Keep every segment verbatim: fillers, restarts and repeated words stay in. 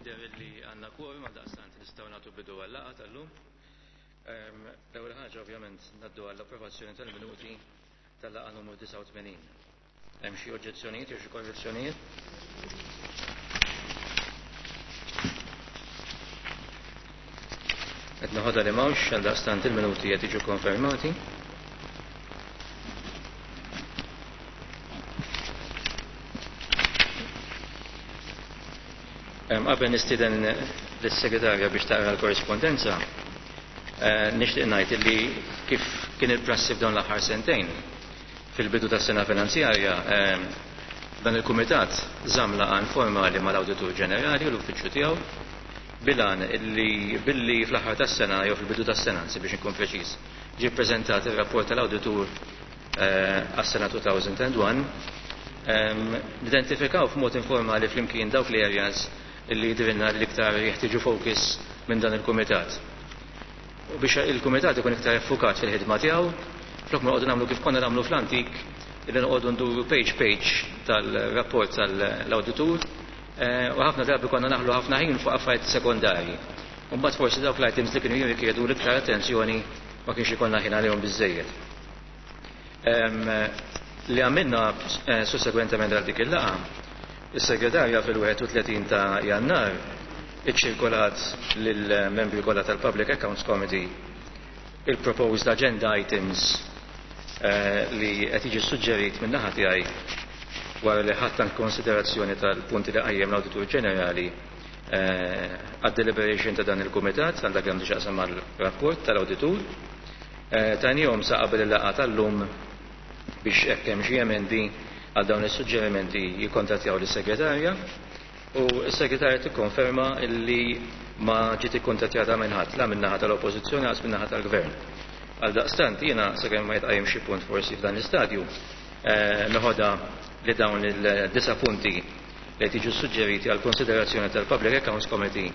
Jidher li għandna quorum, għaldaqstant nistgħu nagħtu bidu għal-laqgħa tal-lum. Ehm, l-ewwel ħaġa, ovvjament, ngħaddu għall-approvazzjoni tal-minuti tal-laqgħa numru disgħa u tmenin. Hemm xi oġġezzjonijiet jew xi korrezzjonijiet? Qed noħodha li m'hawnx, għaldaqstant il-minuti qed jiġu konfermati. Qabel nistieden lis-segretarja biex taqra l-korrispondenza, eh, nixtieq ngħid li kif kien il-prassi f'dawn l-aħħar sentejn, fil-bidu tas-sena finanzjarja, dan il-kumitat żamm laqgħa informali mal-Awditur Ġenerali u l-uffiċċju tiegħu bil-għan illi billi fl-aħħar tas-sena jew fil-bidu tas-sena, anzi biex inkun preċiż, ġie ppreżentat ir-rapport tal-awditur eh, għas-sena elfejn u wieħed, nidentifikaw f'mod informali flimkien dawk li areas illi jidhrilna li iktar jeħtieġu focus minn dan il-kumitat. U biex il-kumitat ikun iktar effukat fil-ħidma tiegħu, flok ma noqogħdu nagħmlu kif konna nagħmlu fl-antik, illi noqogħdu nduru page page tal-rapport tal-awditur, eh, u ħafna drabi konna naħlu ħafna ħin fuq affarijiet sekondarji. U mbagħad forsi dawk l-items li kienu jirrikjedu l-iktar attenzjoni ma kienx ikollna ħin għalihom biżejjed. Li għamilna eh, sussegwentement għal dik il-laqgħa, is-segretarja fil-wieħed u tletin ta' Jannar iċċirkolat lill-membri kollha tal-Public Accounts Committee il-proposed agenda items eh, li qed jiġi suġġerit minn naħa tiegħi wara li ħadt konsiderazzjoni tal-punti li qajjem l-Awditur Ġenerali eh, għad-deliberation ta' dan il-Kumitat għal dak li għandu x'jaqsam mal-rapport tal-Awditur. Eh, tajnihom sa qabel il-laqgħa tal-lum biex hekk hemm xi emendi għal dawn is-suġġerimenti jikkontattjaw lis-segretarja, u s-segretarja tikkonferma illi ma ġiet ikkontattjata minn ħadd, la min-naħa tal-Oppożizzjoni lanqas min-naħa tal-Gvern. Għal daqstant jiena, sakemm ma jitqajjem xi punt forsi f'dan l-istadju, eh, noħodha li dawn il-disa punti li tiġu suġġeriti għal konsiderazzjoni tal-Public Accounts Committee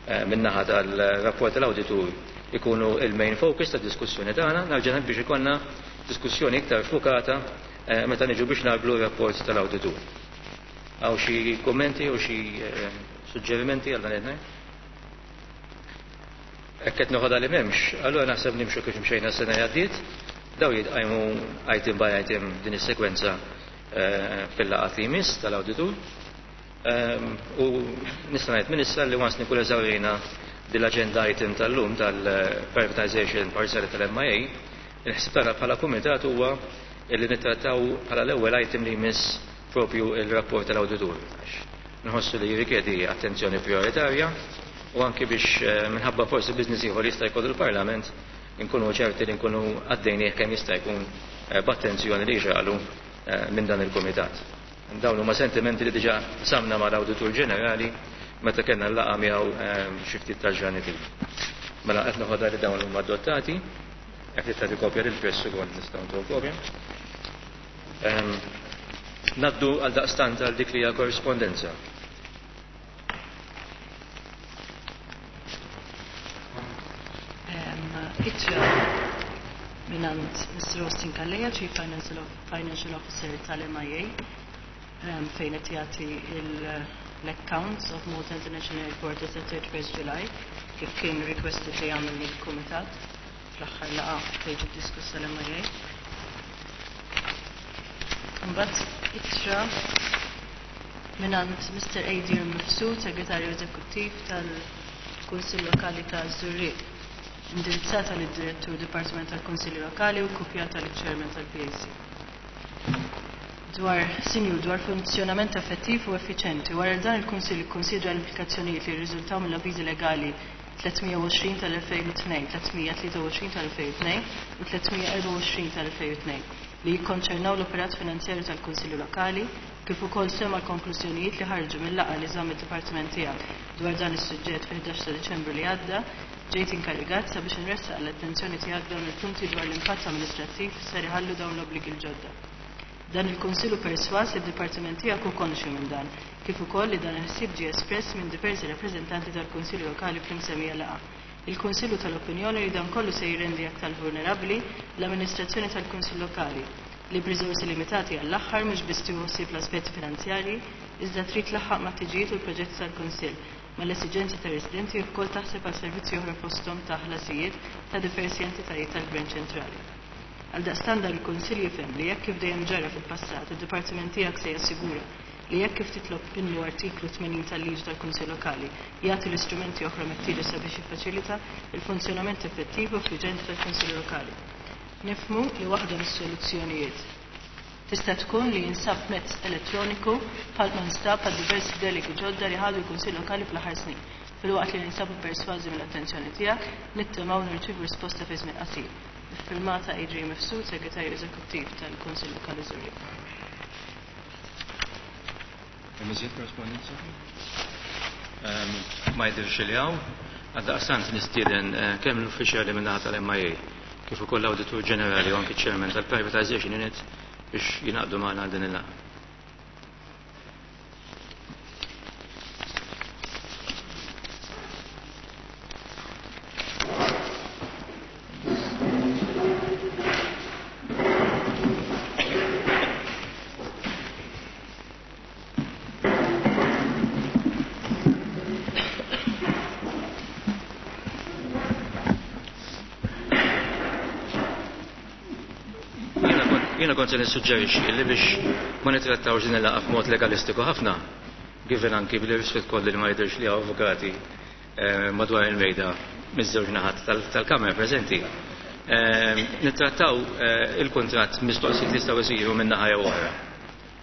eh, min-naħa tal-rapport tal-awditur ikunu il-main focus tad diskussjoni tagħna, nerġa' biex ikollna diskussjoni iktar fukata eh, meta niġu biex nagħmlu rapport tal-awditur. Hawn xi kummenti u xi eh, suġġerimenti għal dan il? Hekk qed noħodha li m'hemmx, allura naħseb nimxu kif mxejna s-sena li għaddiet, daw jitqajmu item by item din is-sekwenza eh, fil-laqgħa li jmiss tal-awditur. Ehm, u nista' ngħid minn issa li once nkun eżawrejna dil-agenda item tal-lum tal-privatization parzjali tal-M I A, il-ħsib tagħna bħala kumitat huwa li nittrattaw bħala l-ewwel item li jmiss propju il-rapport tal-awditur. Nħossu li jirrikjedi attenzjoni prioritarja u anki biex eh, minħabba forsi business ieħor jista' jkollu l-Parlament, nkunu ċerti li nkunu għaddejnieh kemm jista' jkun eh, b'attenzjoni li jixraqlu eh, minn dan il-kumitat. Dawn huma sentimenti li diġà qsamna mal-Awditur Ġenerali meta kellna l-laqgħa miegħu xi ftit tal-ġranet ilu. Mela qed noħodha li dawn huma adottati, jekk trid tagħti kopja lill-press ukoll nistgħu ntuh kopja. Ngħaddu għal daqstant għal dik li hija korrispondenza. Ittra mingħand Mister Austin Calleja, Chief Financial, Financial Officer tal-M I A, fejn qed jagħti l-accounts of Malta International Airport as at thirty-first July, kif kien requested li jagħmel il-Kumitat fl-aħħar laqgħa fejn ġiet diskussa l-M I A. Mbagħad ittra mingħand Mister Adrian Mifsud, Segretarju Eżekuttiv tal-Kunsill Lokali ta' Żurrieq, indirizzata lid-Direttur Dipartiment tal-Kunsilli Lokali u kopjata lill-Chairman tal-P A C. Dwar sinju dwar funzjonament effettiv u effiċenti, wara dan il-Kunsill ikkonsidra l-implikazzjonijiet li jirriżultaw mill-avviżi legali tliet mija u għoxrin tal-elfejn u tnejn, tliet mija tlieta u għoxrin tal-elfejn u tnejn u tliet mija erbgħa u għoxrin tal-elfejn u tnejn li jikkonċernaw l-operat finanzjarju tal-Kunsilli Lokali, kif ukoll sema l-konklużjonijiet li ħarġu mill-laqgħa li żamm id-dipartiment tiegħek dwar dan is-suġġett fil-ħdax ta' Diċembru li għadda, ġejt inkarigat sabiex inressaq l-attenzjoni tiegħek dawn il-punti dwar l-impatt amministrattiv ser iħallu dawn l-obbligi l-ġodda. Dan il-Kunsill hu perswas li d-dipartiment tiegħek hu konxju minn dan, kif ukoll li dan il-ħsieb ġie espress minn diversi rappreżentanti tal-Kunsilli Lokali fl-imsemmija laqgħa. Il-Kunsill hu tal-opinjoni li dan kollu se jirrendi aktar vulnerabbli l-amministrazzjoni tal-Kunsill Lokali li b'riżorsi limitati għall-aħħar mhux biss tieħu ħsieb l-aspetti finanzjarji, iżda trid tlaħħaq mat-ħtiġijiet u l-proġetti tal-Kunsill. mal-esiġenzi tar-residenti u wkoll taħseb għal servizzi oħra fosthom ta' ħlasijiet ta' diversi entitajiet tal-Gvern ċentrali. Għaldaqstant dan il-Kunsill jifhem li jekk kif dejjem ġara fil-passat, id-Dipartiment tiegħek se jassigura li jekk kif titlob minnu artiklu tmenin tal-liġi tal-Kunsill Lokali jagħti l-istrumenti oħra meħtieġa sabiex jiffaċilita il-funzjonament effettiv u effiċjenti tal-Kunsill Lokali. Nifhmu li waħda mis-soluzzjonijiet tista' tkun li jinsab mezz elettroniku bħal ma nstab għal diversi delegi ġodda li ħadu l-Kunsill Lokali fl-aħħar snin. Filwaqt li ninsabu persważi mill-attenzjoni tiegħek, nittamaw nirċievu risposta fi żmien qasir. Firmata Adrian Mifsud, Segretarju Eżekuttiv tal-Kunsill Lokali Żurrieq. Hemm iżjed korrespondenza? Ma jidhirx li hawn. Għaldaqstant nistieden kemm l-uffiċjali min-naħa tal-M I A kif ukoll l-Awditur Ġenerali u anki ċ-Chairman tal-Privatization Unit biex jingħaqdu magħna għal din il-laqgħa. Jiena kont se nissuġġerixxi li biex ma nittrattawx din il-laqgħa f'mod legalistiku ħafna, given anki bil-rispett kollu li ma jidhirx li hawn avukati madwar il-mejda miż-żewġ naħat tal-Kamra preżenti. Nittrattaw il-kuntratt mistoqsijiet li jistgħu jsiru minn naħa jew oħra.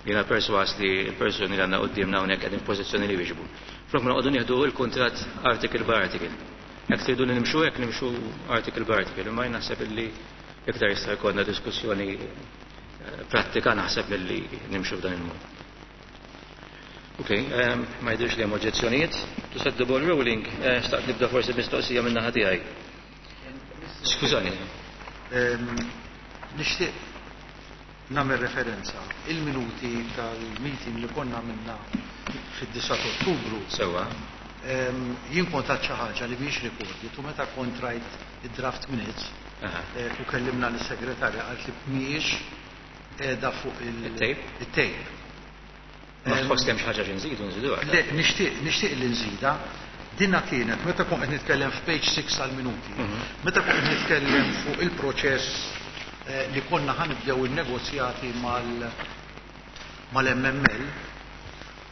Jiena perswas li l-persuni li għandna quddiemna hawnhekk qegħdin f'pożizzjoni li jwieġbu. Flok ma noqogħdu nieħdu l-kuntratt article by article. Jekk tridu li nimxu hekk nimxu article by article, imma jien naħseb illi iktar jista' jkollna diskussjoni prattika naħseb li nimxu f'dan il-mod. Ok, ma jidhirx li hemm oġġezzjonijiet. To set the ball rolling, xtaqt nibda forsi mistoqsija minn naħa tiegħi. Skużani. Nixtieq nagħmel referenza il-minuti tal-meeting li konna għamilna fid-disgħa ta' Ottubru. Sewwa. Jien kont għad xi ħaġa li mhijiex recorded u meta kont rajt id-draft minutes u kellimna lis-segretarja qalt li mhijiex qiegħda fuq il-tape. Il-tape. Ma tħoss kemm xi ħaġa xi nżidu nżiduha. Le, nixtieq nixtieq li nżida. Dinna kienet meta kont qed nitkellem f'page six għal-minuti. Meta kont qed nitkellem fuq il-proċess li konna ħanibdew in-negozjati mal-M M L,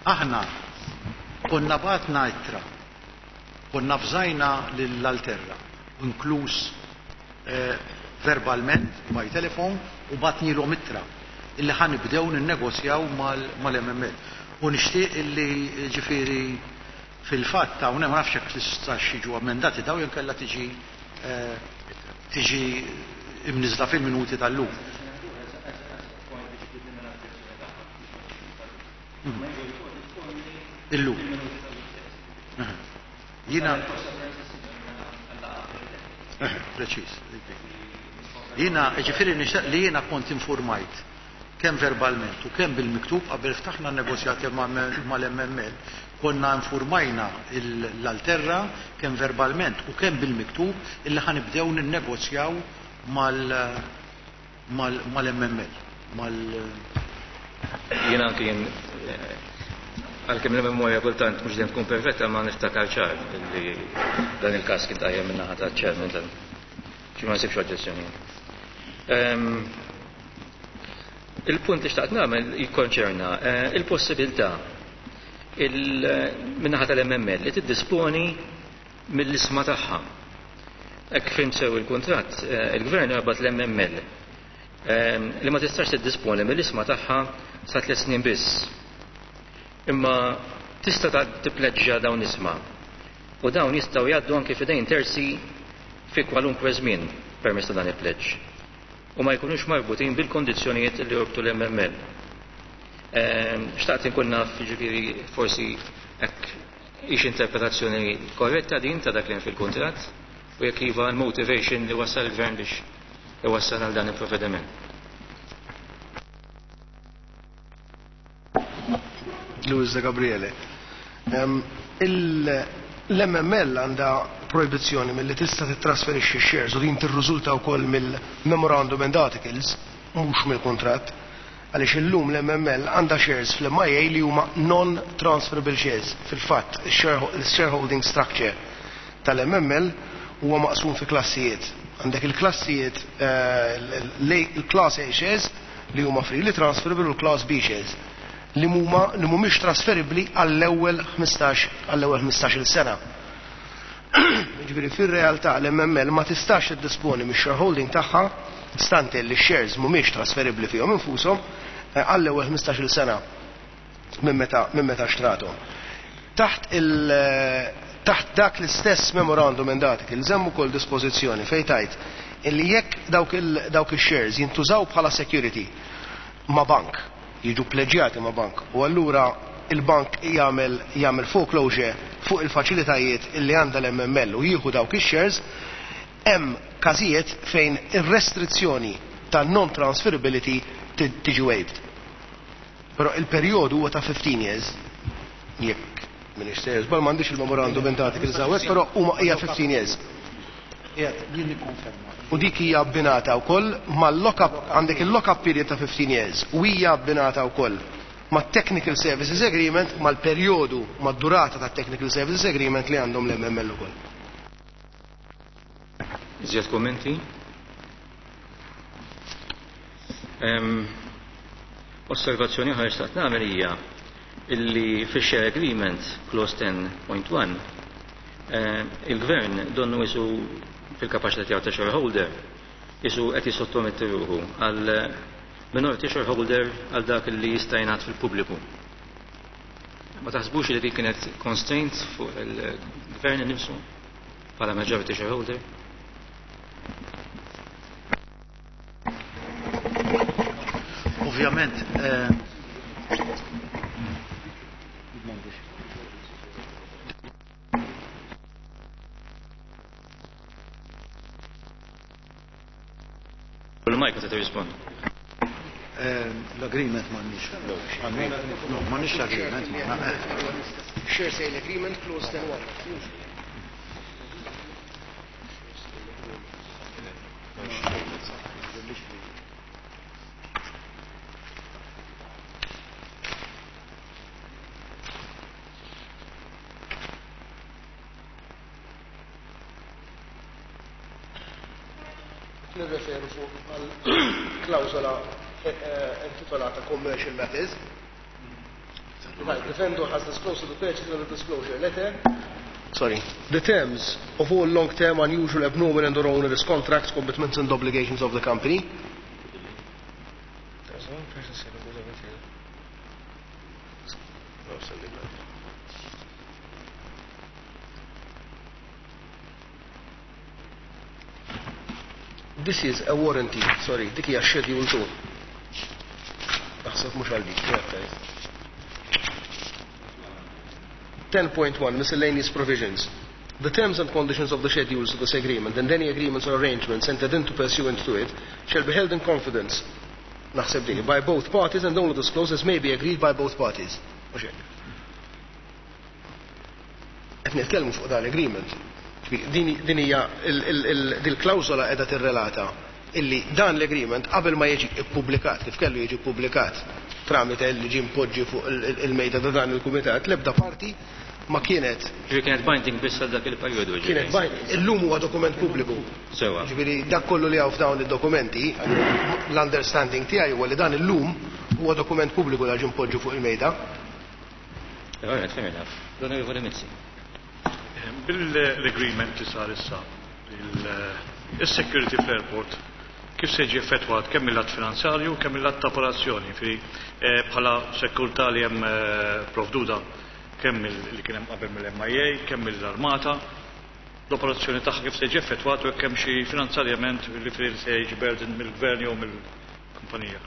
aħna konna batna ittra, konna fżajna lill-Alterra, inkluż verbalment by telephone u batnilhom ittra illi ħanibdew ninnegozjaw mal-M M L. U nixtieq illi ġifieri fil-fatt hawnhekk ma nafx jekk tistax jiġu ammendati daw jew kellha tiġi tiġi imniżla fil-minuti tal-lum. Illum. Jiena preċiż. Jiena ġifieri nixtieq li jiena kont informajt kemm verbalment u kemm bil-miktub qabel ftaħna negozjati mal-M M L, konna informajna l-Alterra kemm verbalment u kemm bil-miktub illi ħanibdew ninnegozjaw mal-M M L. Mal Jiena anki jien għalkemm il-memorja kultant mhux dejjem tkun perfetta ma niftakar ċar li dan il-każ kien tajjeb minn naħa taċ-chairman tal xi ma nsibx oġġezzjonijiet. Il-punt li xtaqt nagħmel jikkonċerna il-possibilità min-naħa tal-M M L li tiddisponi mill-isma tagħha. Hekk fim sew il-kuntratt, il-Gvern rabat l-M M L li ma tistax tiddisponi mill-isma tagħha sa tliet snin biss. Imma tista' tippleġġja dawn isma u dawn jistgħu jgħaddu anke f'idejn terzi fi kwalunkwe żmien permezz ta' dan il-pleġġ u ma jkunux marbutin bil-kondizzjonijiet li jorbtu l-M M L. Xtaqt inkun naf, jiġifieri forsi hekk hix interpretazzjoni korretta din ta' dak li hemm fil-kuntratt u jekk iva l-motivation li wassal il-Gvern biex iwassal għal dan il-provvediment. Luis De Gabriele. L-M M L għandha proibizzjoni milli tista' tittrasferixxi shares u din tirriżulta wkoll mill-memorandum and articles, mhux mill-kuntratt, Għaliex illum l-M M L għandha shares fl-M I A li huma non-transferable shares. Fil-fatt, il-shareholding structure tal-M M L huwa maqsum fi klassijiet. Għandek il-klassijiet, eh, il-class A shares li huma freely transferable u l-class B shares li huma li mhumiex trasferibbli għall-ewwel ħmistax għall-ewwel ħmistax-il sena. Ġifieri fir-realtà l-M M L ma tistax tiddisponi mix-shareholding tagħha stante li shares mhumiex trasferibbli fihom infushom eh, għall-ewwel ħmistax-il sena minn meta minn meta xtrathom. Taħt il taħt dak l-istess memorandum and articles hemm ukoll dispożizzjoni fejn tgħid illi jekk dawk il dawk ix-shares jintużaw bħala security ma' bank, jiġu pleġjati ma' bank u allura il-bank jagħmel jagħmel foreclosure fuq il-faċilitajiet illi għandha l-M M L u jieħu dawk ix-shares, hemm każijiet fejn ir-restrizzjoni ta' non-transferability tiġi waived. Però il-perjodu huwa ta' fifteen years. Jekk m'iniex sejjer żball, m'għandix il-memorandum and articles hawnhekk, però huma hija fifteen years. Qiegħed jien nikkonferma. U dik hija abbinata wkoll mal-lock-up, għandek il-lock-up period ta' fifteen years u hija abbinata wkoll ma' Technical Services Agreement, mal-perjodu, mad-durata ta' Technical Services Agreement li għandhom l-M M L ukoll. Iżjed kommenti? Em, Osservazzjoni oħra xtaqt nagħmel hija illi fix-share agreement clause ten point one eh, il-gvern donnu isu fil-kapaċità tiegħu ta' shareholder isu qed jissottometti ruħu għal minority shareholder għal dak li jista' jingħad fil-pubbliku. Ma taħsbux li dik kienet constraint fuq il-gvern innifsu bħala majority shareholder? Ovvjament, eh, Il-mic se tirrispondi. eh, l-agreement m'għandniex. No, m'għandniex l-agreement magħna. Share sale agreement clause ten point one. Nirreferu fuq għal klawsola eh, intitolata Commercial Matters. Right, the vendor has disclosed to the purchaser the disclosure letter. Sorry. The terms of all long-term, unusual, abnormal and or onerous contracts, commitments and obligations of the company. There's one person saying it was over here. No, sending that. This is a warranty, sorry, dik hija schedule two. Naħseb mhux għal dik, jgħid. ten point one Miscellaneous Provisions. The terms and conditions of the schedules of this agreement and any agreements or arrangements entered into pursuant to it shall be held in confidence, naħseb dini, by both parties and only disclosed as may be agreed by both parties. Mhux hekk. Qed nitkellmu fuq dan l-agreement. Din din hija dil-klawżola qiegħda tirrelata illi dan l-agreement qabel ma jiġi ippubblikat kif kellu jiġi ppubblikat tramite li ġie mpoġġi fuq il-mejda ta' dan il-kumitat, l-ebda parti ma kienet Ġifieri kienet binding biss għal dak il-perjodu. Kienet binding. Illum huwa dokument pubbliku. Sewa. Ġifieri dak kollu li hawn f'dawn id-dokumenti, l-understanding tiegħi huwa li dan illum huwa dokument pubbliku li ġie mpoġġi fuq il-mejda. All right, fair enough. L-Onorevoli Mizzi. Bil-agreement li sar issa, il-security fl-airport, kif se jiġi effettwat kemm mill-lat finanzjarju kemm mill-lat ta' operazzjoni, fi eh, bħala sekurtà li hemm eh, provduta kemm li kien hemm qabel mill-M I A, kemm mill-Armata, l-operazzjoni tagħha kif se jiġi effettwat u kemm xi finanzjarjament li fil se jiġi burden mill-gvern jew mill-kumpanija?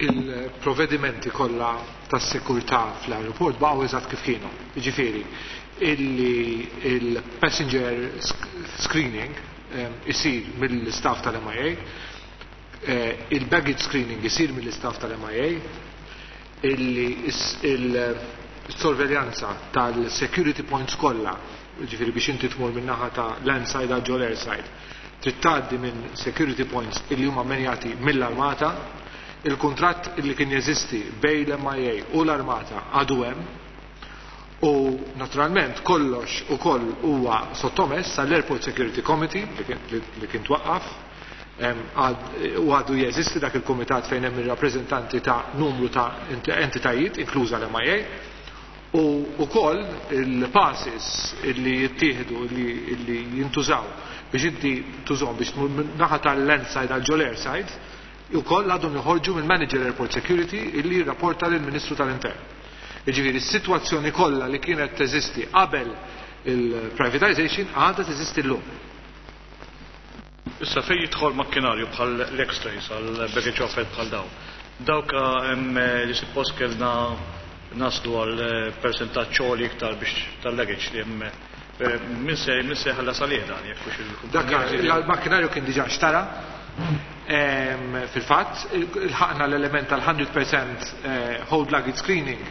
Il-provvedimenti kollha tas-sekurtà fl-aeroport baqgħu eżatt kif kienu. Jiġifieri, illi il-passenger screening isir mill-staff tal-M I A, eh, il-baggage screening isir mill-staff tal-M I A, illi il-sorveljanza tal-security points kollha, ġifieri biex inti tmur minn naħa ta' landside għal ġol airside, trid tgħaddi minn security points illi huma menjati mill-armata, Il-kuntratt li kien jeżisti bejn l-M I A u l-Armata għadu hemm u naturalment kollox ukoll huwa sottomess għall-Airport Security Committee li kien twaqqaf u għadu jeżisti dak il-komitat fejn hemm ir-rappreżentanti ta' numru ta' entitajiet, inkluża l-M I A, u wkoll il-passes illi jittieħdu, illi jintużaw biex inti tużhom biex tmur naħa tal-land side għal ġol airside, ukoll għadhom joħorġu mill-Manager Airport Security illi jirrapporta lill-Ministru tal-Intern. Jiġifieri s-sitwazzjoni kollha li kienet teżisti qabel il-privatization għadha teżisti llum. Issa, fejn jidħol makkinarju bħal l-X-rays, għal baggage offset bħal daw. Dawk hemm li suppost kellna naslu għal percentaġġ għoli iktar biex tal-luggage li hemm, min se min se ħallas għalih dan jekk hux Dak il-makkinarju kien diġà xtara. Fil-fatt, ilħaqna l-element tal-mija fil-mija hold luggage screening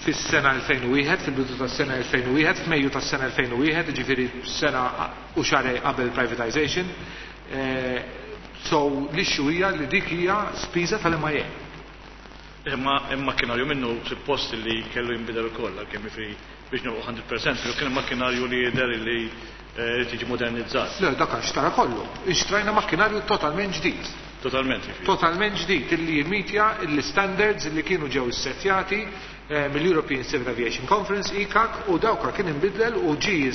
fis-sena elfejn u wieħed, fil-bidu tas-sena elfejn u wieħed, f'Mejju tas-sena elfejn u wieħed, ġifieri sena u xahrejn qabel privatization. So l-issue hija li dik hija spiża tal-M I A. Imma il-makkinarju minnu suppost li kellu jinbidel ukoll, għalkemm jiġifieri biex nilħqu mija fil-mija, pero kien makkinarju li jidher li tiġi modernizzat. Le, dak xtara kollu. Ixtrajna makkinarju totalment ġdid. Totalment, jiġifieri. Totalment ġdid illi jimmitja l-standards li kienu ġew issettjati mill-European Civil Aviation Conference, E C A C, u dawka kien inbidlel u ġi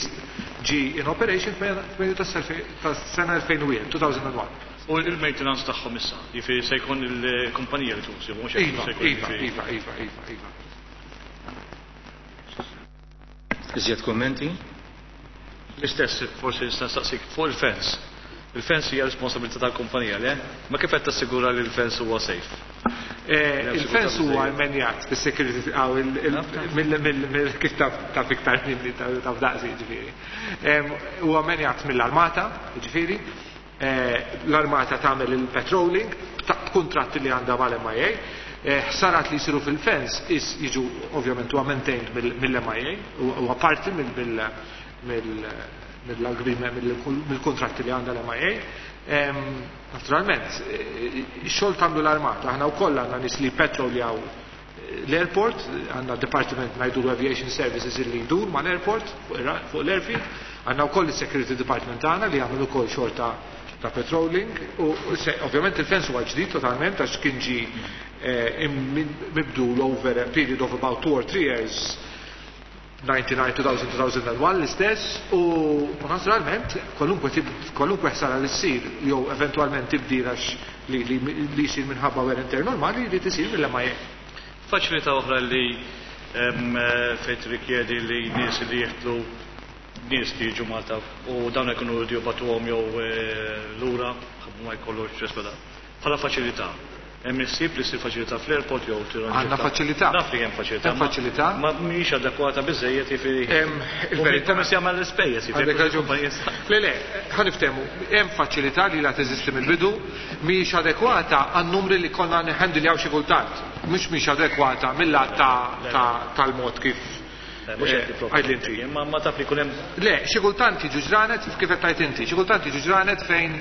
ġi in operation f'Mejju tas-sena elfejn u wieħed, elfejn u wieħed. U il-maintenance tagħhom issa, jiġifieri se jkun il-kumpanija li tużi, mhux Iva, iva, iva, iva, iva, iva. Iżjed kommenti? L-istess, forsi nista' nistaqsik fuq il-fence. Il-fence hija responsabilità tal-kumpanija, le? Ma kif qed tassigura li l-fence huwa safe? Il-fence huwa immenjat fis-security mill, kif taf iktar minni, taf daqsi, ġifieri. Huwa immenjat mill-armata, ġifieri. L-armata tagħmel il-patrolling b'kuntratti li għandha mal-M I A. Ħsarat li jsiru fil-fence jiġu ovvjament huwa maintained mill-M I A, huwa parti mill-agreement, mill-kontratti li għandha l-M I A. Naturalment, ix-xogħol tagħmlu l-armata, aħna wkoll għandna nies li patroljaw l-airport, għandna department ngħidu Aviation Services illi jdur ma l-airport fuq l-airfield, għandna wkoll il-Security Department tagħna li jagħmlu wkoll xogħol ta' ta' patrolling u ovvjament il-fence huwa ġdid totalment għax kien ġi mibdul over a period of about two or three years, disgħa u disgħin, elfejn, elfejn u wieħed l-istess, u naturalment kwalunkwe kwalunkwe ħsara li ssir jew eventwalment tibdil għax li li jsir minħabba wear and tear normali li tisir mill-M I A. Faċilità oħra li fejn rikjedi li nies li jieħdu nies li jiġu Malta u dawn ikunu jridu jibagħtuhom jew lura ma jkollux ġesbeda. Bħala faċilità. Hemm issib li ssir faċilità fl-airport jew tirranġa. Għandna faċilità. Naf li hemm faċilità. Hemm faċilità. Ma mhijiex adekwata biżejjed, jiġifieri. Il-verità. Kemm se jagħmel l-ispejjeż, jiġifieri. Għandek raġun. Le, le, ħa niftehmu, hemm faċilità li la teżisti mill-bidu, mhijiex adekwata għan-numri li konna nħendiljaw xi kultant. Mhux mhijiex adekwata mill-lat tal-mod kif Għajd inti. Ma ma taf li jkun hemm. Le, xi kultant jiġu ġranet, kif qed tgħid inti, xi kultant jiġu ġranet fejn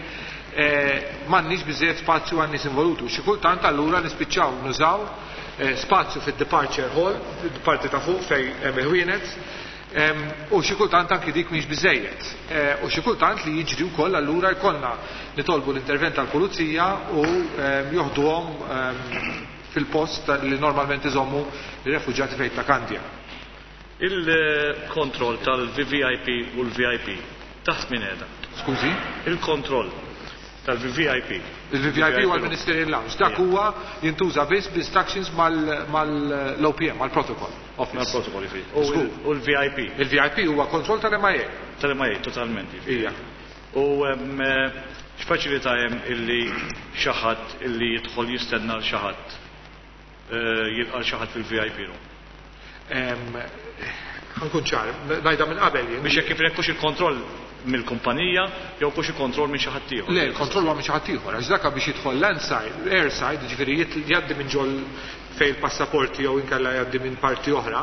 m'għandniex biżejjed spazju għan nies involutu. Xi kultant allura nispiċċaw nużaw spazju fid-departure hall, parti ta' fuq fejn hemm il-ħwienet, u xi kultant anki dik mhix biżejjed. U xi kultant li jiġri wkoll allura jkollna nitolbu l-intervent tal-pulizija u joħduhom fil-post li normalment iżommu ir-refuġjati fejn ta' Kandja. Il-kontroll tal-V V I P u l-V I P taħt min qiegħda? Skużi? Il-kontroll tal-V V I P. Il-V V I P huwa l-Ministerial Lounge. Dak huwa jintuża biss b'instructions mal-O P M, mal-protocol office. Mal-protocol, jiġifieri. U l-V I P. Il-V I P huwa kontroll tal-M I A. Tal-M I A, totalment. Ija. U x'faċilità hemm illi xi ħadd illi jidħol jistenna l xi ħadd jilqa' xi ħadd fil-V I P room? Ħa nkun ċar, ngħidha minn qabel jien. Biex jekk kif hux il-kontroll mill-kumpanija jew hux il-kontroll minn xi ħadd ieħor. Le, il-kontroll huwa minn xi ħadd ieħor, għax dak biex jidħol landside, airside, ġifieri jgħaddi minn ġol fejn il-passaporti jew inkella jgħaddi minn parti oħra,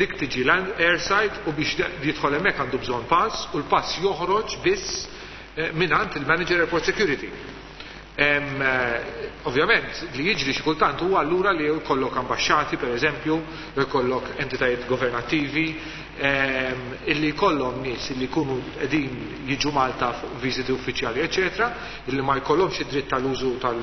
dik tiġi land airside u biex jidħol hemmhekk għandu bżonn pass u l-pass joħroġ biss mingħand il-Manager Airport Security. Ovvjament, li jiġri xi kultant huwa allura li jkollok ambaxxati, per eżempju, jkollok entitajiet governattivi, illi jkollhom nies illi jkunu qegħdin jiġu Malta fuq viżiti uffiċjali, eċetera, illi ma jkollhomx id-dritt tal-użu tal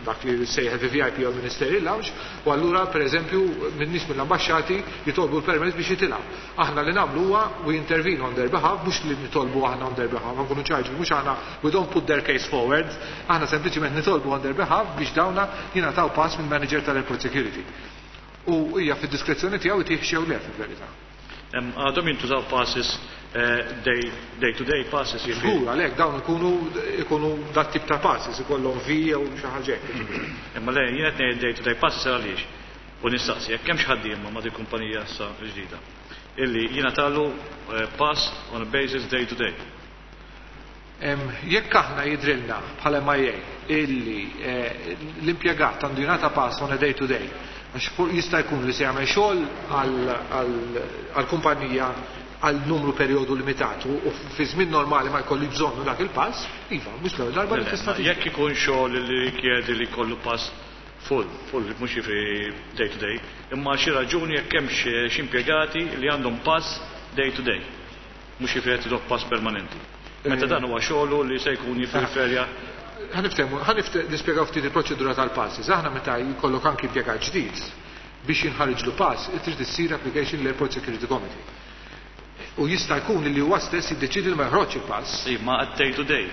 dak li sejjaħ V V I P jew Ministerial Lounge, u allura pereżempju minn nies mill-ambaxxati jitolbu l-permess biex jitilgħu. Aħna li nagħmlu huwa we intervene on their behalf, mhux li nitolbu aħna on their behalf, ma nkunu ċari, mhux aħna, we don't put their case forward, aħna sempliċiment nitolbu on their behalf biex dawna jingħataw pass minn manager tal-Airport Security. U hija fid-diskrezzjoni tiegħu jtih jew le, fil-verità. Għadhom jintużaw passes eh, day, day to day passes, jiġifieri. Żgur, għalhekk dawn ikunu ikunu dat tip ta' passes, ikollhom V jew xi ħaġa hekk. Imma le, jien qed ngħid day to day passes għaliex. U nistaqsi, jekk hemm xi ħaddiema ma' dik kumpanija issa ġdida illi jingħatalu eh, pass on a basis day to day. Jekk aħna jidrilna bħala M I A illi eh, l-impjegat għandu jingħata pass on a day to day, għax jista' jkun li se jagħmel xogħol għall-kumpanija għal numru perjodu limitat u fi żmien normali ma jkolli bżonnu dak il-pass, iva, mhux l-ewwel darba li tista' Jekk ikun xogħol li rikjedi li jkollu pass full, full, mhux fi day to day, imma xi raġuni jekk hemm xi impjegati li għandhom pass day to day, mhux jiġifieri qed pass permanenti. Meta dan huwa xogħlu li se jkun jifferja. Ħa niftehmu, ħa nispjegaw ftit il-proċedura tal-passes. Aħna meta jkollok anki impjegat ġdid biex jinħarġlu pass, trid issir application l-Airport Security Committee. U jista' jkun li huwa stess jiddeċidi li ma joħroġ il-pass. Ma day to day.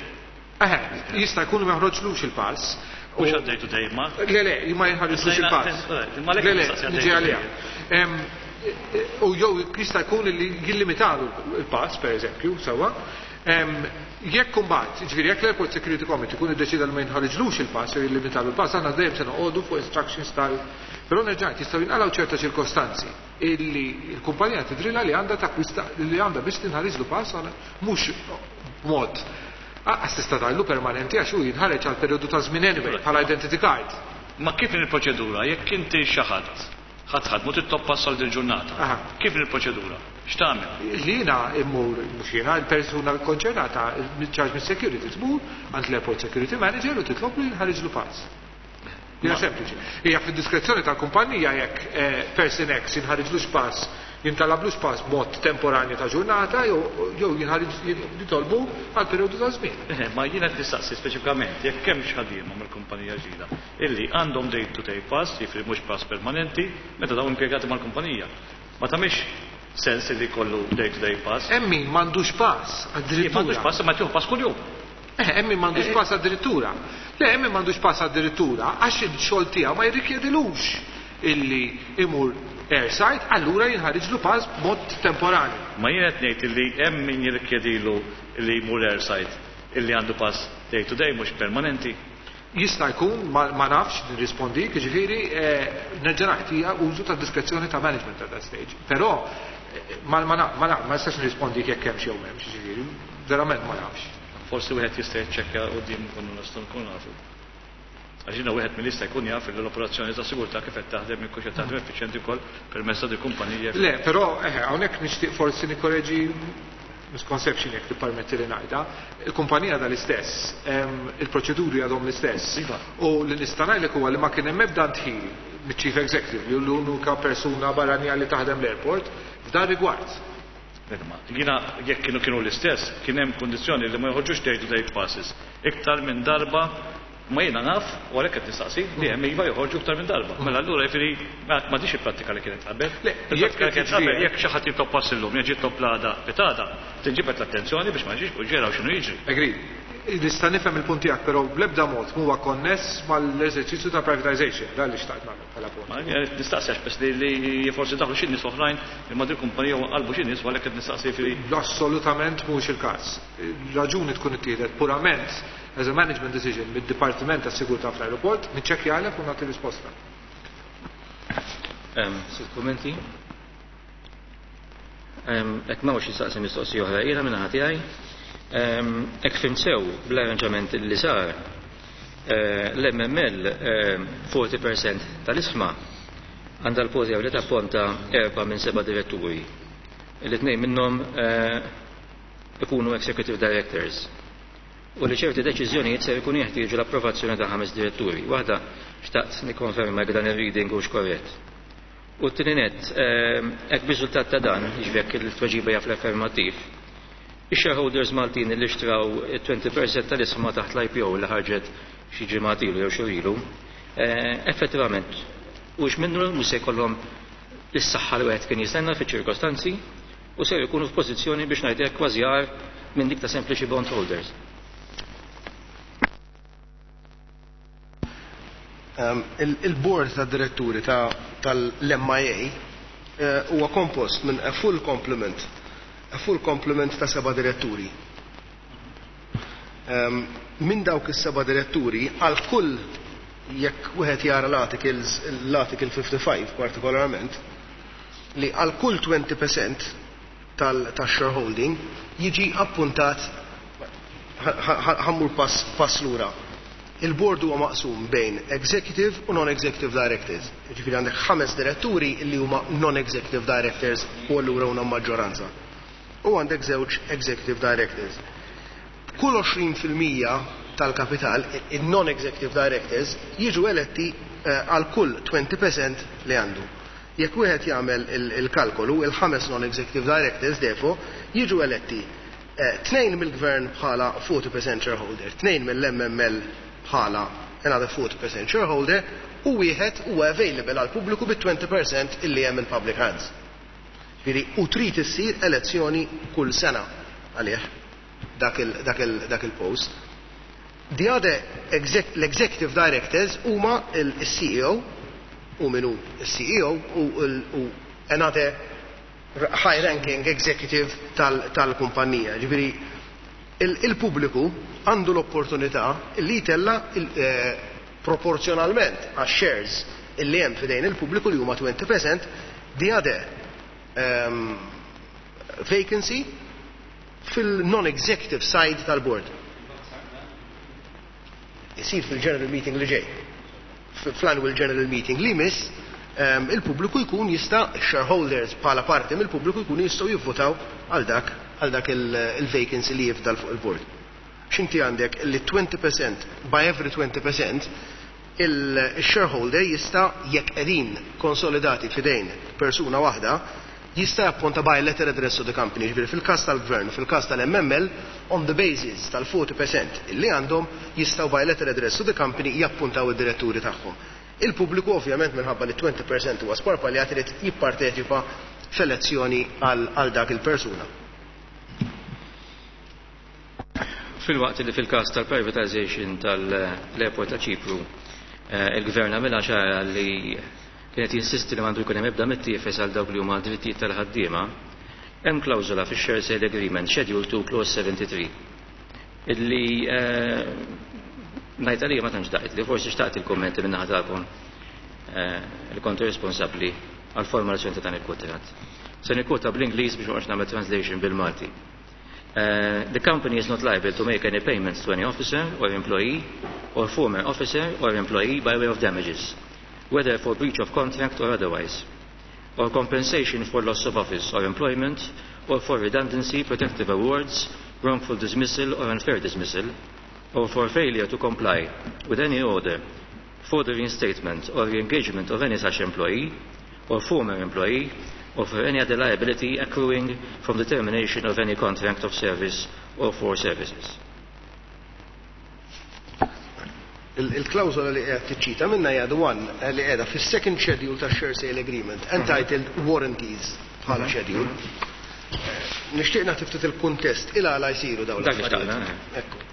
Eħe, jista' jkun li ma joħroġlux il-pass. Mhux day to day, ma. Le, le, ma jinħarġlux il-pass. Le, le, niġi għalija. U jew jista' jkun li jillimitalu il-pass, per eżempju, sewwa. Jekk kumbat, ġifieri jekk l-Airport Security Committee kun iddeċida li ma jinħarġlux il-pass jew jillimitalu il-pass, aħna dejjem se noqogħdu fuq instructions tal. Però nerġa', jistgħu jinqalgħu ċerta ċirkostanzi illi l-kumpanija tidrila li għandha takwista li għandha biex tinħariġlu pass mhux b'mod Għas tista' tgħidlu permanenti, għax hu jinħareġ għal perjodu ta' żmien anyway bħala identity card. Ma kif il-proċedura jekk inti xi ħadd ħadd ħadd mhu titlob pass għal din ġurnata? Kif il-proċedura? X'tagħmel? Li jiena immur, mhux jiena, il-persuna konċernata, charge mis security tmur għand l-Airport Security Manager u titlob li jinħariġlu pass. Hija sempliċi. Hija fid-diskrezzjoni tal-kumpanija jekk eh, person X jinħariġlux pass, jintalablux pass b'mod temporanju ta' ġurnata jew jinħariġ jitolbu għal perjodu ta' żmien. Eh, ma jiena qed nistaqsi speċifikament jekk hemm xi ħaddiema mill-kumpanija ġdida illi għandhom day to day pass, jiġifieri mhux pass permanenti, meta dawn impjegati mal-kumpanija. Ma tagħmilx sens li jkollu day to day pass. Hemm min m'għandux pass addirittura. M'għandux pass, ma tieħu pass kuljum. Eh, hemm min m'għandux pass addirittura. Le, hemm min m'għandux pass addirittura għax il-xogħol tiegħu ma jirrikjedilux illi imur airside, allura jinħariġlu pass b'mod temporanju. Ma jien qed ngħid illi hemm min jirrikjedilu illi jmur airside illi għandu pass day to day, mhux permanenti. Jista' jkun, ma, ma nafx nirrispondi, jiġifieri eh, nerġa' ngħid, hija użu ta' diskrezzjoni ta' management at that stage. Però eh, ma ma ma ma ma nistax nirrispondi jekk hemm xi jew m'hemmx, jiġifieri verament ma nafx. Forsi wieħed jista' jiċċekkja quddiem nkunu nistgħu nkunu nafu. Għax jiena wieħed mill-jista' jkun jaf li l-operazzjoni ta' sigurtà kif qed taħdem, jekk qed taħdem effiċjenti wkoll permezz ta' di kumpanija. Le, però eh, hawnhekk nixtieq forsi nikkoreġi misconception, jekk tippermetti li ngħidha. Il-kumpanija dal-istess, il-proċeduri għadhom l-istess. Iva. U li nista' ngħidlek huwa li ma kien hemm ebda ndħil miċ-chief executive, li l-unika persuna barranija li taħdem l-airport, f'dan rigward. Jiena jekk kienu kienu l-istess, kien hemm kondizzjoni li ma joħorġux day to day passes iktar minn darba, ma jiena naf, u għalhekk qed nistaqsi, li hemm iva joħorġu iktar minn darba. Mela allura jiġifieri ma dix il-prattika li kienet qabel. Le, Il-prattika li kienet qabel, jekk xi ħadd jitlob pass illum, jeġi jitlob l-għada pitgħada, tinġibed l-attenzjoni biex ma ġiex u ġeraw x'inhu jiġri. Agreed. Nista' nifhem il-punt tiegħek, però bl-ebda mod huwa konness mal-eżerċizzju ta' privatization, dan li xtaqt nagħmel bħala punt. Ma nistaqsi għax bes li li forsi daħlu xi nies oħrajn li ma din kumpanija u qalbu xi nies, u għalhekk qed nistaqsi fi Assolutament mhux il-każ. Raġuni tkun ittieħdet purament as a management decision mid-Dipartiment tas Sigurtà fl-aeroport, niċċekkjalek u nagħti risposta. Sitt kummenti. Jekk m'hawnx jistaqsi mistoqsija oħra, jiena minn tiegħi. Jekk fhimt sew bl-arranġament li sar, eh, l-M M L erbgħin fil-mija tal-ishma għandha l-poter li tapponta erba' minn seba' diretturi. Il-tnejn minnhom eh, ikunu executive directors. u li ċerti deċiżjonijiet ser ikun jeħtieġu l-approvazzjoni ta' ħames diretturi. Waħda, xtaqt nikkonferma jekk dan ir-reading hux korrett. U t-tieni nett, hekk b'riżultat ta' dan, jiġifieri jekk il-tweġiba hija fl-affermattiv, ix-shareholders Maltin li xtraw twenty percent tal-ishma taħt l-I P O li ħarġet xi ġimgħat ilu jew xhur ilu, effettivament, hux minnu mhux se jkollhom is-saħħa li wieħed kien jistenna fiċ-ċirkostanzi u ser ikunu f'pożizzjoni, biex ngħidlek, kważi agħar minn dik ta' sempliċi bondholders? Um, Il-board ta' diretturi tal-M I A eh, huwa kompost minn a full complement, a full complement ta' seba' diretturi. Um, Minn dawk is-seba' diretturi, għal kull, jekk wieħed jara l-articles, l-article fifty-five partikolarment, li għal kull twenty percent tal-shareholding jiġi appuntat. Ħa mmur pass, pass lura. Il-board huwa maqsum bejn executive u non-executive directors. Ġifieri għandek ħames diretturi li huma non-executive directors u allura huma maġġoranza. U għandek żewġ executive directors. Kull għoxrin fil-mija tal-kapital, il-non-executive directors jiġu eletti eh, għal kull twenty percent li għandu. Jekk wieħed jagħmel il-kalkolu, il-ħames non-executive directors defo jiġu eletti eh, tnejn mill-gvern bħala forty percent shareholder, tnejn mill-M M L bħala another forty percent shareholder u wieħed huwa available għal pubbliku bit-twenty percent illi hemm in public hands. Ġifieri u trid issir elezzjoni kull sena għalih dak il-post. The other l-executive directors huma il-C E O u minu il-C E O u another high ranking executive tal-kumpanija. Ġifieri il-pubbliku għandu l-opportunità li jtella eh, proporzjonalment għax shares illi hemm fidejn il-pubbliku li huma twenty percent the other um, vacancy fil-non-executive side tal-board. Isir fil-general meeting li ġej. Fl-annual general meeting li miss, um, il-pubbliku jkun jista', shareholders bħala parti mill-pubbliku jkun jistgħu jivvotaw għal dak għal dak il-vacancy li jifdal fuq il-board. X'inti għandek li twenty percent, by every twenty percent il-shareholder jista', jekk qegħdin konsolidati fidejn persuna waħda, jista' japponta by letter address to the company. Ġifieri fil-każ tal-gvern, fil-każ tal-M M L, on the basis tal-forty percent illi għandhom, jistgħu by letter address to the company jappuntaw id-diretturi tagħhom. Il-pubbliku ovvjament, minħabba li twenty percent huwa sparpaljat, irid jipparteċipa f'elezzjoni għal dak il-persuna. Filwaqt li fil-każ tal-privatization tal-airport ta' Ċipru, eh, il-gvern għamilha ċara li kienet jinsisti li m'għandu jkun hemm ebda mittiefes għal dawk li huma drittijiet tal-ħaddiema, hemm klawżola fix-Share Sale Agreement, Schedule two Clause seventy-three, illi eh, ngħid għalija ma tantx daqt li forsi xtaqt il-kommenti minn naħa tagħkom eh, li kontu responsabbli għal formalazzjoni ta' dan il-kuntratt. Se nikkwota bl-Ingliż biex ma nagħmel translation bil-Malti. Uh, the company is not liable to make any payments to any officer or employee or former officer or employee by way of damages, whether for breach of contract or otherwise, or compensation for loss of office or employment, or for redundancy, protective awards, wrongful dismissal or unfair dismissal, or for failure to comply with any order for the reinstatement or re-engagement of any such employee or former employee, or for any other liability accruing from the termination of any contract of service or for services. Il-klawzola li qed tiċċita minna hija the one li qiegħda fis-second schedule ta' share sale agreement, entitled Warranties bħala schedule. Nixtieq nagħti ftit il-kuntest il għala jsiru dawn l-affarijiet. Ekku.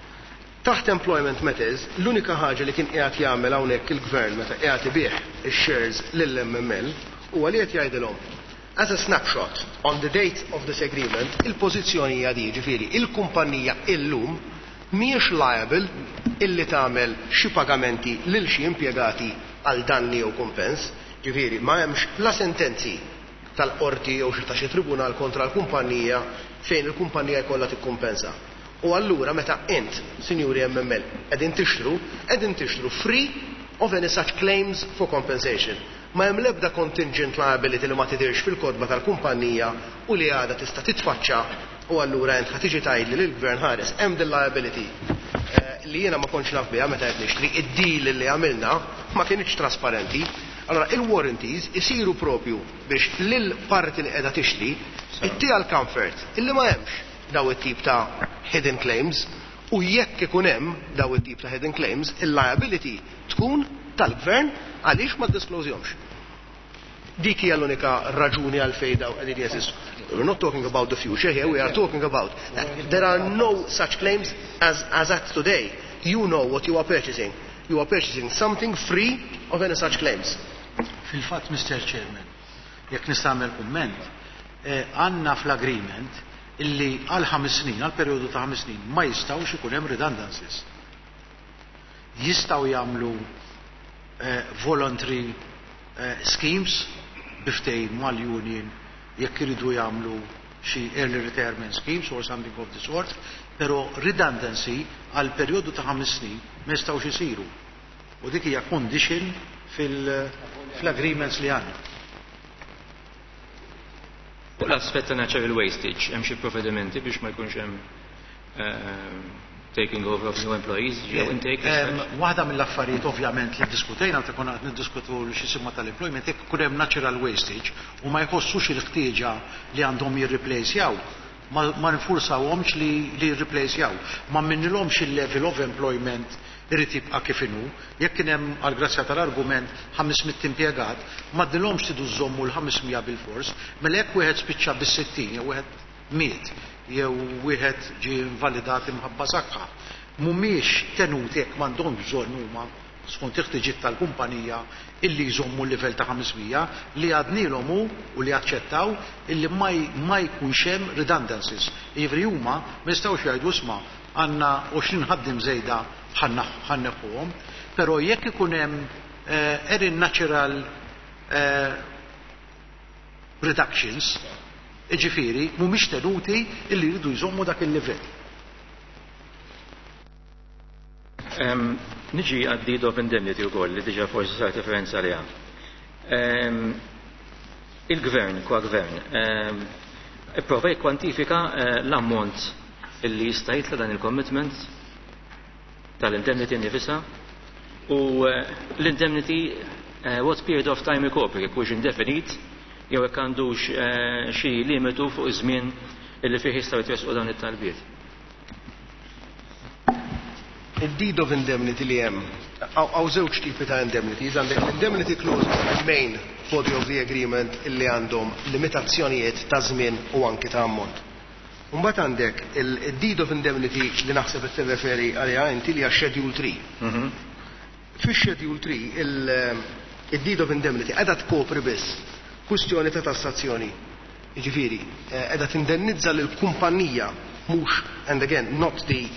Taħt employment matters, l-unika ħaġa li kien qiegħed jagħmel hawnhekk il-gvern meta qiegħed ibih ix-shares lill-M M L huwa li qed jgħidilhom, as a snapshot on the date of this agreement, il-pożizzjoni hija di, ġifieri il-kumpanija illum mhijiex liable illi tagħmel xi pagamenti lil xi impjegati għal danni jew kumpens, ġifieri ma hemmx la sentenzi tal-qorti jew xi ta' xi tribunal kontra l-kumpanija fejn il-kumpanija jkollha tikkumpensa. U allura meta int, Sinjuri M M L, qegħdin tixtru, qegħdin tixtru free of any such claims for compensation. Ma hemm l-ebda contingent liability li ma tidirx fil-kotba tal-kumpanija u li għada tista' titfaċċa u allura int ħa tiġi tgħidli lill-gvern, "Ħares, hemm din liability." li jiena ma kontx naf biha meta qed nixtri, id-deal li għamilna ma kienx trasparenti. Allora il-warranties isiru propju biex lil parti li qiegħda tixtri ittiha l-comfort illi ma hemmx daw it-tip ta' hidden claims u jekk ikun hemm daw it-tip ta' hidden claims, il-liability tkun tal-gvern għaliex ma ddisclosjhomx. Dik hija l-unika raġuni għalfejn daw qegħdin jeżistu. We're not talking about the future here, we are talking about that there are no such claims as, as at today. You know what you are purchasing. You are purchasing something free of any such claims. Fil-fatt, Mister Chairman, jekk nista' nagħmel kumment, għandna fl-agreement illi għal ħames snin, għal perjodu ta' ħames snin, ma jistgħux ikun hemm redundancies. Jistgħu jagħmlu voluntary schemes bi ftehim mal-union jekk iridu jagħmlu xi early retirement schemes or something of the sort, però redundancy għal perjodu ta' ħames snin ma jistgħux isiru. U dik hija condition fil-agreements li għandna. Fuq l-aspett ta' natural wastage, hemm xi provvedimenti biex ma jkunx hemm taking over of new employees, jew intake? Waħda mill-affarijiet ovvjament li ddiskutejna meta konna qed niddiskutu xi simma tal-employment, jekk ikun hemm natural wastage u ma jħossux il-ħtieġa li għandhom jirreplacejaw, ma, ma nfursawhomx li, li jirreplacejaw. Ma minnilhomx il-level of employment irid jibqa' kif inhu. Jekk kien hemm għall-grazzja tal-argument ħames mitt impjegat, ma ddilhomx tridu żommu l-ħames mija bil-fors, mela jekk wieħed spiċċa bis-sittin jew wieħed miet jew wieħed ġie invalidat imħabba saħħa, mhumiex tenuti jekk m'għandhomx bżonn huma skont il-ħtiġiet tal-kumpanija illi jżommu l-livell ta' ħames mija li għadnilhom hu u li aċċettaw illi ma j-, ma jkunx hemm redundancies. Jiġifieri huma ma jistgħux jgħidu isma' għandna għoxrin ħaddiem żejda ħanneħħuhom, però jekk ikun hemm, eh, erin natural, eh, reductions, jiġifieri mhumiex tenuti illi jridu jżommu dak il-livell. Em, niġi għad-deed of indemnity wkoll li diġà forsi sar referenza għaliha. Em, il-gvern, kwa gvern, em, ipprova jikkwantifika, eh, l-ammont illi jista' jitla' dan il-commitment tal-indemnity nnifisha u, eh, l-indemnity, eh, what period of time ikopri, jekk hux indefinit jew jekk għandux, eh, xi limitu fuq iż-żmien illi fih jistgħu jitresqu dawn it-talbiet. Il-deed of indemnity li hemm, hawn żewġ tipi ta' indemnities, għandek l-indemnity clause main body of the agreement illi għandhom limitazzjonijiet ta' żmien u anki ta' ammont. Mbagħad għandek il-deed of indemnity li naħseb qed tirreferi għaliha inti li hija Schedule three. Mhm. Fix-Schedule three il-deed of indemnity qiegħda tkopri biss kwistjoni ta' tassazzjoni. Jiġifieri, eh, qiegħda tindennizza lill-kumpanija mhux, and again, not the,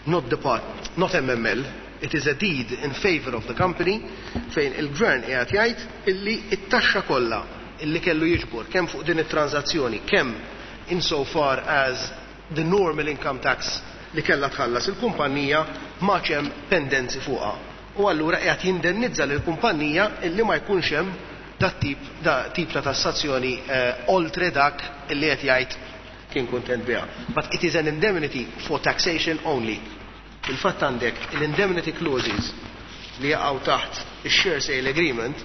not the part, not M M L, it is a deed in favor of the company fejn il-gvern qiegħed jgħid illi it-taxxa kollha illi kellu jiġbor kemm fuq din it-transazzjoni, kemm insofar as the normal income tax li kellha tħallas il-kumpanija ma hemm pendenzi fuqha. U allura qiegħed jindennizza lill-kumpanija illi ma jkunx hemm dat tip, da tip ta' tassazzjoni, eh, oltre dak illi qed jgħid kien kuntent biha. But it is an indemnity for taxation only. Il-fatt għandek l-indemnity clauses li jaqgħu taħt ix-share sale agreement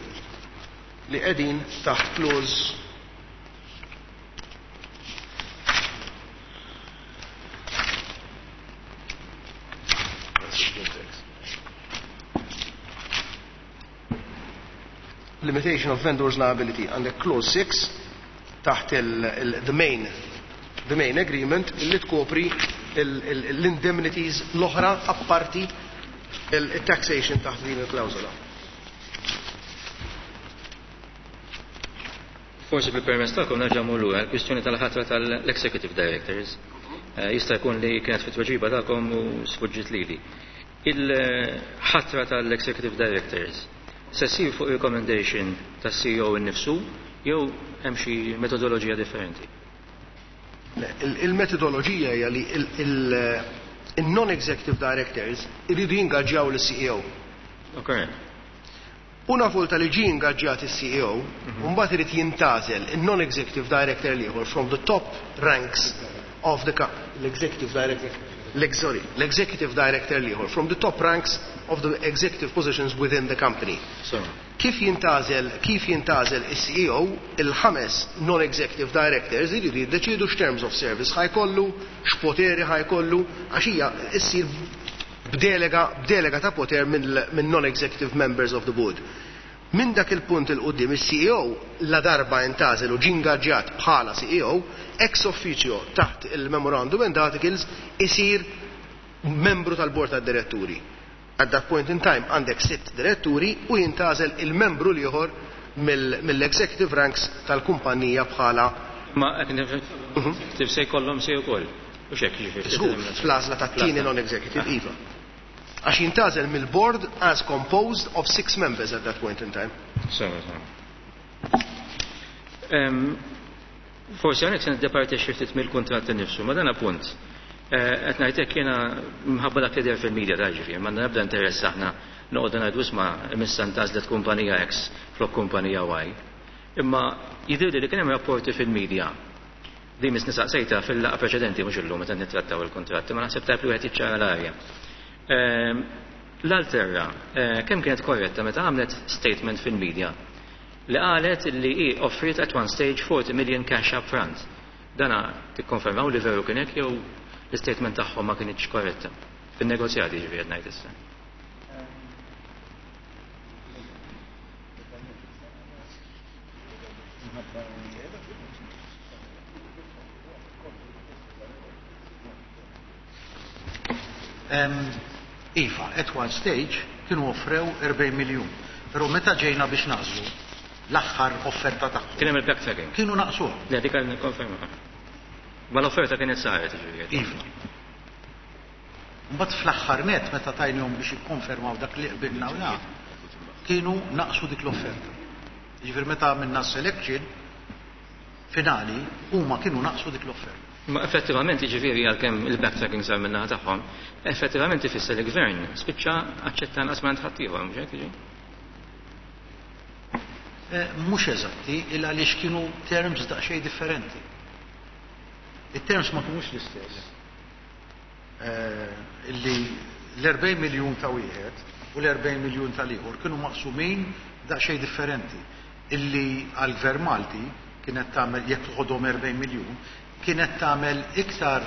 li qegħdin taħt clause limitation of vendors liability għandek clause six taħt il, il, the main, the main agreement li tkopri il, il, l-indemnities l-oħra apparti il-taxation taħt din il-klawżola. Forsi bil-permess tagħkom nerġa' mmur lura l-kwistjoni tal-ħatra tal-executive directors. Eh, jista' jkun li kienet fit-tweġiba tagħkom u sfuġġit lili. Il-ħatra tal-executive directors se ssir fuq recommendation tas-C E O innifsu jew hemm xi metodoloġija differenti? Le, il-, il-metodoloġija hija li il-, il-, il-non-executive directors iridu jingaġġjaw lis-C E O. Okay. Una volta li ġie ingaġġjat is-C E O, Mhm. mbagħad irid jintgħażel il-non-executive director l-ieħor from the top ranks of the co-, l-executive director. Sorry, l-executive director l-ieħor, from the top ranks of the executive positions within the company. So. Kif jintgħażel, kif jintgħażel is-C E O, il-ħames non-executive directors iridu jiddeċidu x'terms of service ħa jkollu, x'poteri ħa jkollu, għax hija issir b'delega, b'delega ta' poter minn non-executive members of the board. Minn dak il-punt 'il quddiem, il-C E O la darba intgħażel u ġie ingaġġjat bħala C E O, ex officio taħt il-Memorandum and Articles isir membru tal-bord tad-diretturi. At that point in time għandek sitt diretturi u jintgħażel il-membru l-ieħor mill-executive ranks tal-kumpanija bħala Ma executive se jkollhom say ukoll. U xek jiġifieri. Żgur, fl-għażla tat-tieni non-executive, iva. Għax jintgħażel mill-board as composed of six members at that point in time. Sewa, sewa. Forsi hawnhekk se niddeparti xi ftit mill-kuntratt innifsu, ma dan appunt. Qed ngħidlek jiena minħabba dak li deher fil-media ta' ġifieri, ma nabda interess aħna noqogħdu ngħidu isma' missa ntgħażlet kumpanija X flok kumpanija Y. Imma jidhirli li kien hemm rapporti fil-media li misni saqsejta fil-laqgħa preċedenti, mhux illum meta nittrattaw il-kontratti, ma naħseb tajb li wieħed jiċċara l-arja. L-Alterra, kemm kienet korretta meta għamlet statement fil-media li qalet li hi offrit at one stage forty million cash up front? Dana tikkonfermaw li veru kien hekk jew l-statement tagħhom ma kienx korretta? Fin-negozjati ġifieri qed ngħid issa. Iva, at one stage kienu offrew erbgħin miljun. Pero meta ġejna biex nagħżlu l-aħħar offerta tagħhom. Kien hemm il-backtracking. Kienu naqsuha. Le, dik nikkonferma. Ma l-offerta kienet saret ġifieri. Iva. Mbagħad fl-aħħar net meta tajnihom biex jikkonfermaw dak li qbilna u kienu naqsu dik l-offerta. Ġifieri meta għamilna selection finali huma kienu naqsu dik l-offerta. Ma effettivament jiġifieri għalkemm il-backtracking sar min-naħa tagħhom, effettivament ifisser li gvern spiċċa aċċetta nqas minn ħaddieħor, mhux hekk jiġi? Mhux eżatti, illa għaliex kienu terms daqsxejn differenti. Il-terms ma kinux l-istess. Illi l-erbgħin miljun ta' wieħed u l-erbgħin miljun tal-ieħor kienu maqsumin daqsxejn differenti. Illi għall-Gvern Malti kienet tagħmel, jekk toħodhom erbgħin miljun, kienet tagħmel iktar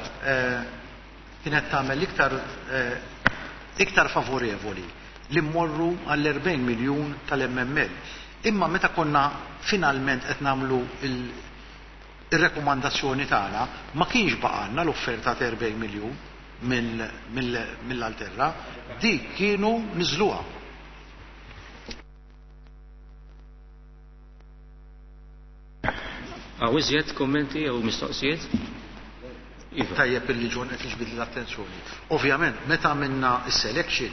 kienet tagħmel iktar iktar favorevoli li mmorru għall-erbgħin miljun tal-M M L. Imma meta konna finalment qed nagħmlu il-rekomandazzjoni tagħna, ma kienx baqgħalna l-offerta ta' erbgħin miljun mill-Alterra, dik kienu niżluha. Hawn iżjed kommenti jew mistoqsijiet? Iva. Tajjeb illi John qed jiġbid l-attenzjoni. Ovvjament, meta għamilna s-selection,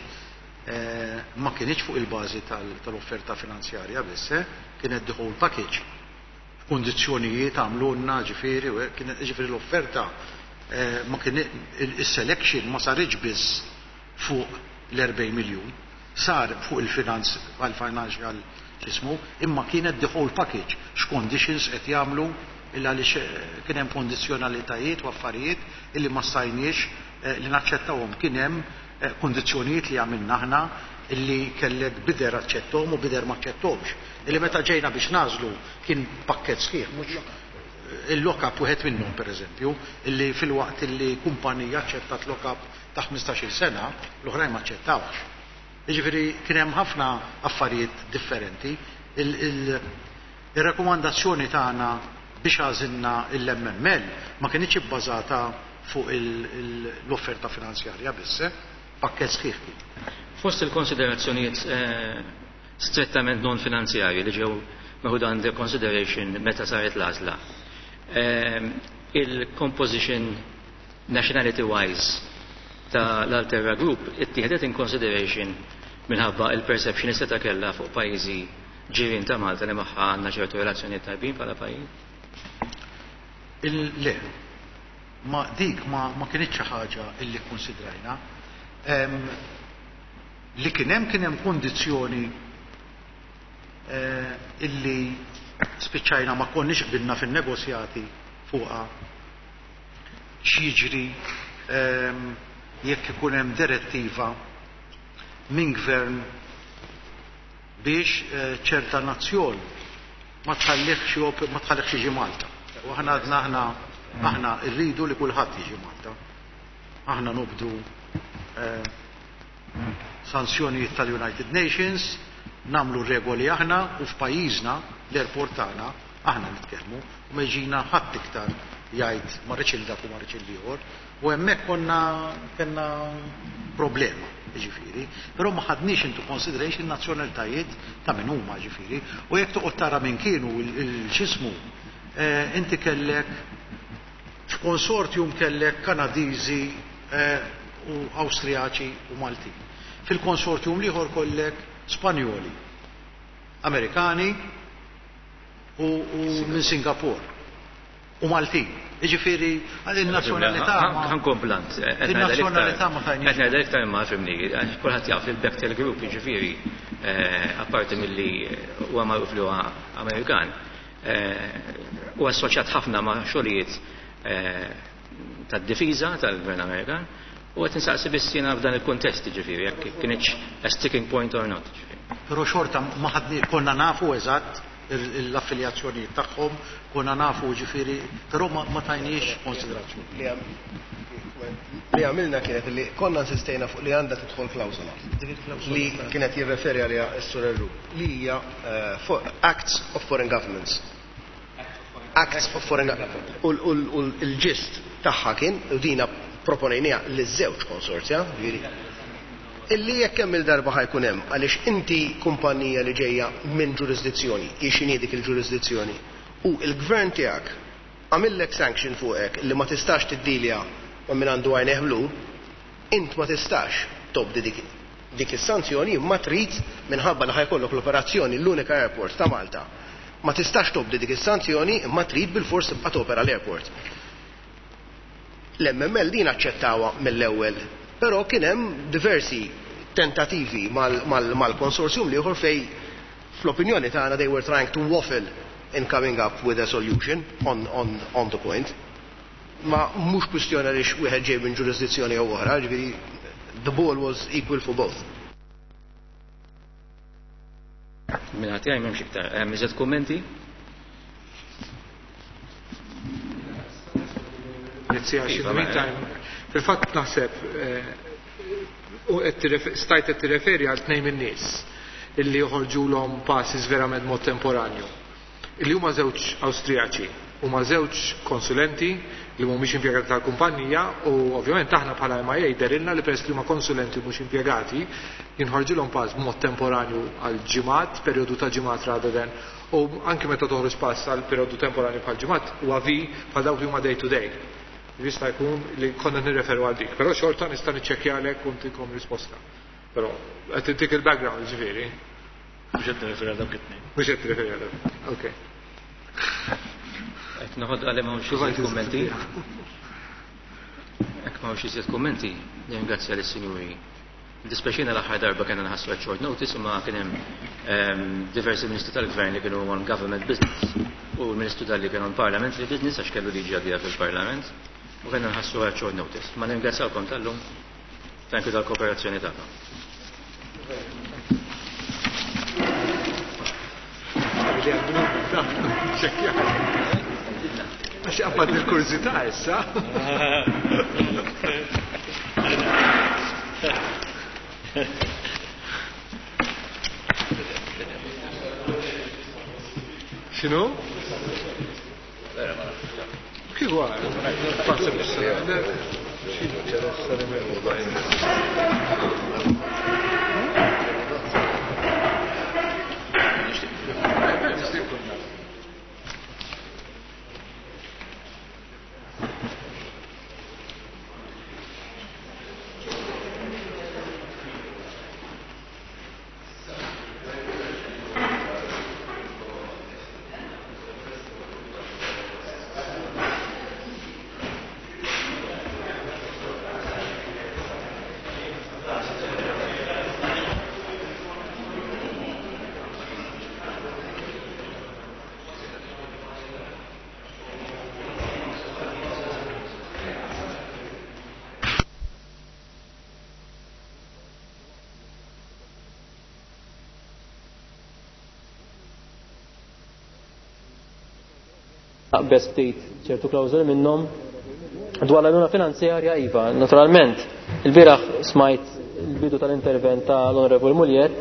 ma kienx fuq il-bażi tal-offerta finanzjarja biss, kienet the whole package. Kondizzjonijiet għamlulna ġifieri, kienet ġifieri l-offerta ma kien il-selection ma saritx biss fuq l-erbgħin miljun, sar fuq il-finanz għal-financial x'ismu, imma kienet the whole package, x'conditions qed jagħmlu, illa għaliex kien hemm kondizzjonalitajiet u affarijiet illi ma stajniex li naċċettawhom. Kien hemm kondizzjonijiet li għamilna aħna illi kellek bidder aċċettom u bidder ma aċċettomx. Illi meta ġejna biex nagħżlu kien pakkett sħiħ, mhux il-lock-up wieħed minnhom pereżempju, illi fil-waqt illi kumpanija aċċettat lock-up ta' ħmistax-il sena, l-oħrajn ma aċċettawx. Jiġifieri kien hemm ħafna affarijiet differenti. Il-rakkomandazzjoni tagħna biex għażilna l-M M L ma kienx ibbażata fuq l-offerta finanzjarja biss, pakkett sħiħ kien. Fost il-konsiderazzjonijiet strettament non finanzjarji li ġew meħuda under consideration meta saret l-għażla, il-composition nationality wise ta' l-Alterra Group ittieħdet in consideration minħabba il-perception li seta' kellha fuq pajjiżi ġirien ta' Malta li magħha għandna ċertu relazzjonijiet tajbin bħala pajjiż? Le, ma dik ma, ma kienx xi ħaġa illi konsidrajna. Li kien hemm kien hemm kondizzjoni eh, illi spiċċajna ma konniex qbilna fin-negozjati fuqha x'jiġri ehm, jekk ikun hemm direttiva minn gvern biex ċerta nazzjon ma tħallihx ma tħallihx jiġi Malta. U aħna għadna aħna aħna rridu li kulħadd jiġi Malta. Aħna nobdu eh, sanzjonijiet tal-United Nations, namlu regoli aħna u f'pajjiżna l-airport tagħna aħna nitkellmu u ma jiġina ħadd iktar jgħid ma rridx il dak u ma rridx il ieħor. U hemmhekk konna kellna problema, ġifieri, però ma ħadniex into consideration nazzjonalitajiet ta' min huma, ġifieri. U jekk toqgħod tara minn kienu il-xismu, inti kellek f'konsortium kellek Kanadiżi u Awstrijaċi u Maltin. Fil-konsortium l-ieħor kollek Spanjoli, Amerikani u minn Singapore u Maltin. Ġifieri, il-nazzjonalità. Ħa nkun blunt. Il-nazzjonalità ma tajniex. Qed ngħidha iktar imma fimni, kulħadd jaf li l-Bechtel Group, ġifieri, apparti milli huwa magħruf li huwa Amerikan, huwa assoċjat ħafna ma' xogħlijiet tad-difiża tal-Gvern Amerikan, u qed insaqsi biss jiena f'dan il-kuntest, ġifieri, jekk kienx a sticking point or not. Però xorta ma ħadni konna nafu eżatt l-affiljazzjoni tagħhom, konna nafu ġifieri, però ma tajniex konsiderazzjoni. Li għamilna kienet li konna insistejna fuq li għandha tidħol klawsola li kienet jirreferi għaliha s-Sur Erru, li hija Acts of Foreign Governments. Acts of Foreign Governments. U l-gist tagħha kien, u dina proponejniha liż-żewġ konsorzja, illi jekk hemm il-darba ħajkun hemm, għaliex inti kumpanija li ġejja minn ġurisdizzjoni, hi x'inhi dik il-ġurisdizzjoni, u il-gvern tiegħek għamillek sanction fuqek li ma tistax tiddilja ma' min għandu għajnejh blu, int ma tistax tobdi dik dik is-sanzjoni, ma trid minħabba li ħajkollok l-operazzjoni l-unika airport ta' Malta. Ma tistax tobdi dik is-sanzjoni, ma trid bil-fors tibqa' topera l-airport. L-M M L din aċċettawha mill-ewwel, però kien hemm diversi tentativi mal-konsorzjum l-ieħor fej fl-opinjoni tagħna they were trying to waffle in coming up with a solution on, on, on the point. Ma mhux kwistjoni għaliex wieħed ġej minn ġurisdizzjoni jew oħra, ġifieri the ball was equal for both. Minn ħadd jgħid m'hemmx iktar. Hemm iżjed kummenti? Fil-fatt naħseb u stajt qed tirreferi għal tnejn min-nies illi joħorġulhom passes verament mod temporanju. Illi huma żewġ Awstrijaċi, huma żewġ konsulenti li mhumiex impjegati tal-kumpanija, u ovvjament aħna bħala M I A derilna li peress li huma konsulenti mhux impjegati jinħorġulhom pass b'mod temporanju għal ġimgħat, perjodu ta' ġimgħat rather than, u anke meta toħroġ pass għal perjodu temporanju bħal ġimgħat huwa vi bħal dawk li huma day to day. Jista' jkun li konna nirreferu għal dik, però xorta nista' niċċekkjalek u ntikom risposta. Però qed intik il-background, ġifieri. Mhux qed nirreferi għal dawk it-tnejn. Mhux qed tirreferi għal dawk. Okej. Qed noħod għalih m'hawnx iżjed kummenti. Hekk m'hawnx iżjed kummenti, nirringrazzja lis-sinjuri. Dispjaċina l-aħħar darba kellna nħassu at short notice, imma kien hemm diversi ministri tal-gvern li kienu on government business u l-ministru Dalli kien on parliamentary business għax kellu liġi għaddija fil-parlament u kellna nħassu at short notice. Ma nirringrazzjawkom tal-lum. Thank you tal-kooperazzjoni tagħkom. Għax qabad il-kurżità issa. X'inhu? Kif għal? Passa biex. Aqbeż ftit ċertu klawżoli minnhom. Dwar l-għajnuna finanzjarja, iva, naturalment, il-bieraħ smajt il-bidu tal-intervent tal-Onorevoli Mugliett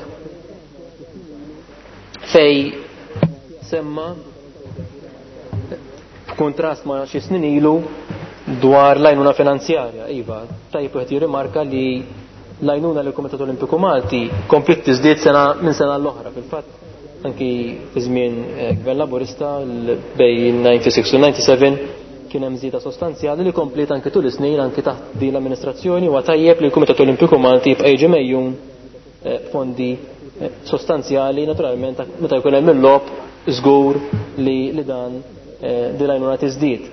fej semma f'kuntrast ma' xi snin ilu dwar l-għajnuna finanzjarja. Iva, tajjeb wieħed jirrimarka li l-għajnuna lill Kumitat Olimpiku Malti kompliet tiżdied sena minn sena l-oħra. Fil-fatt, anki fi żmien Gvern Laburista bejn disgħa u disgħin u disgħa u sebgħin kien hemm żieda sostanzjali li kompliet anki tul is-snin, anki taħt din l-amministrazzjoni. Huwa tajjeb li l-Kumitat Olimpiku Malti jibqa' jiġi mejjun fondi sostanzjali. Naturalment, meta jkun hemm il-logħob, żgur li li dan din l-għajnuna tiżdied.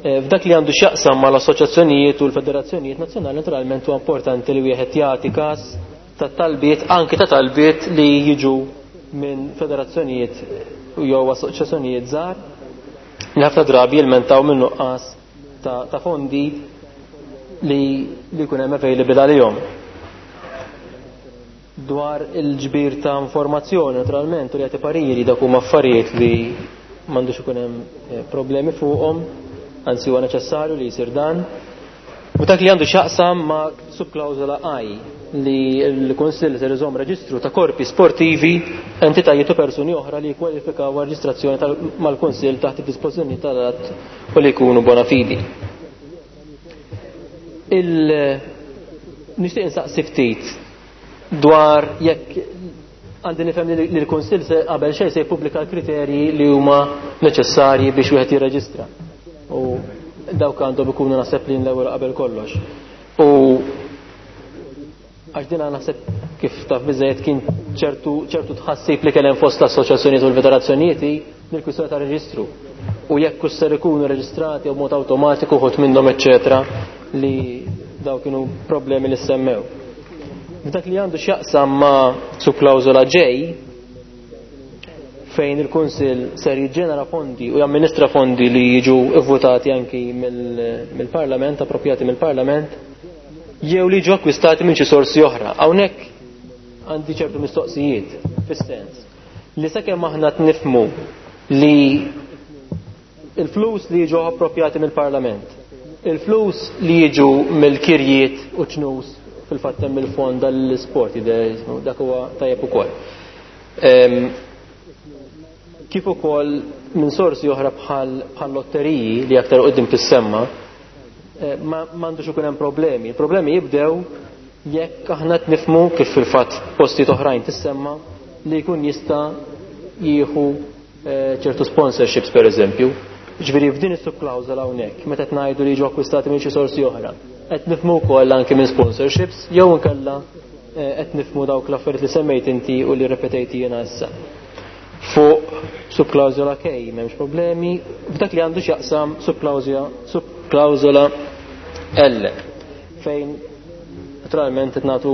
F'dak li għandu x'jaqsam mal-assoċjazzjonijiet u l-federazzjonijiet nazzjonali, naturalment huwa importanti li wieħed jagħti każ ta' talbiet, anki ta' talbiet li jiġu minn federazzjonijiet jew assoċjazzjonijiet żgħar li ħafna drabi jilmentaw minn nuqqas ta', ta fondi li li jkun hemm available għalihom. Dwar il-ġbir ta' informazzjoni, naturalment, u li jagħti pariri, dak huma affarijiet li m'għandux ikun hemm problemi fuqhom, anzi huwa neċessarju li jsir dan. U dak li għandu x'jaqsam ma' subklawżola I, li l-Kunsill se iżomm reġistru ta' korpi sportivi, entitajiet u persuni oħra li jkwalifikaw għal reġistrazzjoni mal-Kunsill taħt id-dispożizzjoni tal-att u li jkunu bona fidi. Il nixtieq insaqsi ftit dwar jekk għandi nifhem li l-Kunsill se qabel xejn se jippubblika l-kriterji li huma neċessarji biex wieħed jirreġistra. U dawk għandhom ikunu, naħseb, li l-ewwel qabel kollox. U għax dina naħseb, kif taf biżejjed, kien ċertu ċertu tħassib li kien hemm fost l-assoċjazzjonijiet u l-federazzjonijiet mill-kwistjoni ta' reġistru. U jekk ser ikunu reġistrati u mod awtomatiku uħud minnhom, eċċetera, li daw kienu problemi li semmew. F'dak li għandu x'jaqsam ma' subklawżola J, fejn il-Kunsill ser jiġġenera fondi u jamministra fondi li jiġu votati anki mill-Parlament, appropjati mill-Parlament, jew li jiġu akkwistati minn xi sorsi oħra. Hawnhekk għandi ċertu mistoqsijiet, fis-sens li sakemm aħna nifhmu li il-flus li jiġu appropjati mill-Parlament, il-flus li jiġu mill-kirjiet u ċnus, fil-fatt hemm il-fond dal-sport, dak huwa tajjeb ukoll. Kif ukoll minn sorsi oħra bħal bħal lotteriji li aktar qudiem tissemma, ma m'għandux ikun hemm problemi. Il-problemi jibdew jekk aħna nifhmu, kif fil-fatt postijiet oħrajn tissemma, li jkun jista' jieħu ċertu sponsorships, per eżempju. Ġifieri f'din is-subklawżola hawnhekk, meta qed ngħidu li jiġu akkwistati minn xi sorsi oħra, qed nifhmu wkoll anke minn sponsorships jew inkella qed nifhmu dawk l-affarijiet li semmejt inti u li repetejti jiena issa? Fuq subklawżola K m'hemmx problemi. F'dak li għandu x'jaqsam subklawżola L, fejn naturalment qed nagħtu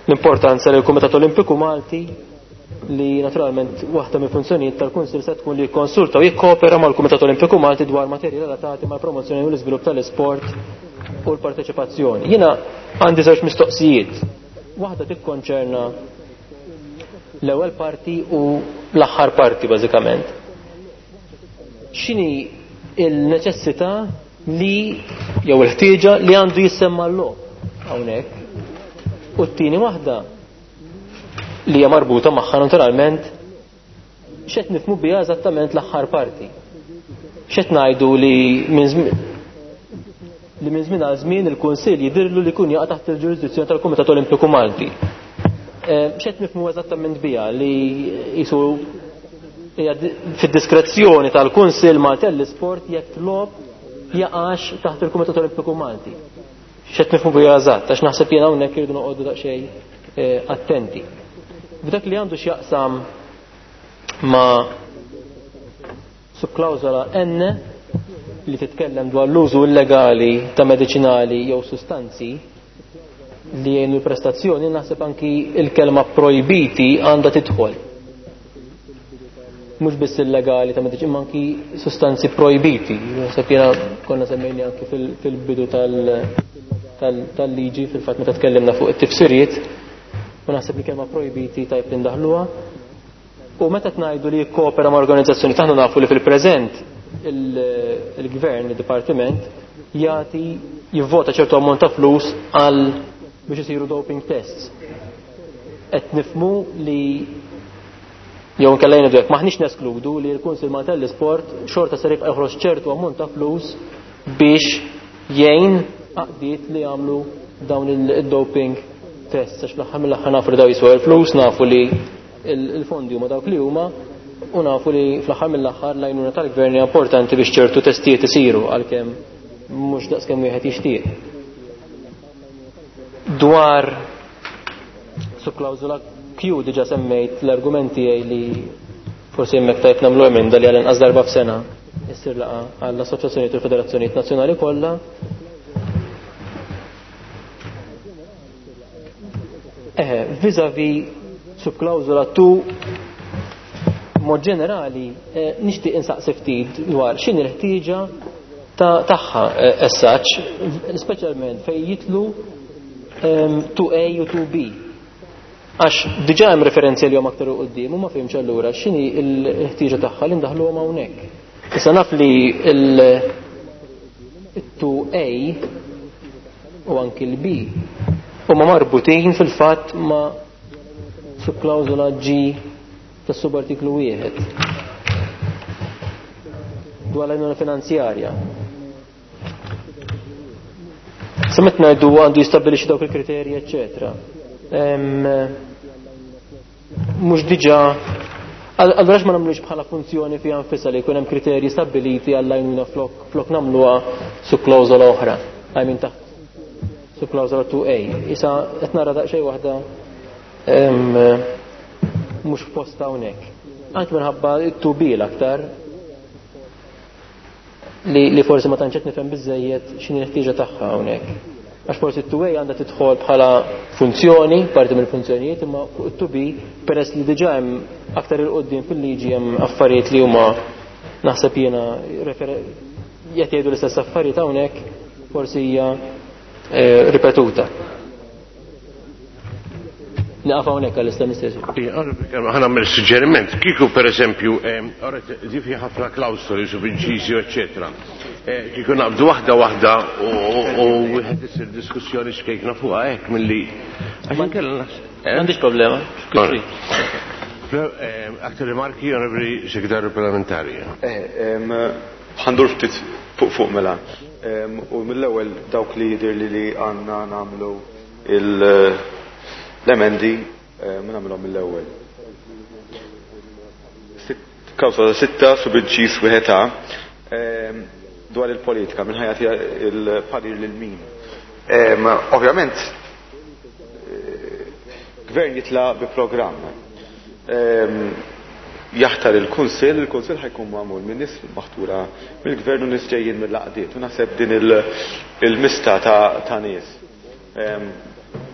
l-importanza lill Kumitat Olimpiku Malti, li naturalment waħda mill funzjonijiet tal-Kunsill se tkun li jikkonsulta u jikkopera mal-Kumitat Olimpiku Malti dwar materji relatati mal-promozzjoni u l-iżvilupp tal-isport u l-parteċipazzjoni. Jiena għandi żewġ mistoqsijiet. Waħda tikkonċerna l-ewwel parti u l-aħħar parti, bażikament. X'inhi il-neċessità li jew il-ħtieġa li għandu jissemma l-logħob hawnhekk? U t-tieni waħda li hija marbuta magħha naturalment, x'qed nifhmu biha eżattament l-aħħar parti? X'qed ngħidu li minn li minn żmien għal żmien il-Kunsill jidhirlu li jkun jaqa' taħt il-ġurisdizzjoni tal-Kumitat Olimpiku Malti? X'qed nifhmu eżattament biha, li jisu hija fid-diskrezzjoni tal-Kunsill Malti l-Isport jekk logħob jaqax taħt il-Kumitat Olimpiku Malti? X'qed nifhmu biha eżatt? Għax naħseb jiena hawnhekk irridu noqogħdu daqsxejn attenti. F'dak li għandu x'jaqsam ma' subklawżola N, li titkellem dwar l-użu illegali ta' medicinali jew sustanzi li jgħinu l-prestazzjoni, naħseb anki il-kelma projbiti għandha tidħol. Mhux biss illegali ta' mediċina, imma anki sustanzi projbiti. Naħseb jiena konna semmejni anki fil-bidu tal-liġi, fil-fatt meta tkellimna fuq it-tifsiriet, u naħseb li kelma projbiti tajb li ndaħluha. U meta tngħidu li jikkopera ma' organizzazzjoni, taħna nafu li fil-preżent il-gvern, il-dipartiment, jagħti jivvota ċertu ammont ta' flus għal biex isiru doping tests. Qed nifhmu li jew inkella jgħidu hekk maħniex neskludu li l-Kunsill Malti tal-Isport xorta ser jibqa' joħroġ ċertu ammont ta' flus biex jgħin għaqdiet li jagħmlu dawn il-doping tests, għax fl-aħħar mill-aħħar nafu li daw jiswew il-flus, nafu li il-fondi huma dawk li huma, u nafu li fl-aħħar mill-aħħar l-għajnuna tal-gvern hija importanti biex ċertu testijiet isiru għalkemm mhux daqskemm wieħed jixtieq. Dwar subklawżola Q diġà semmejt l-argument tiegħi li forsi hemmhekk tajb nagħmlu emenda li għal inqas darba f'sena issir laqgħa għall-assoċjazzjonijiet u l-federazzjonijiet nazzjonali kollha. Eħe, vis-à-vis subklawżola due mod ġenerali eh, nixtieq insaqsi ftit dwar x'inhi l-ħtieġa tagħha as such, speċjalment fejn jitlu two A u two B. Għax diġà hemm referenzi li huma aktar u quddiem u ma fehmx allura x'inhi l-ħtieġa tagħha li ndaħluhom hawnhekk. Issa naf li il two A u anki l-B huma marbutin fil-fatt ma' subklawżola G tas-subartiklu wieħed dwar l-għajnuna finanzjarja. Sa meta ngħidu għandu jistabbilixxi dawk il-kriterji, eċċetera. Mhux diġà allura ma nagħmlux bħala funzjoni fiha nfisha li jkun hemm kriterji stabbiliti għall-għajnuna flok flok nagħmluha subklawżola oħra. I mean taħt subklawżola two A. Issa qed nara daqsxejn waħda mhux f'posta hawnhekk. Anke minħabba two B l-aktar li, li forsi ma tantx qed nifhem biżejjed x'inhi l-ħtieġa tagħha hawnhekk. Għax forsi t-two A għandha tidħol bħala funzjoni, parti mill-funzjonijiet, imma fuq it-two B peress li diġà hemm aktar il quddiem fil-liġi hemm affarijiet li huma naħseb jiena qed jgħidu l-istess affarijiet hawnhekk, forsi hija eh, ripetuta. Naqaf hawnhekk għall-istem istess. Ħa nagħmel suġġeriment. Kieku pereżempju, di fi ħafna klawsoli subinċiżi, eċċetera. Kieku naqbdu waħda waħda u wieħed isir diskussjoni xkejkna fuqha hekk milli. Għax inkella naħseb. M'għandix problema. Aktar rimarki, Onorevoli Segretarju Parlamentari. Ħandur ftit fuq fuq mela. U mill-ewwel dawk li jidher li li għandna nagħmlu l-emendi ma nagħmluhom mill-ewwel. Klawsola sitta subinċis wieħed A dwar il-politika minn ħajati il-parir lil min. Ovvjament, gvern jitla bi programm. Jaħtar il-Kunsill, il-Kunsill ħajkun magħmul minn nies maħtura mill-gvern u nies ġejjin mill-għaqdiet. U naħseb din il-mista ta' nies.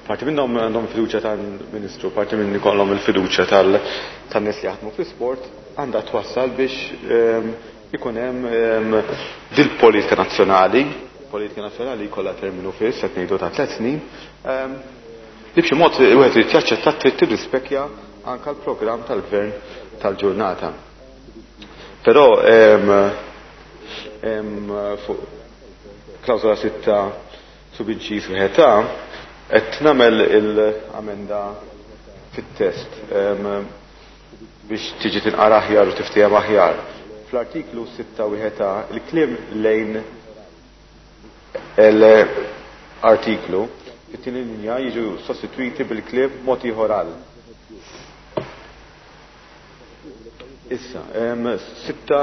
Parti minnhom għandhom fiduċja tal-Ministru, parti minn ikollhom il-fiduċja tan-nies li jaħdmu fl-isport, għandha twassal biex ikun hemm dil-politika nazzjonali, politika nazzjonali jkollha terminu fiss, qed ngħidu ta' tliet snin, li b'xi mod wieħed irid jaċċetta trid tirrispekja anke l-programm tal-gvern tal-ġurnata. Però fuq klawsola sitta subinċis wieħed A qed nagħmel il-amenda fit-test biex tiġi tinqara aħjar u tiftiehem aħjar. Fl-artiklu sitta wieħed A il-kliem lejn l-artiklu fit-tieni linja jiġu sostituiti bil-kliem mod ieħor għal. Issa, sitta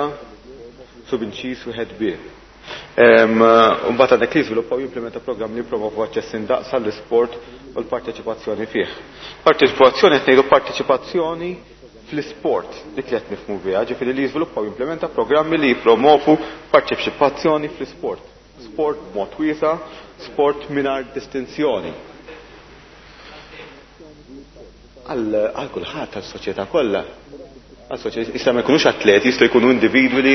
subinċis wieħed B. Mbagħad għandek li jiżviluppaw jimplementa programm li jippromovu aċċess indaqs għall-isport u l-parteċipazzjoni fih. Parteċipazzjoni qed ngħidu parteċipazzjoni fl-isport, dik li qed nifhmu biha, ġifieri li jiżviluppaw jimplementa programmi li jippromovu parteċipazzjoni fl-isport. Sport b'mod wiesa', sport mingħajr distinzjoni. Għal kulħadd, għas-soċjetà kollha. Għas-soċjetà, issa ma jkunux atleti, jistgħu jkunu individwi li,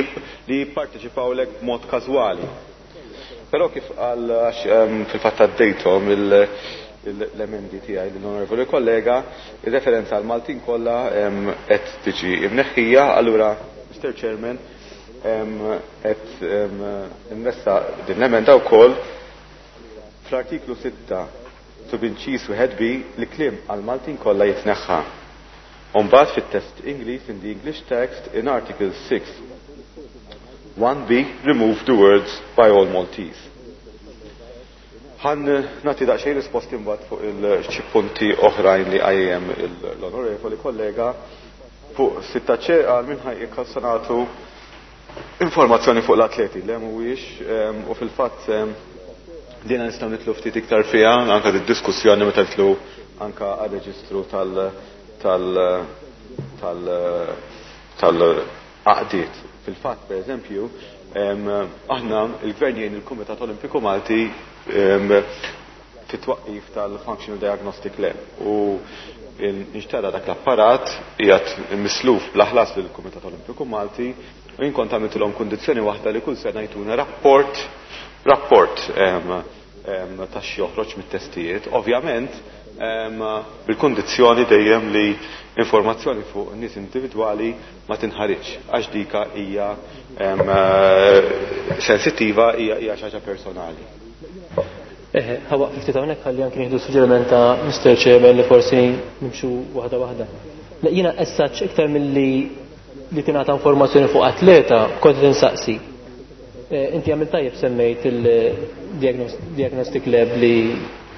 li jipparteċipaw lek b'mod każwali. Però kif qal, għax, ehm, fil-fatt għaddejthom l-emendi tiegħi lill-onorevoli kollega, ir-referenza għal Maltin kollha qed tiġi imneħħija, allura Mister Chairman qed nressaq din l-emenda wkoll fl-artiklu sitta subinċis wieħed B li kliem għal Maltin kollha jitneħħa. Umbagħad fit-test Ingliż, in the English text, in Article six one B, remove the words by all Maltese. Ħan nagħti daqsxejn risposti mbagħad fuq il-xi punti oħrajn li qajjem l-onorevoli kollega fuq sitta C għal minn ħaj ikkalsanatu informazzjoni fuq l-atleti li mhuwiex, u fil-fatt dina nistgħu nitlu ftit iktar fiha anke d-diskussjoni meta nitlu anke għar-reġistru tal-, tal-, tal-, tal-għaqdiet. Fil-fatt, per eżempju, aħna il-Gvern jgħin il-Kumitat Olimpiku Malti fit-twaqqif tal-Functional Diagnostic Lab u nixtara dak l-apparat qiegħed misluf bl-aħlas lill-Kumitat Olimpiku Malti u jien kont għamiltilhom kundizzjoni waħda li kull sena jtuna rapport, rapport ta' xi joħroġ mit-testijiet, ovvjament bil-kundizzjoni dejjem li informazzjoni fuq nies individwali ma tinħariġ għax dika hija sensittiva, hija, hija xi ħaġa personali. Eħe, ħawaq ftit hawnhekk ħalli anke nieħdu suġġeriment ta' Mister Chairman li forsi nimxu waħda waħda. Le, jiena essaċ iktar milli li tingħata informazzjoni fuq atleta kont qed insaqsi. Eh, inti għamil tajjeb semmejt il-diagnostic lab li,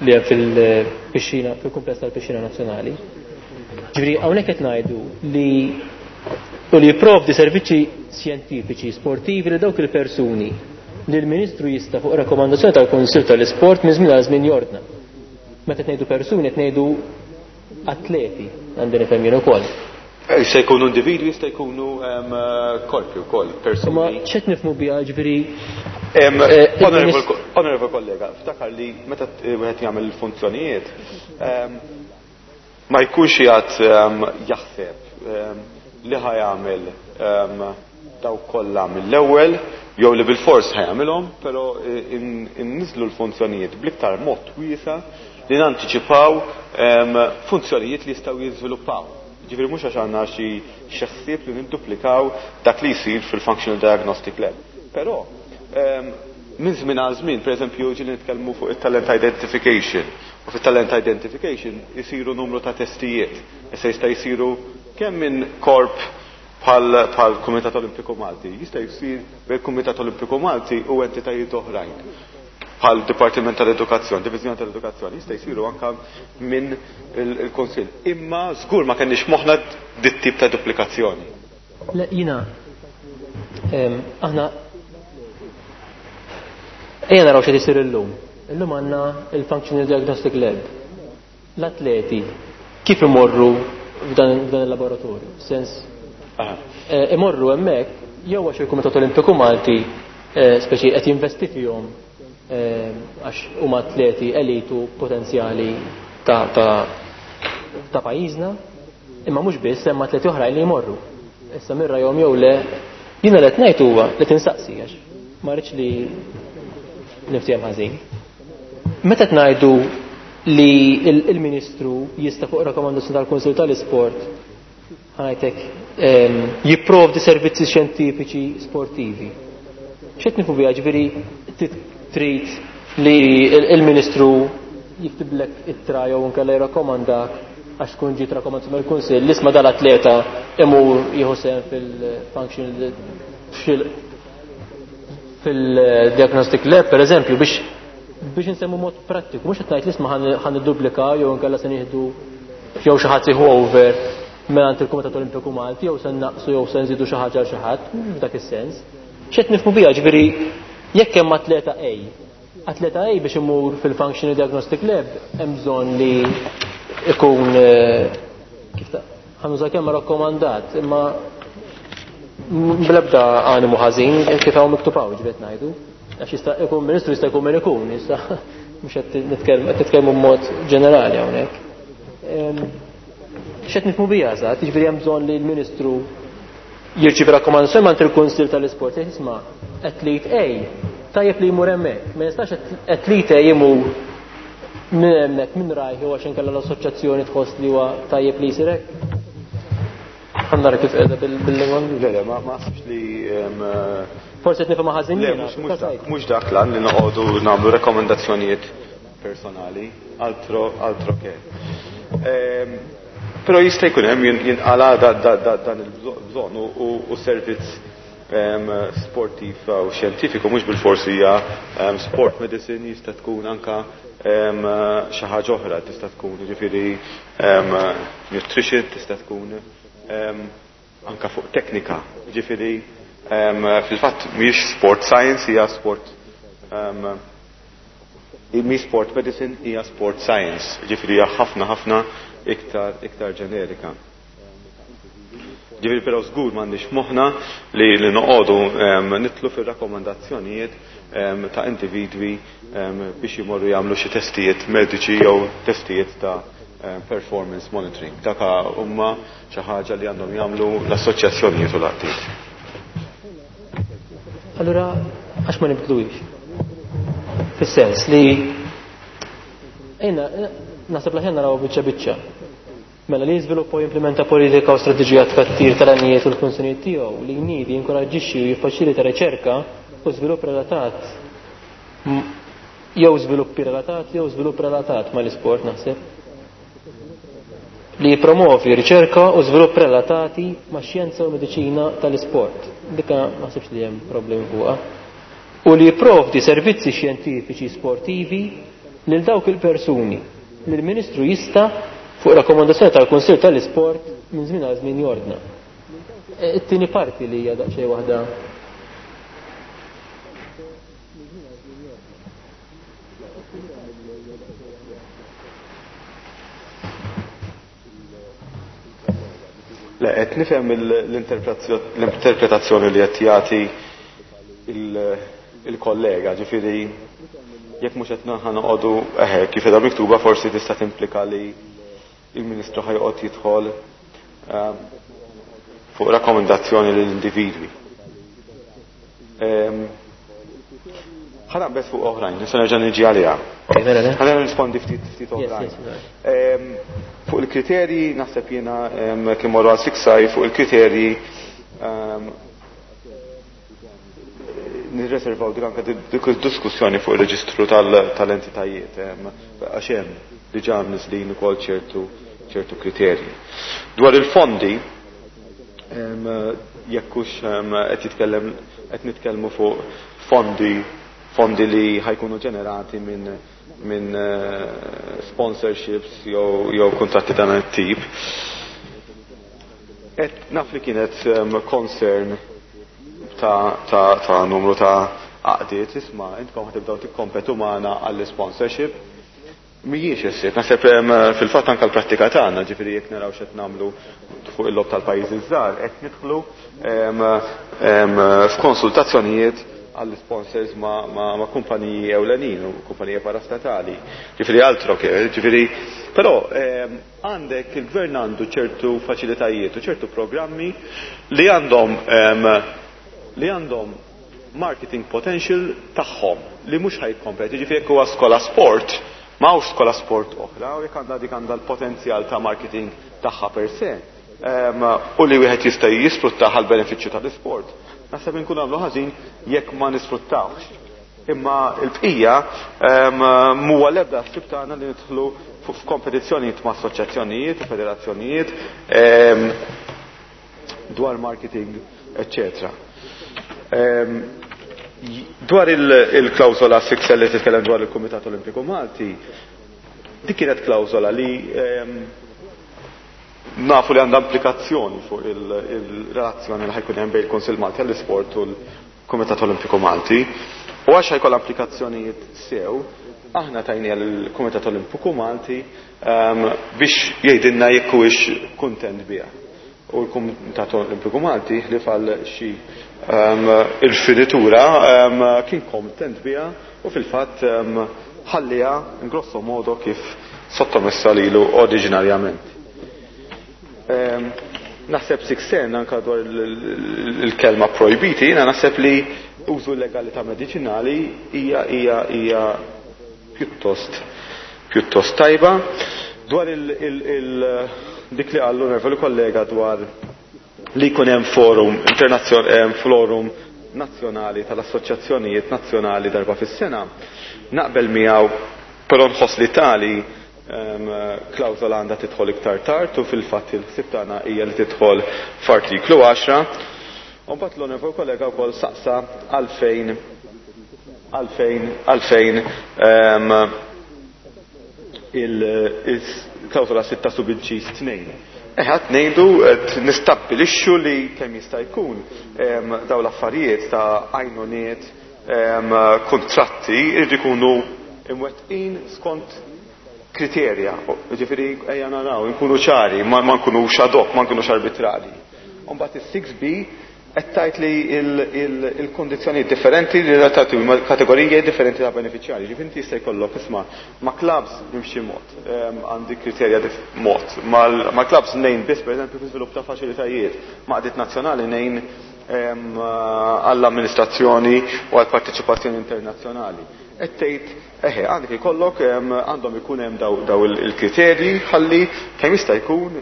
li hemm fil-pixxina, fil-kumpless tal-pixxina nazzjonali. Ġifieri hawnhekk qed ngħidu li u li jipprovdi servizzi xjentifiċi sportivi li dawk il-persuni li l-Ministru jista' fuq rakkomandazzjoni tal-Kunsill tal-Isport minn żmien għal żmien jordna. Meta qed ngħidu persuni qed ngħidu atleti, għandi nifhem jien ukoll. Eh, jista' jkunu individwi, jista' jkunu, em, korpi wkoll, persuni. Ma x'qed nifhmu biha, ġifieri, Em, eh, honorable il-Ministru ko-, Honorable kollega, ftakar li meta t-, wieħed jagħmel il-funzjonijiet, em, ma jkunx qiegħed, em, jaħseb, em, li ħajamel, em, daw kollha mill-ewwel jew li bil-fors ħajamilhom, però in-, inniżlu l-funzjonijiet bl-iktar mod wiesa' li nantiċipaw, em, funzjonijiet li jistgħu jiżviluppaw. Ġifieri mhux għax għandna xi xi ħsieb li nidduplikaw dak li jsir fil-Functional Diagnostic Lab. Però, em, minn żmien għal żmien, pereżempju, ġieli nitkellmu fuq it-talent identification. U fit-talent identification isiru numru ta' testijiet. Issa jista' jsiru kemm minn korp bħal, bħal Kumitat Olimpiku Malti, jista' jsir bejn Kumitat Olimpiku Malti u entitajiet oħrajn bħal Dipartiment tal-Edukazzjoni, Diviżjoni tal-Edukazzjoni, jista' jsiru anke minn il-, il-Kunsill. Imma żgur ma kenniex moħħna dit tip ta' duplikazzjoni. Le, jiena, em, aħna ejja naraw x'qed isir illum. Illum għandna il-Functional Diagnostic Lab. L-atleti kif imorru f'dan, f'dan il-laboratorju? Sens, Aha. eh, imorru hemmhekk jew għax il-Kumitat Olimpiku Malti, eh, speċi qed jinvesti fihom, eh, għax huma atleti elitu potenzjali ta', ta', ta' pajjiżna, imma mhux biss hemm atleti oħrajn li jmorru. Issa mirra jom jew le, jiena li qed ngħid huwa li tinsaqsi għax ma rridx li niftiehem ħażin. Meta qed ngħidu li il-, il-Ministru jista' fuq rakkomandazzjoni tal-Kunsill tal-Isport ħanajtek, ehm, jipprovdi servizzi xjentifiċi sportivi. X'qed nifhu biha, ġifieri tit-, trid li il-, il-Ministru jiktiblek ittra jew inkella jirrakkomandak għax tkun ġiet rakkomandazzjoni mill-Kunsill li isma' dal-atleta imur jieħu sehem fil-functional fil-, fil-diagnostic lab, per eżempju, biex, biex insemmu mod prattiku, mhux qed ngħid li isma' ħan-, ħan nidduplika jew inkella se nieħdu jew xi ħadd jieħu over mingħand il-Kumitat Olimpiku Malti jew se naqsu jew se nżidu xi ħaġa għal xi ħadd, mhux f'dak is-sens. X'qed nifhmu biha, ġifieri jekk hemm atleta A, atleta A biex imur fil-Functional Diagnostic Lab hemm bżonn li ikun, eh, kif ta' ħanuża kemm rakkomandat, imma bl-ebda animu ħażin kif hawn miktub hawn, ġifieri ngħidu. Għax jista' jkun ministru, jista' jkun min ikun, jista' mhux qed nitkellmu, qed nitkellmu b'mod ġenerali hawnhekk. Ehm, x'qed nifhmu biha eżatt, jiġifieri hemm bżonn li l-Ministru jirċievi rakkomandazzjoni minn il-Kunsill tal-Isport, jgħid isma' athlete A, tajjeb li jmur hemmhekk, ma jistax athlete A jmur Minn hemmhekk minn rajh jew għax inkella l-assoċjazzjoni tħoss li huwa tajjeb li jsir hekk? Ħa nara kif qiegħda bil-lingwa. Le, le, ma naħsibx li Forsi qed nifhimha ħażin jiena. Mhux dak lan li noqogħdu nagħmlu rekomendazzjonijiet personali, altro altro che. Però jista' jkun hemm jinqala dan il-bżonn u servizz sportiv u xjentifiku mhux bilfors hija sport medicine, jista' tkun anka xi ħaġa oħra, tista' tkun jiġifieri nutrition, tista' tkun anka fuq teknika, jiġifieri fil-fatt mhijiex sport science, hija sport mhix sport medicine, hija sport science, jiġifieri hija ħafna ħafna iktar iktar ġenerika. Ġifieri però żgur m'għandniex moħħna li li noqogħdu nitlu fir-rakkomandazzjonijiet ta' individwi biex jmorru jagħmlu xi testijiet mediċi jew testijiet ta' performance monitoring. Dak huma xi ħaġa li għandhom jagħmlu l-assoċjazzjonijiet u l-għaqdiet. Allura għax ma nibdluhiex? Fis-sens li ejna naħseb l-aħjar naraw biċċa biċċa. Mela li jiżviluppa u jimplementa politika u strateġija tkattir tal-għanijiet u l-funzjonijiet tiegħu, li jniedi, jinkoraġġixxi u jiffaċilita riċerka u żvilupp relatat jew żviluppi relatat jew żvilupp relatat mal-isport naħseb. Li jipromovi riċerka u żvilupp relatati ma' xjenza u mediċina tal-isport. Dikka ma naħsibx li hemm problemi fuqha. U li jipprovdi servizzi xjentifiċi sportivi lil dawk il-persuni li l-Ministru jista' fuq rakkomandazzjoni tal-Kunsill tal-Isport minn żmien għal żmien jordna. It-tieni parti li hija daqsxejn waħda. Le, qed nifhem l-interpretazzjoni li qed jagħti il-kollega, ġifieri jekk mhux qed noqogħdu eħe kif qiegħda miktuba forsi tista' timplika li il-Ministru ħajqgħod jidħol fuq rakkomandazzjoni lill-individwi. Ħa naqbeż fuq oħrajn, nista' nerġa' niġi għaliha. Ħa nirrispondi ftit ftit oħrajn. Fuq il-kriterji naħseb jiena kien morru għal siksaj fuq il-kriterji nirreservaw dik anke dik id-diskussjoni fuq ir-reġistru tal-entitajiet għax hemm diġà mniżlin ukoll ċertu ċertu kriterji. Dwar il-fondi jekk hux qed jitkellem qed nitkellmu fuq fondi fondi li ħajkunu ġenerati minn minn sponsorships jew jew kuntratti ta' dan it-tip. Qed naf li kienet concern ta' ta' ta' numru ta' għaqdiet, isma' intkom ħatibdew tikkompetu magħna għall-sponsorship. Mhijiex issib, naħseb fil-fatt anke l-prattika tagħna, ġifieri jekk naraw x'qed nagħmlu fuq il-lob tal-pajjiżi żgħar, qed nidħlu f'konsultazzjonijiet għall-sponsors ma', ma, ma kumpaniji ewlenin u kumpaniji parastatali. Ġifieri altro che, ġifieri, però għandek il-gvern għandu ċertu faċilitajiet u ċertu programmi li għandhom li għandhom marketing potential tagħhom li mhux ħajkompeti, ġifieri jekk huwa skola sport, ma hawnx skola sport oħra, u jekk għandha dik għandha l-potenzjal ta' marketing tagħha per se, u li wieħed jista' jisfruttah għal benefiċċju tal-isport. Naħseb inkunu għamlu ħażin jekk ma nisfruttawx. Imma l-bqija huwa l-ebda ħsieb tagħna li nidħlu f'kompetizzjonijiet ma' assoċjazzjonijiet u federazzjonijiet dwar marketing, eccetera. Dwar il-klawsola sitta li titkellem dwar il-Kumitat Olimpiku Malti, dik kienet klawsola li nafu li għandha implikazzjoni fuq il-relazzjoni li ħajkun hemm bejn il-Kunsill Malti għall-Isport u l-Kumitat Olimpiku Malti. U għax ħajkollha implikazzjonijiet sew, aħna tajniha lill-Kumitat Olimpiku Malti biex jgħidilna jekk huwiex kuntent biha. U l-Kumitat Olimpiku Malti ħlief għal xi il-finitura kien kontent biha u fil-fatt ħalliha in grosso modo kif sottomessa lilu oriġinarjament. Naħseb siksen anka dwar il-kelma projbiti, jiena naħseb li użu illegali ta' medicinali hija hija hija pjuttost pjuttost tajba. Dwar il, il, il, dik li qal l-onorevoli kollega dwar li jkun hemm forum forum nazzjonali tal-assoċjazzjonijiet nazzjonali darba fis-sena, naqbel miegħu, però nħoss li tali klawżola għandha tidħol iktar tard u fil-fatt il-ħsieb tagħna hija li tidħol f'artiklu għaxra. U mbagħad l-onorevoli kollega wkoll saqsa għalfejn għalfejn għalfejn il-klawżola sitta subinċis tnejn. Eħe, qed ngħidu qed nistabbilixxu li kemm jista' jkun dawn l-affarijiet ta' għajnuniet, kontratti jridu jkunu imwettqin skont kriterja. Ġifieri ejja naraw, nkunu ċari, ma nkunux ad hoc, ma nkunux arbitrali. U mbagħad is-six B qed tgħid li il-kondizzjonijiet differenti li relatati ma' kategoriji differenti ta' beneficjari. Ġifieri inti jista' jkollok isma' ma' clubs nimxi mod, għandi kriterja mod. Ma' clubs nejn biss pereżempju fi żvilupp ta' faċilitajiet, ma' qdiet nazzjonali nejn għall-amministrazzjoni u għall-parteċipazzjoni internazzjonali. Qed tgħid eħe għandek ikollok għandhom ikun hemm daw il-kriterji ħalli kemm jista' jkun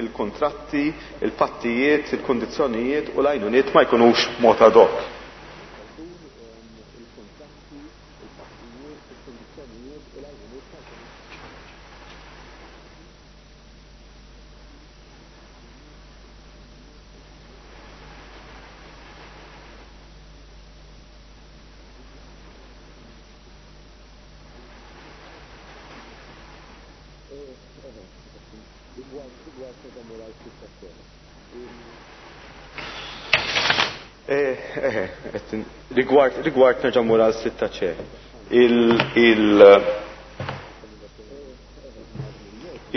il-kontratti, il-pattijiet, il-kundizzjonijiet u l-għajnuniet ma jkunux mod ad hoc. Rigward, rigward nerġa' mmur għal sitta ċe.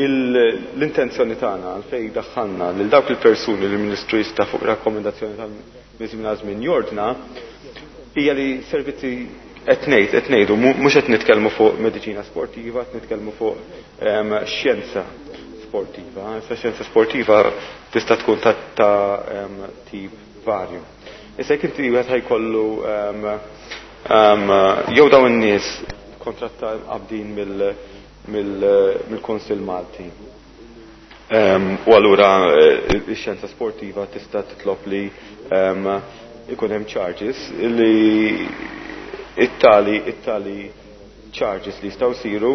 L-intenzjoni tagħna għalfejn daħħalna lil dawk il-persuni li l-Ministru jista' fuq rakkomendazzjoni tal-minn żmien jordna hija li servizzi qed ngħid qed ngħidu mhux qed nitkellmu fuq mediċina sportiva, qed nitkellmu fuq xjenza sportiva. Issa xjenza sportiva tista' tkun ta' tip varju. Issa jekk inti wieħed ħajkollu jew dawn in-nies kontratta qabdin mill-Kunsill Malti. U allura x-xjenza sportiva tista' titlob li ikun hemm charges li it-tali it-tali charges li jistgħu jsiru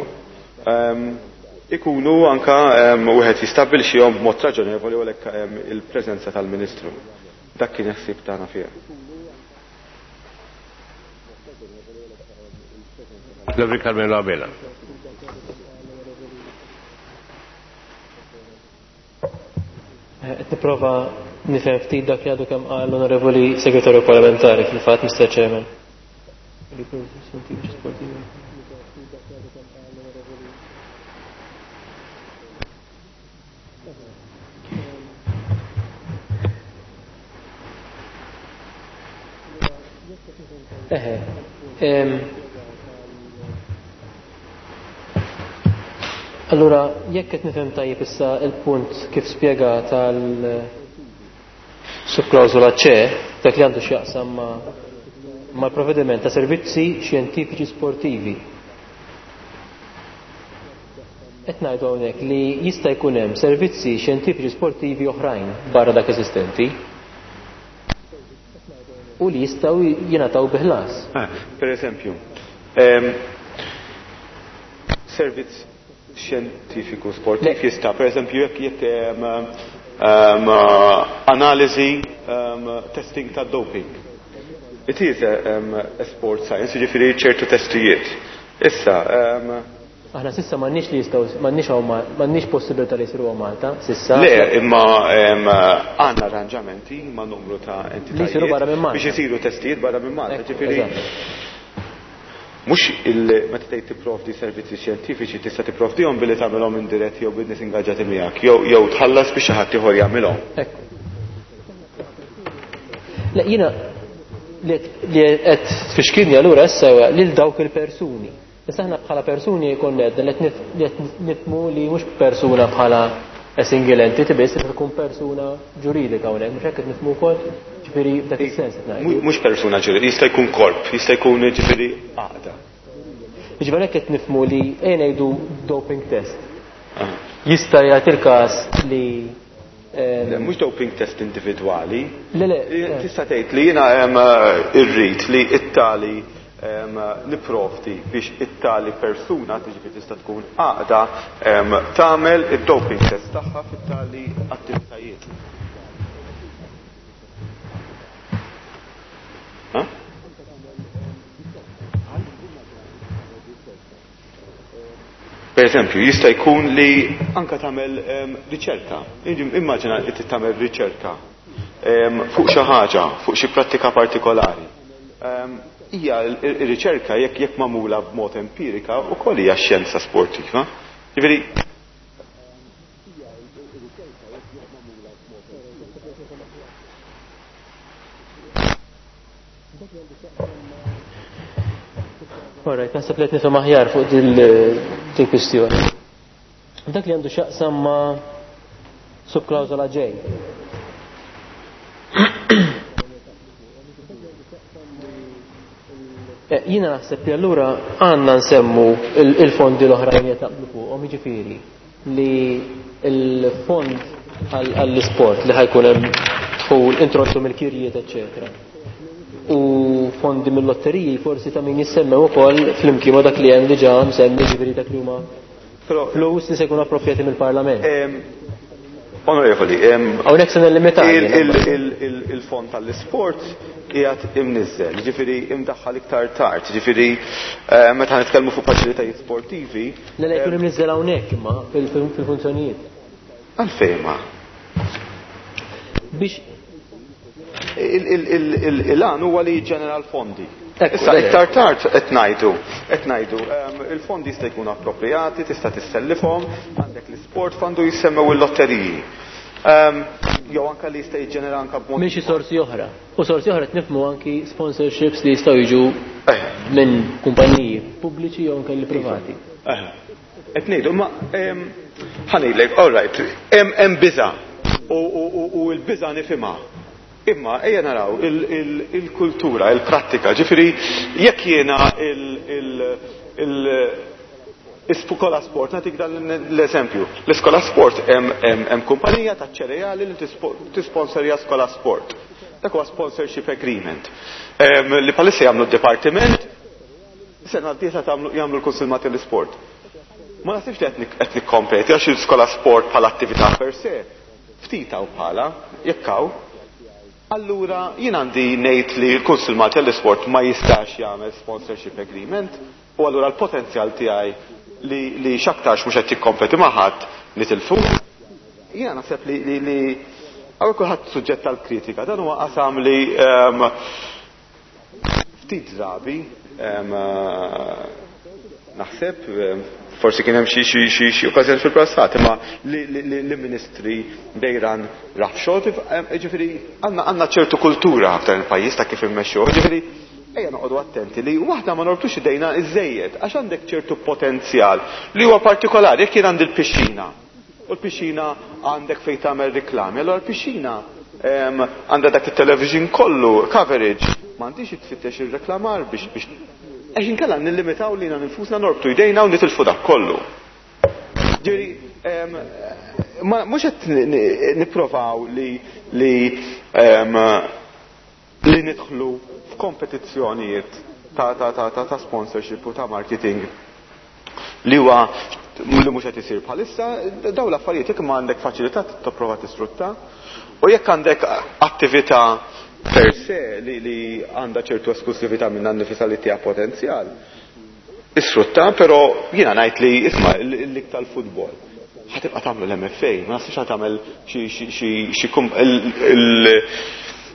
ikunu anka wieħed jistabbilixxihom b'mod raġonevoli u għalhekk il-preżenza tal-Ministru. Dak kien ħsieb tagħna fiha. L-Onorevoli Carmelo Abela. Qed nipprova nifhem ftit dak li għadu kemm qal l-Onorevoli Segretarju Parlamentari fil-fatt, Mister Chairman. Eħe. Allura, jekk qed nifhem tajjeb issa il-punt kif spjega tal subklawżola C, dak li għandu x'jaqsam mal-provvediment ta' servizzi xjentifiċi sportivi. Qed ngħidu hawnhekk li jista' jkun hemm servizzi xjentifiċi sportivi oħrajn barra dak eżistenti u li jistgħu jingħataw bi ħlas. Per eżempju, servizz xjentifiku sportiv jista', per eżempju, jekk jekk analiżi testing ta' doping. It is a, um, a sport science, jiġifieri ċertu testijiet. Issa, um, aħna sissa m'għandniex li jistgħu, m'għandniex hawn ma-, m'għandniex possibilità li jsiru hawn Malta, sissa. Le, imma, um, għandna arranġamenti ma' numru ta' entitajiet Li jsiru barra minn Malta. Biex isiru testijiet barra minn Malta, Ekku, ġifieri eżatt. mhux il meta tgħid tipprovdi servizzi xjentifiċi tista' tipprovdihom billi tagħmilhom indirett jew bin-nies ingaġġati miegħek, jew, jew tħallas biex xi ħadd ieħor jagħmilhom. Ekku. Le, jiena li qed tfixkilni allura issa huwa lil dawk il-persuni. Issa aħna bħala persuni jkun qed li qed nifhmu li mhux persuna bħala a single entity biss, se tkun persuna ġuridika hawnhekk, mhux hekk qed nifhmu wkoll, ġifieri f'dak is-sens qed ngħidu. Mhux persuna ġuridika, jista' jkun korp, jista' jkun ġifieri għaqda. Jiġifieri hekk qed nifhmu li ejja ngħidu doping test. Jista' jagħti il-każ li Le, mhux doping test individwali. Le, le. Tista' tgħid li jiena irrid li it-tali nipprovdi biex it-tali persuna, tiġifieri tista' tkun għaqda, tagħmel id-doping test tagħha fit-tali attivitajiet. Per eżempju, jista' jkun li anka tagħmel riċerka. Immaġina li tagħmel riċerka fuq xi ħaġa, fuq xi prattika partikolari. Hija r-riċerka jekk jekk magħmula b'mod empirika wkoll hija xjenza sportiva. Jiġifieri Alright, naħseb li qed nifhem aħjar fuq din kwistjoni. Dak li għandu x'jaqsam ma' subklawżola J. Jiena naħseb li allura għandna nsemmu il-fondi l-oħrajn li taqblu fuqhom, jiġifieri li l-fond għall-isport li ħajkun hemm dħul introjtu mill-kirjiet, eċċetera. U fondi mill-lotteriji forsi ta' min jissemmew ukoll flimkien ma' dak li hemm diġà msemmi, ġifieri dak li huma flus li se jkunu approprjati mill-Parlament. Onorevoli, hawnhekk se nillimitaw. Il-fond tal-isport qiegħed imniżżel, ġifieri imdaħħal iktar tard, ġifieri meta nitkellmu fuq faċilitajiet sportivi. Le, le, jkun imniżżel hawnhekk imma fil-funzjonijiet. Għalfejn ma? Biex il-għan huwa li jiġġenera l-fondi. Issa iktar tard qed ngħidu, qed ngħidu, il-fondi jista' jkunu approprjati, tista' tissellifhom, għandek l-isport fund u jissemmew il-lotteriji. Jew anke li jista' jiġġenera anke b'mod minn xi sorsi oħra. U sorsi oħra qed nifhmu anki sponsorships li jistgħu jiġu minn kumpaniji pubbliċi jew anke li privati. Qed ngħidu, ma ħa ngħidlek, all right, hemm biża' u l-biża' nifhimha. Imma ejja naraw il-kultura, il-prattika, ġifieri jekk jiena l-iskola sport, nagħtik dan l-eżempju. L-iskola sport hemm kumpanija ta' ċereali li tisponsorja skola sport. Dak huwa sponsorship agreement. Li bħalissa jagħmlu d-dipartiment, sena d-dieħla jagħmlu l-Kunsill Malti l-Isport. Ma naħsibx li qed nikkompeti għax il-skola sport bħala attività per se, ftit hawn bħala, jekk hawn. Allura jien għandi ngħid li l-Kunsill Malti għall-Isport ma jistax jagħmel sponsorship agreement u allura l-potenzjal tiegħi li, li x'aktarx mhux qed jikkompeti ma' ħadd nitilfu. Jiena naħseb li li, li hawn kulħadd suġġett tal-kritika, dan huwa qasam li um, ftit drabi um, naħseb um, forsi kien hemm xi xi xi xi okkażjoni fil-passat, imma li li ministri dejran rafxot, jiġifieri għandna għandna ċertu kultura f'dan il-pajjiż ta' kif immexxuh, jiġifieri ejja noqogħdu attenti li waħda ma norbtux idejna iżejjed għax għandek ċertu potenzjal li huwa partikolari. Jekk jien għandi l-pixxina u l-pixxina għandek fejn tagħmel riklami, allura l-pixxina għandha dak it-television kollu coverage, m'għandix tfittex ir-reklamar biex biex għax inkella nillimitaw lilna nfusna norbtu jdejna u nitilfu dak kollu. Ġifieri, mhux qed nipprovaw li li li nidħlu f'kompetizzjonijiet ta' ta' ta' ta' ta' sponsorship u ta' marketing li huwa li mhux qed isir bħalissa. Dawn l-affarijiet jekk ma għandek faċilità tipprova tisfrutta, u jekk għandek attività per se li li għandha ċertu esklusività minn nifisha li tiha potenzjal, isfrutta, però jiena ngħid li isma' l-lig tal-futbol ħatibqa' tagħmlu l-M F A, ma naħsibx ħa tagħmel xi xi xi xi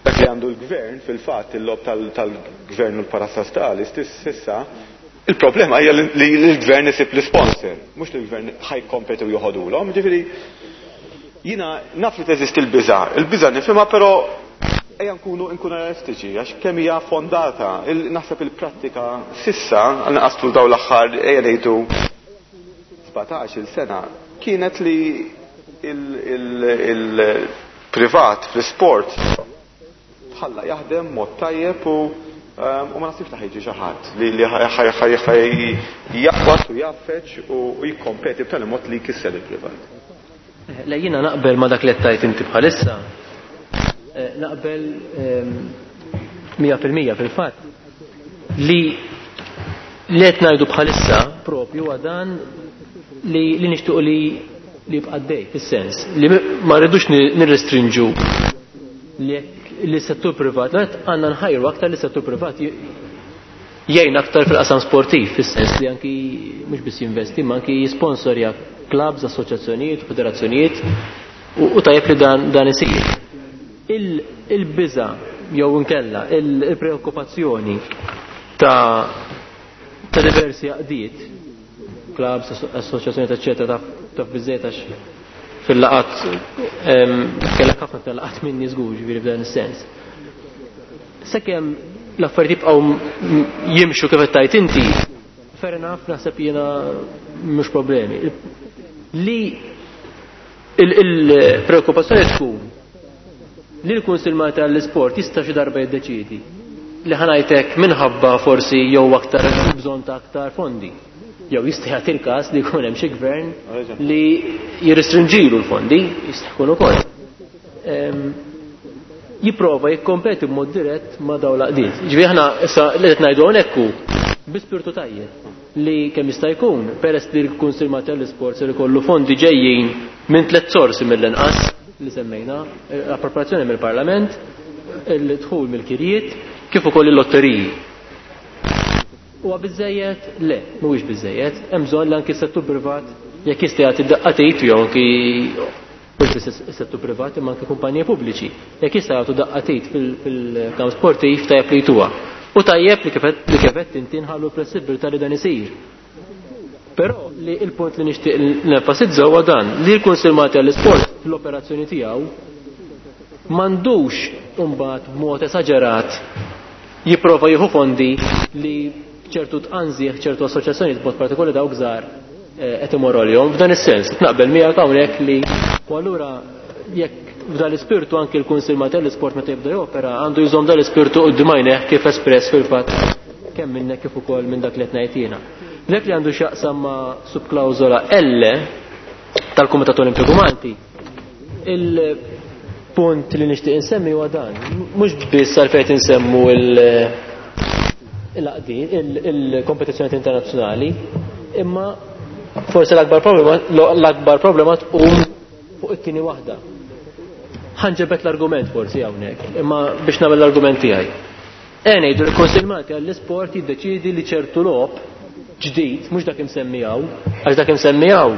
dak li għandu l-gvern fil-fatt il-lob tal-gvern u l-parastastali s'issa. Il-problema hija li l-gvern isib l-sponsor, mhux li l-gvern ħajkompeti u joħodulhom. Ġifieri jiena naf li teżisti l-biża', il-biża' nifhimha, però ejja nkunu nkunu realistiċi għax kemm hija fondata. Naħseb il-prattika sissa, għal-inqas tul dawn l-aħħar ejja ngħidu sbatax-il sena, kienet li il-privat fl-isport tħalla jaħdem mod tajjeb u U ma nasibx li ħajġi xi ħadd li jaqbad u jaffeċ u jikkompeti b'tali mod li jkisser il-privat. Le, jiena naqbel ma dak li qed inti bħalissa. Naqbel mija fil-mija fil-fatt li li qed ngħidu bħalissa propju huwa dan li li nixtiequ li li jibqa' dej, fis-sens li ma rridux nirrestrinġu li li settur privat, għandna nħajru aktar li settur privat jgħin aktar fil-qasam sportiv, fis-sens li anki mhux biss jinvesti, ma anki jisponsorja clubs, assoċjazzjonijiet, federazzjonijiet, u tajjeb li dan dan isir. Il-biża jew inkella il-preokkupazzjoni ta' ta' diversi għaqdiet, clubs, assoċjazzjonijiet, eċċetera, taf biżejjed għax fil-laqat kellek ħafna tal-laqat minni żgur, ġifieri f'dan is-sens. Sakemm l-affarijiet jibqgħu jimxu kif qed tgħid inti, fair enough, naħseb jiena mhux problemi. Li il-preokkupazzjoni tkun li l-Kunsill Malti għall-Isport jista' xi darba jiddeċiedi li ħanajtek minħabba forsi jew aktar bżonn ta' aktar fondi. Jew jista' jagħti l-każ li jkun hemm xi gvern li jirrestrinġilu l-fondi, jista' jkun ukoll. Jipprova jikkompeti b'mod dirett ma' dawn l-għaqdiet. Ġifieri aħna issa li qed ngħidu hawnhekk hu bi spirtu tajjeb li kemm jista' jkun, peress li l-Kunsill Malti għall-Isport ser ikollu fondi ġejjin minn tliet sorsi mill-inqas li semmejna, l-appropriazzjoni mill-Parlament, il-dħul mill-kirjiet, kif ukoll il-lotteriji. Huwa biżejjed? Le, mhuwiex biżejjed. Hemm bżonn li anki s-settur privat jekk jista' jagħti daqqa t'id jew anki mhux biss is-settur privat imma anki kumpaniji pubbliċi. Jekk jista' jagħtu daqqa t'id fil-kamp sportiv tajjeb li jtuha. U tajjeb li kif qed inti nħallu flessibilità li dan isir. Però li il-punt li nixtieq nenfasizza huwa dan li l-Kunsill Malti għall-Isport fl-operazzjoni tiegħu m'għandux imbagħad b'mod esaġerat jipprova jieħu fondi li ċertu tqanżieħ ċertu assoċjazzjonijiet b'mod partikolari dawk żgħar qed imorru għalihom. F'dan is-sens naqbel miegħek hawnhekk li u allura jekk f'dan l-ispirtu anki l-Kunsill Malti għall-Isport meta jibda jopera għandu jżomm dan l-ispirtu quddiem għajnejh kif espress fil-fatt kemm minnek kif ukoll minn dak li qed ngħid jiena. Dak li għandu x'jaqsam ma' subklawżola L tal-Kumitat Olimpiku Malti, il-punt li nixtieq insemmi huwa dan. Mhux biss għalfejn insemmu il-għaqdiet, il-kompetizzjonijiet internazzjonali, imma forsi l-akbar problema l-akbar problema tqum fuq it-tieni waħda. Ħanġebet l-argument forsi hawnhekk, imma biex nagħmel l-argument tiegħi. E ngħidu l-Kunsill Malti għall-Isport jiddeċiedi li ċertu logħob ġdid, mhux dak imsemmi hawn, għax dak imsemmi hawn,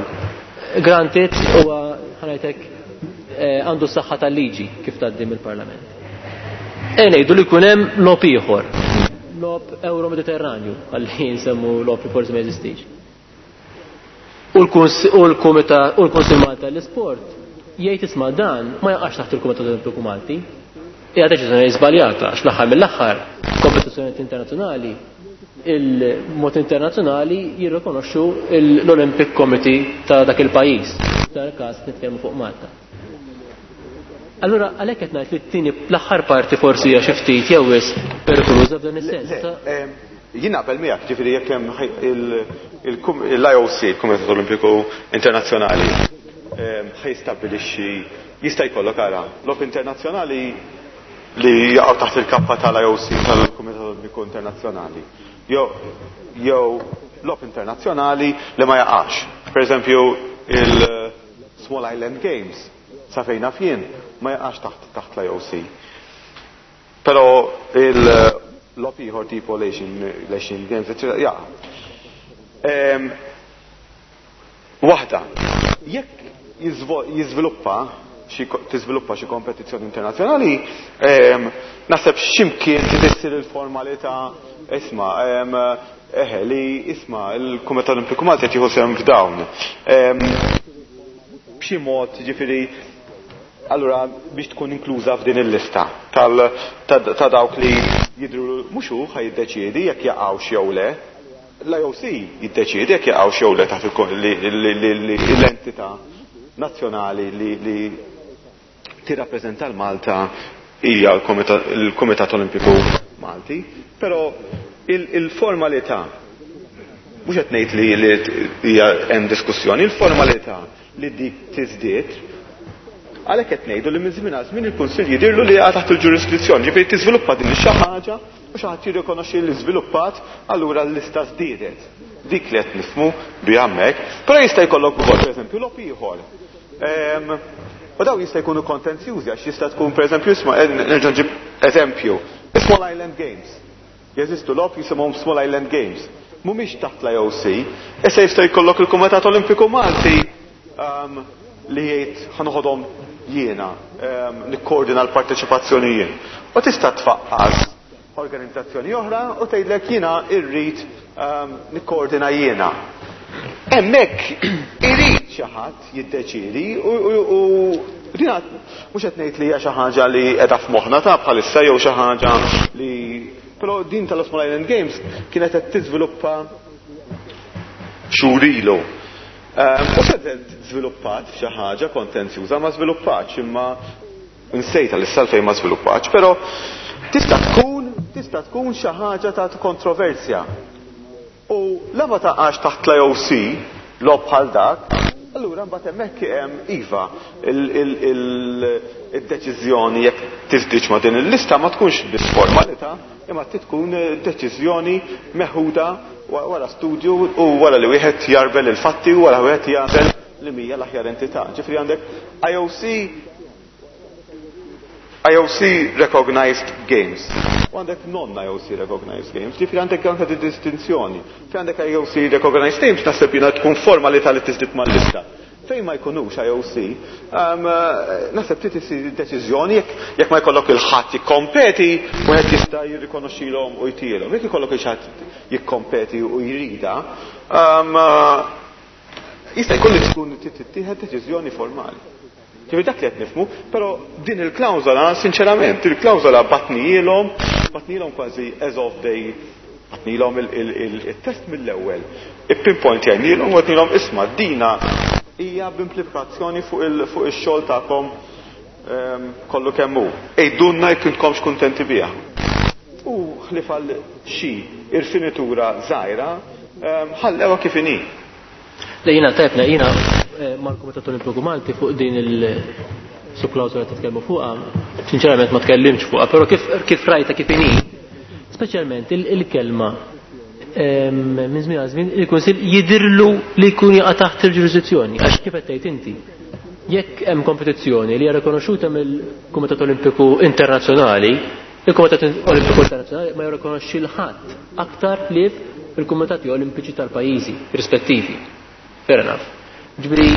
granted huwa ħanajtek għandu s-saħħa tal-liġi kif tgħaddi mill-Parlament. E ngħidu li jkun hemm logħob ieħor, logħob Euro-Mediterranju, għalli nsemmu logħob li forsi ma jeżistix. U l-Kumitat u l-Kunsill Malti għall-Isport jgħid isma' dan ma jaqax taħt il-Kumitat Olimpiku Malti. Hija deċiżjoni żbaljata għax l-aħħar mill-aħħar kompetizzjonijiet internazzjonali il-mod internazzjonali jirrikonoxxu l-Olympic Committee ta' dak il-pajjiż. F'dan il-każ nitkellmu fuq Malta. Allura għalhekk qed ngħid li t-tieni l-aħħar parti forsi hija xi ftit jew wisq perikoluża f'dan is-sens. Jien naqbel miegħek, ġifieri jekk hemm l-I O C, il-Kumitat Olimpiku Internazzjonali, ħajstabbilixxi jista' jkollok ara logħob internazzjonali li jaqgħu taħt il-kappa tal-I O C tal-Kumitat Olimpiku Internazzjonali. Jew jew logħob internazzjonali li ma jaqax. Per eżempju, il-Small Island Games sa fejn naf jien ma jaqax taħt taħt l-I O C. Però il-logħob ieħor tipo l-Asian Games, eccetera, jaqa'. Waħda, jekk jiżviluppa xi tiżviluppa xi kompetizzjoni internazzjonali, naħseb x'imkien trid issir il-formalità isma', eħe, li isma' il-Kumitat Olimpiku Malti qed jieħu sehem f'dawn. B'xi mod, ġifieri, allura biex tkun inkluża f'din il-lista ta' dawk li jidhru mhux hu ħa jiddeċiedi jekk jaqgħux jew le. L-I O C jiddeċiedi jekk jaqgħux jew le taħt l-entità nazzjonali li tirrappreżenta l-Malta hija l-Kumitat Olimpiku Malti, però il-formalità, mhux qed ngħid li hija hemm diskussjoni, il-formalità li dik tiżdied, għalhekk qed ngħidu li minn żmien għal żmien il-Kunsill jidhirlu li jaqa' taħt il-ġurisdizzjoni, ġifieri tiżviluppa din xi ħaġa u xi ħadd jirrikonoxxi li żviluppat, allura l-lista żdiedet. Dik li qed nifhmu bi hemmhekk, però jista' jkollok ukoll pereżempju logħob ieħor. U daw jista' jkunu kontenzjużi għax jista' tkun pereżempju isma' nerġa' nġib eżempju, Small Island Games. Jeżistu logħob jisimhom Small Island Games. Mhumiex taħt l-I O C, issa jista' jkollok il-Kumitat Olimpiku Malti li jgħid ħanoħodhom jiena, nikkoordina l-parteċipazzjoni jien. U tista' tfaqqas organizzazzjoni oħra u tgħidlek jiena irrid nikkoordina jiena. Hemmhekk irid xi ħadd jiddeċiedi u dina mhux qed ngħid li hija xi ħaġa li qiegħda f'moħħna ta' bħalissa jew xi ħaġa li però din tal-Small Island Games kienet qed tiżviluppa xhur ilu. U se żviluppat xi ħaġa kontenzjuża ma żviluppatx imma nsejta l-issa fejn ma żviluppatx, però tista' tkun tista' tkun xi ħaġa ta' kontroversja. U la ma taqax taħt l-I O C logħob bħal dak, allura mbagħad hemmhekk hemm iva il-deċiżjoni jekk tiżdiġ ma' din il-lista ma tkunx biss formalità, imma tkun deċiżjoni meħuda wara studju u wara li wieħed jarbel il-fatti u wara wieħed jagħmel li mija l-aħjar entità. Ġifieri għandek I O C I O C recognized games. U għandek non-I O C recognized games, ġifieri għandek anke di distinzjoni. Fi għandek I O C recognized games naħseb jiena tkun formalità li tiżdied mal-lista. Fejn ma jkunux I O C, naħseb trid isir deċiżjoni jekk ma jkollok il-ħadd jikkompeti u qed jista' jirrikonoxxilhom u jtielhom. Jekk ikollok il-ħadd jikkompeti u jrida, jista' jkun li tkun tittieħed deċiżjoni formali. Ġifieri dak li qed nifhmu, però din il-klawżola, sinċerament, il-klawżola batnielhom, batnielhom kważi as of day, batnielhom il-test mill-ewwel. Il-pinpoint jgħidilhom u qednilhom isma' dina hija b'implikazzjoni fuq ix-xogħol tagħkom kollu kemm hu. Ejdunna jekk intkomx kuntenti biha. U ħlief għal xi irfinitura żgħira, ħallewha kif inhi. Le jiena tajbna, jiena mal-Kumitat Olimpiku Malti fuq din il-subklawżola titkellmu fuqha, sinċerament ma tkellimx fuqha, però kif kif rajta kif inhi, speċjalment il-kelma minn żmien għal żmien il-Kunsill jidhirlu li jkun jaqa' taħt il-ġurisdizzjoni, għax kif qed tgħid inti. Jekk hemm kompetizzjoni li hija rikonoxxuta mill-Kumitat Olimpiku Internazzjonali, il-Kumitat Olimpiku Internazzjonali ma jirrikonoxxi l ħadd aktar ħlief il-Kumitati Olimpiċi tal-pajjiżi rispettivi. Fair enough. Ġifieri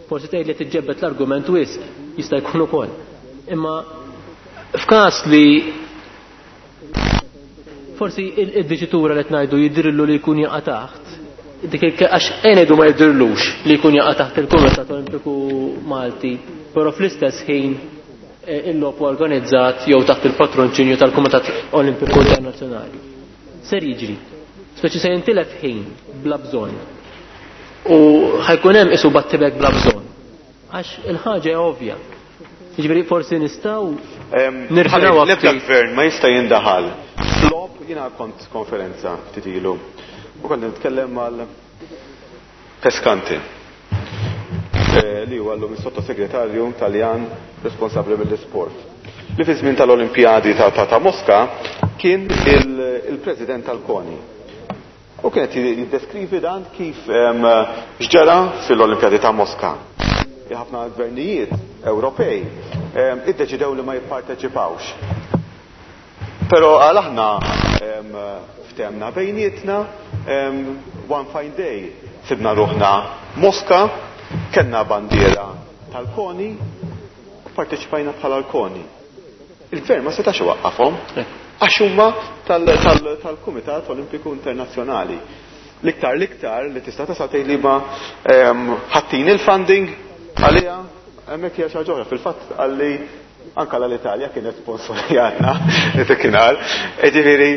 forsi tgħid li tiġġebbet l-argument wisq, jista' jkun ukoll. Imma f'każ li forsi id-diċitura li qed ngħidu jidhirlu li jkun jaqa' taħt, dik għax ngħidu ma jidhirlux li jkun jaqa' taħt il-Kumitat Olimpiku Malti, però fl-istess ħin il-logħob organizzat jew taħt il-patronċinju tal-Kumitat Olimpiku Internazzjonali. Ser jiġri, speċi se jintilef ħin bla bżonn. U ħajkun hemm isu battibek bla bżonn. Għax il-ħaġa hija ovvja. Jiġifieri forsi nistgħu nirħinaw L-ebda gvern ma jista' jindaħal. Flop jiena kont konferenza ftit ilu. U kont nitkellem mal Pescanti li huwa llum is-sottosegretarju Taljan responsabbli mill-isport. Li fi żmien tal-Olimpjadi ta' Mosca kien il-president tal-CONI. U kienet jiddeskrivi dan kif x'ġara fil-Olimpjadi ta' Mosca. Ħafna gvernijiet Ewropej iddeċidew li ma jipparteċipawx. Però għal aħna ftemna bejnietna, one fine day sibna ruħna Mosca, kellna bandiera tal-CONI u parteċipajna bħala l-CONI. Il-gvern ma setax iwaqqafhom għax huma tal-Kumitat Olimpiku Internazzjonali. L-iktar l-iktar li tista' tasal tgħid li ma ħattin il-funding għaliha hemmhekk hija xi ħaġa oħra. Fil-fatt għalli anke l-Italja kienet sponsorjatna dakinhar. Ġifieri,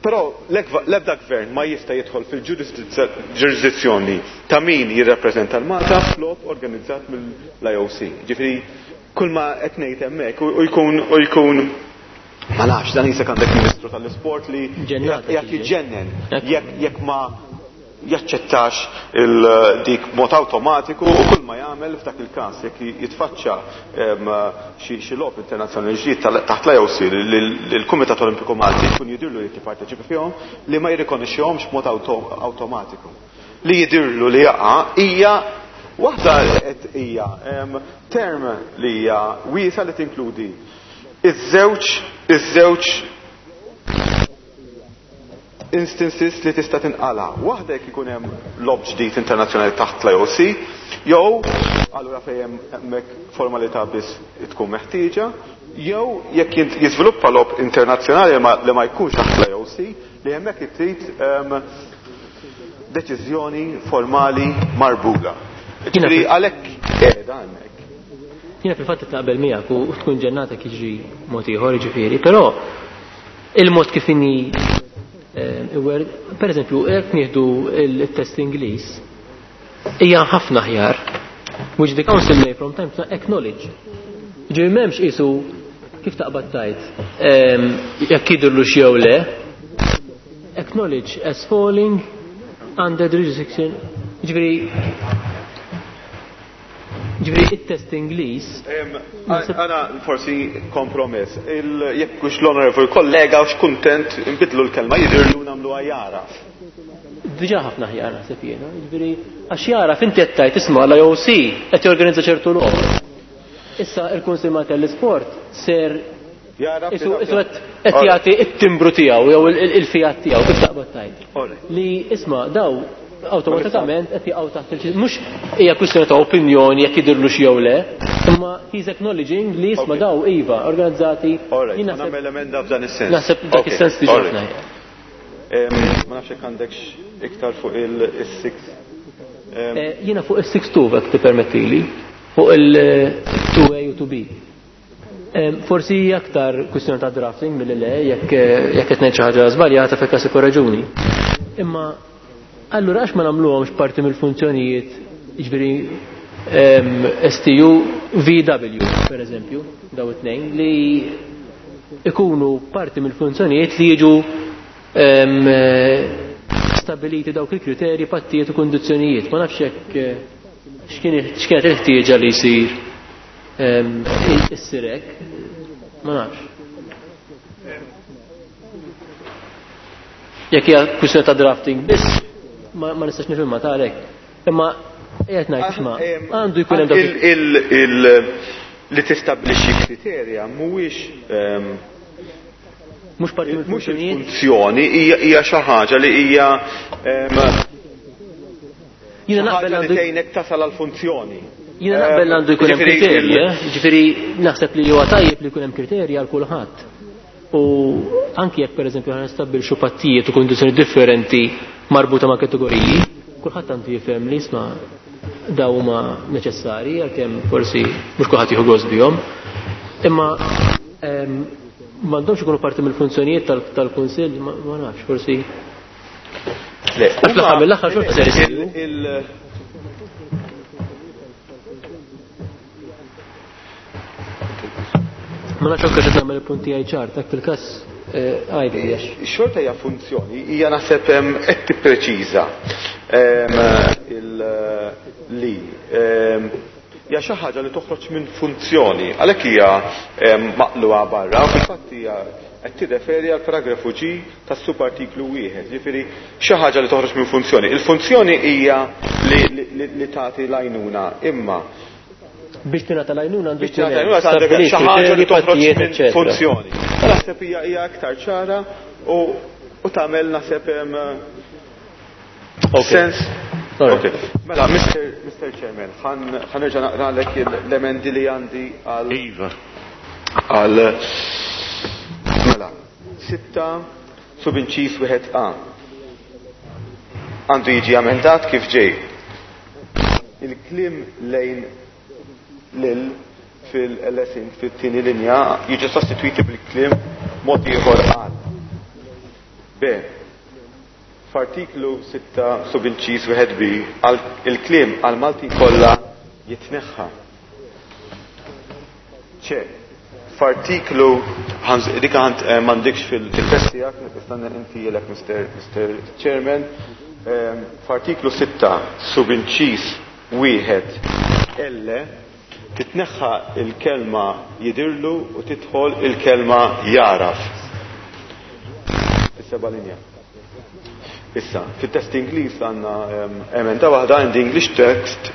però l-ebda gvern ma jista' jidħol fil-ġurisdizzjoni ta' min jirrappreżenta l-Malta flop organizzat mill-I O C. Ġifieri kull ma qed ngħid hemmhekk u jkun u jkun ma Ma nafx, dan jisek għandek Ministru tal-Isport li jekk jiġġennen, jekk ma jaċċettax il-dik mod awtomatiku u kull ma jagħmel f'dak il-każ jekk jitfaċċa xi logħob internazzjonali ġdid taħt l-I O C li l-Kumitat Olimpiku Malti jkun jidirlu li jipparteċipa fihom, li ma jirrikonoxxihomx b'mod awtomatiku. Li jidirlu li jaqa' hija waħda qed hija term li hija wiesa li tinkludi iż-żewġ iż-żewġ instances li tista' tinqala. Waħda jekk ikun hemm logħob ġdid internazzjonali taħt l-I O C, jew allura fejn hemmhekk formalità biss tkun meħtieġa, jew jekk jiżviluppa logħob internazzjonali li ma jkunx taħt l-I O C, li hemmhekk trid deċiżjoni formali marbuta. Ġifieri għalhekk qiegħda hemmhekk. Jiena fil-fatt naqbel miegħek u tkun ġennata jiġri mod ieħor ġifieri, però il-mod kif inhi, eh, per eżempju, jekk nieħdu il-test Ingliż, hija ħafna aħjar, which the council may from time to time acknowledge. Ġifieri m'hemmx isu kif taqbad tajt, jekk jidhirlu jew le, acknowledge as falling under the jurisdiction, ġifieri Ġifieri it-test Ingliż. Għana forsi kompromess. Jekk hux l-onorevoli kollega hux kuntent nbidlu l-kelma jidhirlu, nagħmlu jagħraf. Diġà ħafna ħjar naħseb jiena, ġifieri għax jagħraf inti qed tgħid isma' l-I O C qed jorganizza ċertu logħob. Issa il-Kunsill Malti l-Isport ser Isu qed jagħti it-timbru tiegħu jew il-fiat tiegħu, kif taqbad tgħid. Li isma' daw awtomatikament qed jaqgħu taħt il mhux hija kwistjoni ta' opinjoni jekk jidhirlu jew le, imma he's acknowledging li isma' daw iva organizzati. Nagħmel emenda f'dan is-sens. Naħseb dak is-sens diġà. Ma nafx jekk għandekx iktar fuq il-six. Eh, jiena fuq il-six two jekk tippermettili, fuq il-two A u two B. Forsi aktar kwistjoni ta' drafting mill le, jekk jekk qed ngħid xi ħaġa żbaljata fil-każ raġuni. Imma allura għax ma nagħmluhomx parti mill-funzjonijiet, jiġifieri S T U V W per eżempju, daw it-tnejn li ikunu parti mill-funzjonijiet li jiġu stabiliti dawk il-kriterji, pattijiet u kondizzjonijiet. Ma nafx hekk x'kienet il-ħtieġa li jsir issir hekk, ma nafx. Jekk hija kwistjoni ta' drafting biss, ma nistax nifhimha ta' għalhekk. Imma qiegħed ngħid isma' għandu jkun hemm dak li tistabbilixxi kriterja mhuwiex mhux parti mhux il-funzjoni, hija xi ħaġa li hija Jiena naqbel li tgħinek tasal għall-funzjoni. Jiena naqbel għandu jkun hemm kriterji, eh? Ġifieri naħseb li huwa tajjeb li jkun hemm kriterji għal kulħadd. U anki jekk pereżempju ħa nistabbilxu pattijiet u kondizzjoni differenti marbuta ma' kategoriji, kulħadd għandu jifhem li isma' daw huma neċessarji, għalkemm forsi mhux kulħadd jieħu gost bihom. Imma m'għandhomx ikunu parti mill-funzjonijiet tal-Kunsill, ma nafx, forsi. Le, Għax fl-aħħar mill-aħħar xorta ser isiru. Ma nafx anke qed nagħmel il-punti għaj ċar, dak fil-każ għajdi għax. Xorta hija funzjoni, hija naħseb qed tippreċiża li hija xi ħaġa li toħroġ minn funzjoni, għalhekk hija maqluha barra, u fil-fatt hija qed tirreferi għal paragrafu G tas-subartiklu wieħed, ġifieri xi ħaġa li toħroġ minn funzjoni. Il-funzjoni hija li tagħti l-għajnuna, imma biex tingħata l-għajnuna għandu biex tingħata l-għajnuna xi ħaġa li toħroġ minn funzjoni. Naħseb hija hija aktar ċara u u tagħmel naħseb sens. Okay. Mela, Mister Chairman, ħa nerġa' naqralek l-emendi li għandi għal. Iva. Għal. Mela, sitta subinċis wieħed A. Għandu jiġi amendat kif ġej. Il-kliem lejn lil fil-L S fit-tieni linja jiġu sostituiti bil-kliem mod ieħor għal. B. F'artiklu sitta subinċis wieħed B il-kliem għal Malti kollha jitneħħa. C. F'artiklu dik għand m'għandikx fil-test tiegħek, nistanna inti Mister Mister Chairman. F'artiklu sitta subinċis wieħed L titneħħa il-kelma jidirlu u tidħol il-kelma jaraf. Is-seba' linja. Issa, fit-test Ingliż għandna emenda waħda in the English text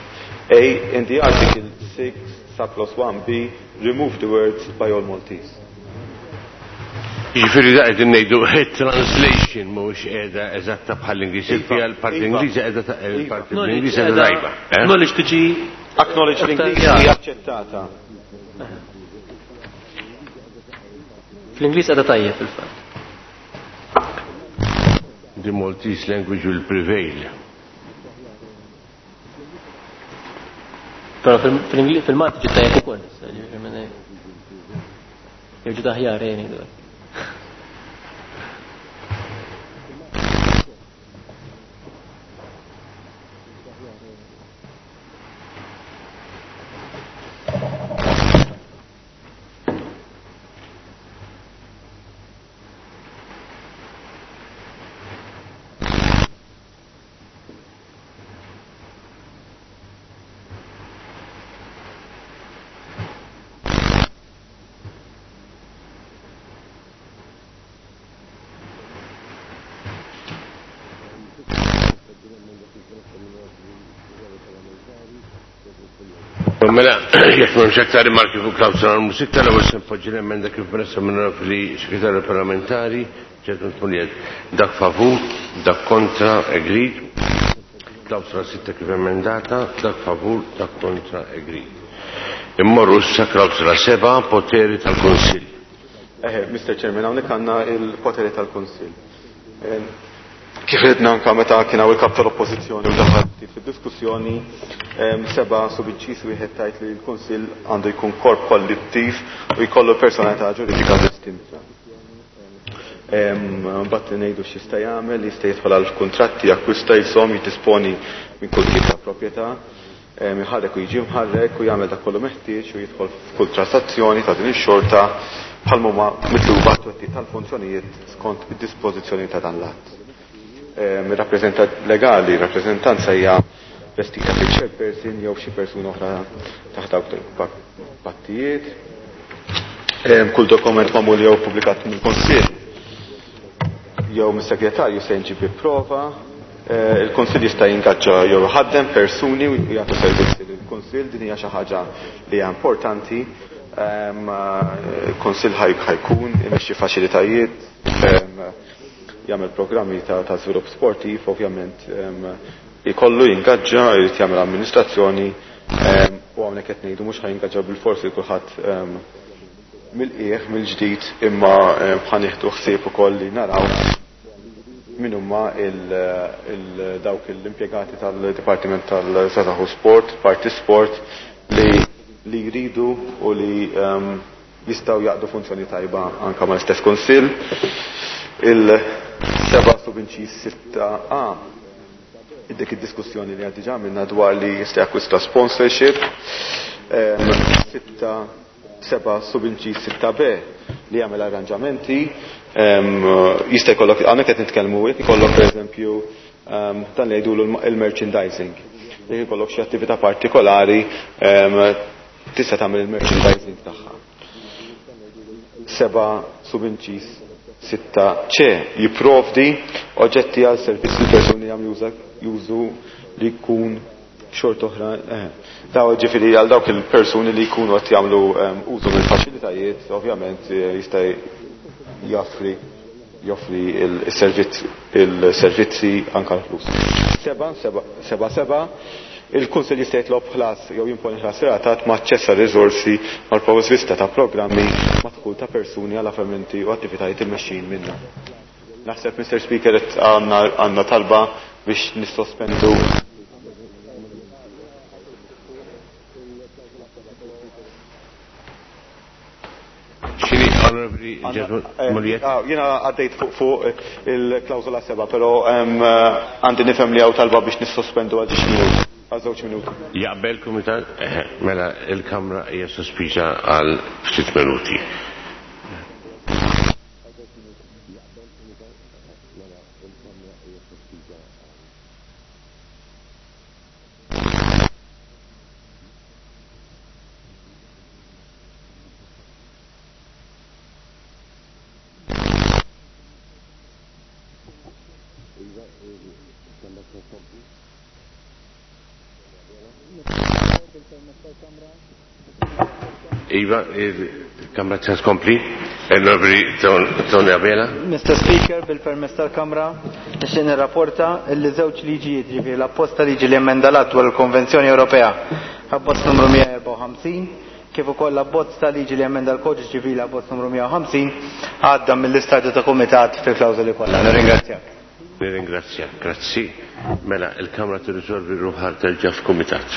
A in the article six subclause one B remove the words by all Maltese. Jiġifieri da qegħdin ngħidu translation mhux qiegħda eżatta bħall-Ingliż, fiha l-parti Ingliża qiegħda il-parti Ingliża qiegħda tajba. Knowledge tiġi acknowledge l-Ingliż hija aċċettata. Fl-Ingliż qiegħda tajjeb fil-fatt. The Maltese language will prevail. Però fil-Malti ġiet tajjeb ukoll, ġifieri jew ġiet aħjar jien ngħidu. Mela, jekk m'hemmx aktar rimarki fuq klawsola numru sitta, l-ewwel se npoġġi l-emenda kif mressaq minn Onorevoli Segretarju Parlamentari, ġentlman Pugliese. Dak favur, dak kontra, agreed. Klawsola sitta kif emendata, dak favur, dak kontra, agreed. Immorru issa klawsola seba', poteri tal-Kunsill. Eħe, Mister Chairman, hawnhekk għandna il-poteri tal-Kunsill. Kif ridna anka meta kien hawn il-kap tal-Oppożizzjoni u daħal ftit fid-diskussjoni, seba' subinċis wieħed tajt li l-Kunsill għandu jkun korp kollettiv u jkollu personalità ġuridika distinta. Mbagħad ngħidu x'jista' jagħmel, jista' jidħol għal kuntratti, jakkwista, jżomm, jiddisponi minn kull tip ta' proprjetà, iħarrek u jiġi mħarrek u jagħmel dak kollu meħtieġ u jidħol f'kull transazzjoni ta' din ix-xorta bħal huma mitluba t-twettiq tal-funzjonijiet skont id-dispożizzjoni ta' dan l-att. Ir-rappreżentant legali, rappreżentanza hija vestita fil-chairperson jew xi persuna oħra taħt dawk il-pattijiet. Kull dokument magħmul jew pubblikat mill-Kunsill jew mis-segretarju se jinġib bi prova. Il-Kunsill jista' jingaġġa jew iħaddem persuni u jagħtu servizzi lill-Kunsill, din hija xi ħaġa li hija importanti. Il-Kunsill ħajkun imexxi faċilitajiet, jagħmel programmi ta' ta' żvilupp sportiv, ovvjament ikollu jingaġġa, jrid jagħmel amministrazzjoni, u hawnhekk qed ngħidu mhux ħajingaġġa bil-forsi kulħadd mill-qiegħ mill-ġdid, imma ħa nieħdu ħsieb ukoll li naraw min huma dawk l-impjegati tal-Dipartiment tal-Żgħażagħ u Sport, Parti Sport, li li jridu u li jistgħu jaqdu funzjoni tajba anke mal-istess Kunsill. Il-seba' subinċis sitta A, dik id-diskussjoni li għad diġà għamilna dwar li jista' jakkwista sponsorship. Sitta seba' subinċis sitta B li jagħmel arranġamenti. Jista' jkollok, hawnhekk qed nitkellmu, jekk ikollok pereżempju dan li jgħidulu il-merchandising. Jekk ikollok xi attività partikolari, tista' tagħmel il-merchandising tagħha. Seba' subinċis sitta C jipprovdi oġġetti għal servizzi li persuni jagħmlu jużu li jkun xort oħra. Daw ġifieri għal dawk il-persuni li jkunu qed jagħmlu użu mill-faċilitajiet, ovvjament jista' jaffri joffri il-servizzi anke l-flus. Seba' seba' seba' il-Kunsill jista' jitlob ħlas jew jimponi ħlas relatat ma' aċċess għal riżorsi mal-provvista ta' programmi ma' dħul ta' persuni għal avvenimenti u attivitajiet immexxijin minnha. Naħseb, Mister Speaker, qed għandna talba biex nissospendu. Jiena għaddejt fuq fuq il-klawżola seba', però għandi nifhem li hawn talba biex nissospendu għal ġiex minuti. Għal żewġ minuti. Jaqbel kumitat? Mela il-Kamra hija sospiża għal ftit minuti. Iva, il-Kamra tkompli. Onorevoli Tony Abela. Mister Speaker, bil-permess tal-Kamra, nixtieq nirrapporta li żewġ liġijiet, ġifieri l-apposta liġi li emenda l-att dwar il-Konvenzjoni Ewropea, abbozz numru mija erbgħa u ħamsin, kif ukoll l-abbozz ta' liġi li emenda l-Kodiċi Ċivili abbozz numru mija u ħamsin, għadda mill-istadju ta' kumitat fil-klawżoli kollha. Nirringrazzjak. Nirringrazzjak, grazzi. Mela, il-Kamra tirriżolvi ruħha terġa' f'kumitat.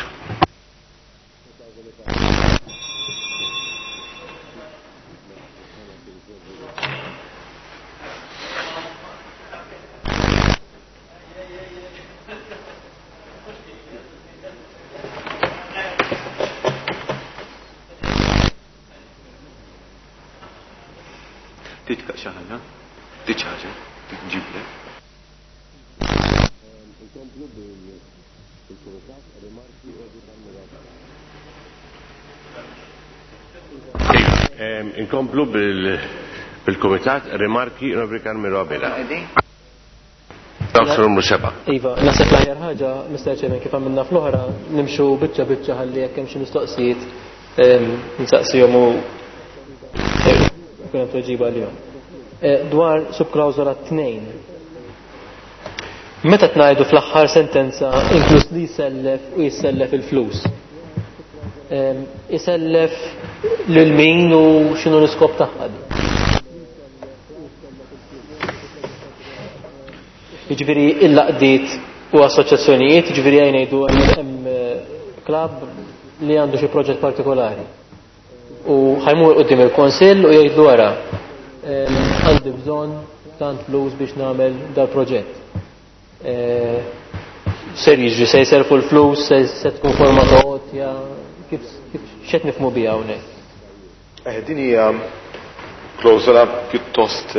Inkomplu bil-Kumitat, rimarki Onorevoli Carmelo Abela. Numru seba'. Iva, naħseb l-aħjar ħaġa, Mister Chairman, kif għamilna fl-oħra, nimxu biċċa biċċa ħalli jekk hemm xi mistoqsijiet nsaqsihom u jkun hemm tweġiba għalihom. Dwar subklawżola tnejn. Meta tngħidu fl-aħħar sentenza inkluż li jsellef u jissellef il-flus. Isellef lil min u x'inhu l-iskop tagħha di? Jiġifieri il-laqdiet u assoċjazzjonijiet, jiġifieri jgħin ngħidu hemm klabb li għandu xi proġett partikolari. U ħajmur quddiem il-Kunsill u jgħidlu wara għandi bżonn tant flus biex nagħmel dal-proġett. Ser jiġri, se jserfu l-flus, se tkun forma ta' għotja, kif x'qed nifhmu biha hawnhekk? Eh, din hija klawżola pjuttost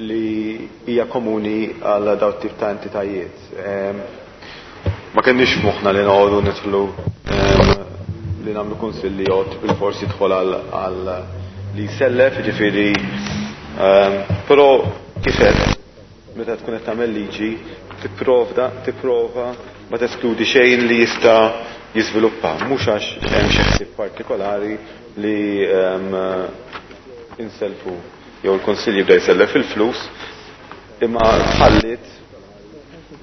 li hija komuni għal dawn tip ta' entitajiet. Ma kenniex f'moħħna li noqogħdu nidħlu li nagħmlu kunsill li jgħod bil-forsi jidħol għal li jsellef, jiġifieri, però kif qed meta tkun qed tagħmel liġi tipprovda tipprova ma teskludi xejn li jista' jiżviluppa, mhux għax hemm xi ħsieb partikolari li inselfu jew il-Kunsill jibda jsellef il-flus, imma tħallit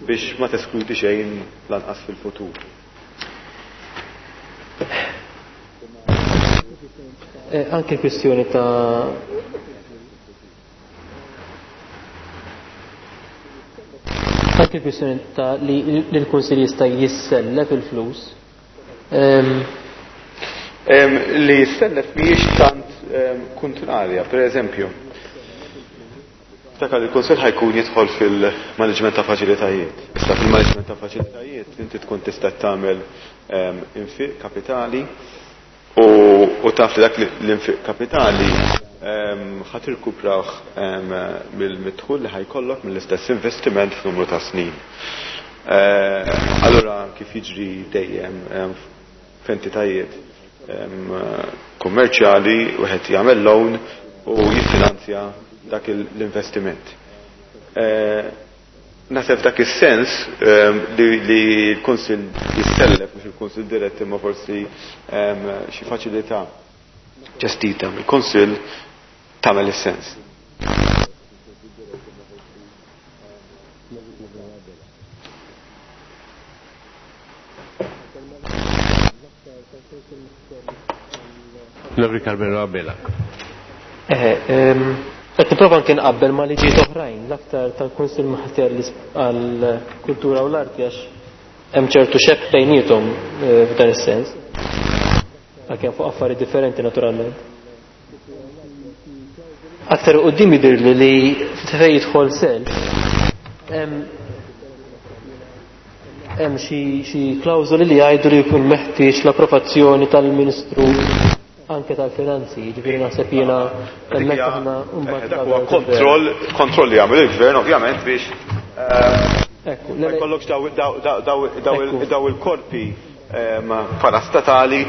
biex ma teskludi xejn lanqas fil-futur. Anke kwistjoni ta' anke kwistjoni ta' li l-Kunsill jista' jissellef il-flus. Li jissellef mhijiex tant kontrarja, per eżempju. Ftakar il-Kunsill ħajkun jidħol fil-management ta' faċilitajiet. Issa fil-management ta' faċilitajiet inti tkun tista' tagħmel infiq kapitali u taf li dak l-infiq kapitali ħa tirkupraw mill-midħul li ħajkollok mill-istess investiment f'numru ta' snin. Allura kif jiġri dejjem f'entitajiet kummerċjali wieħed jagħmel loan u jiffinanzja dak l-investiment. Naħseb dak is-sens li l-Kunsill jissellef, mhux il-Kunsill dirett imma forsi xi faċilità ġestita mill-Kunsill tagħmel is-sens. Onorevoli Carmelo Abela. Qed nipprova anke nqabbel ma' liġijiet oħrajn, l-aktar tal-Kunsill Malti għall-Kultura u l-Arti għax hemm ċertu xebh bejniethom f'dan is-sens. Għalkemm fuq affarijiet differenti naturalment. Aktar quddiem jidhirli li fejn jidħol self hemm hemm xi klawżoli li jgħidu li jkun meħtieġ l-approvazzjoni tal-Ministru anke tal-Finanzi, jiġifieri naħseb jiena hemmhekk aħna mbagħad dak huwa kontroll kontroll li jagħmel il-gvern ovvjament biex ma jkollokx daw il-korpi parastatali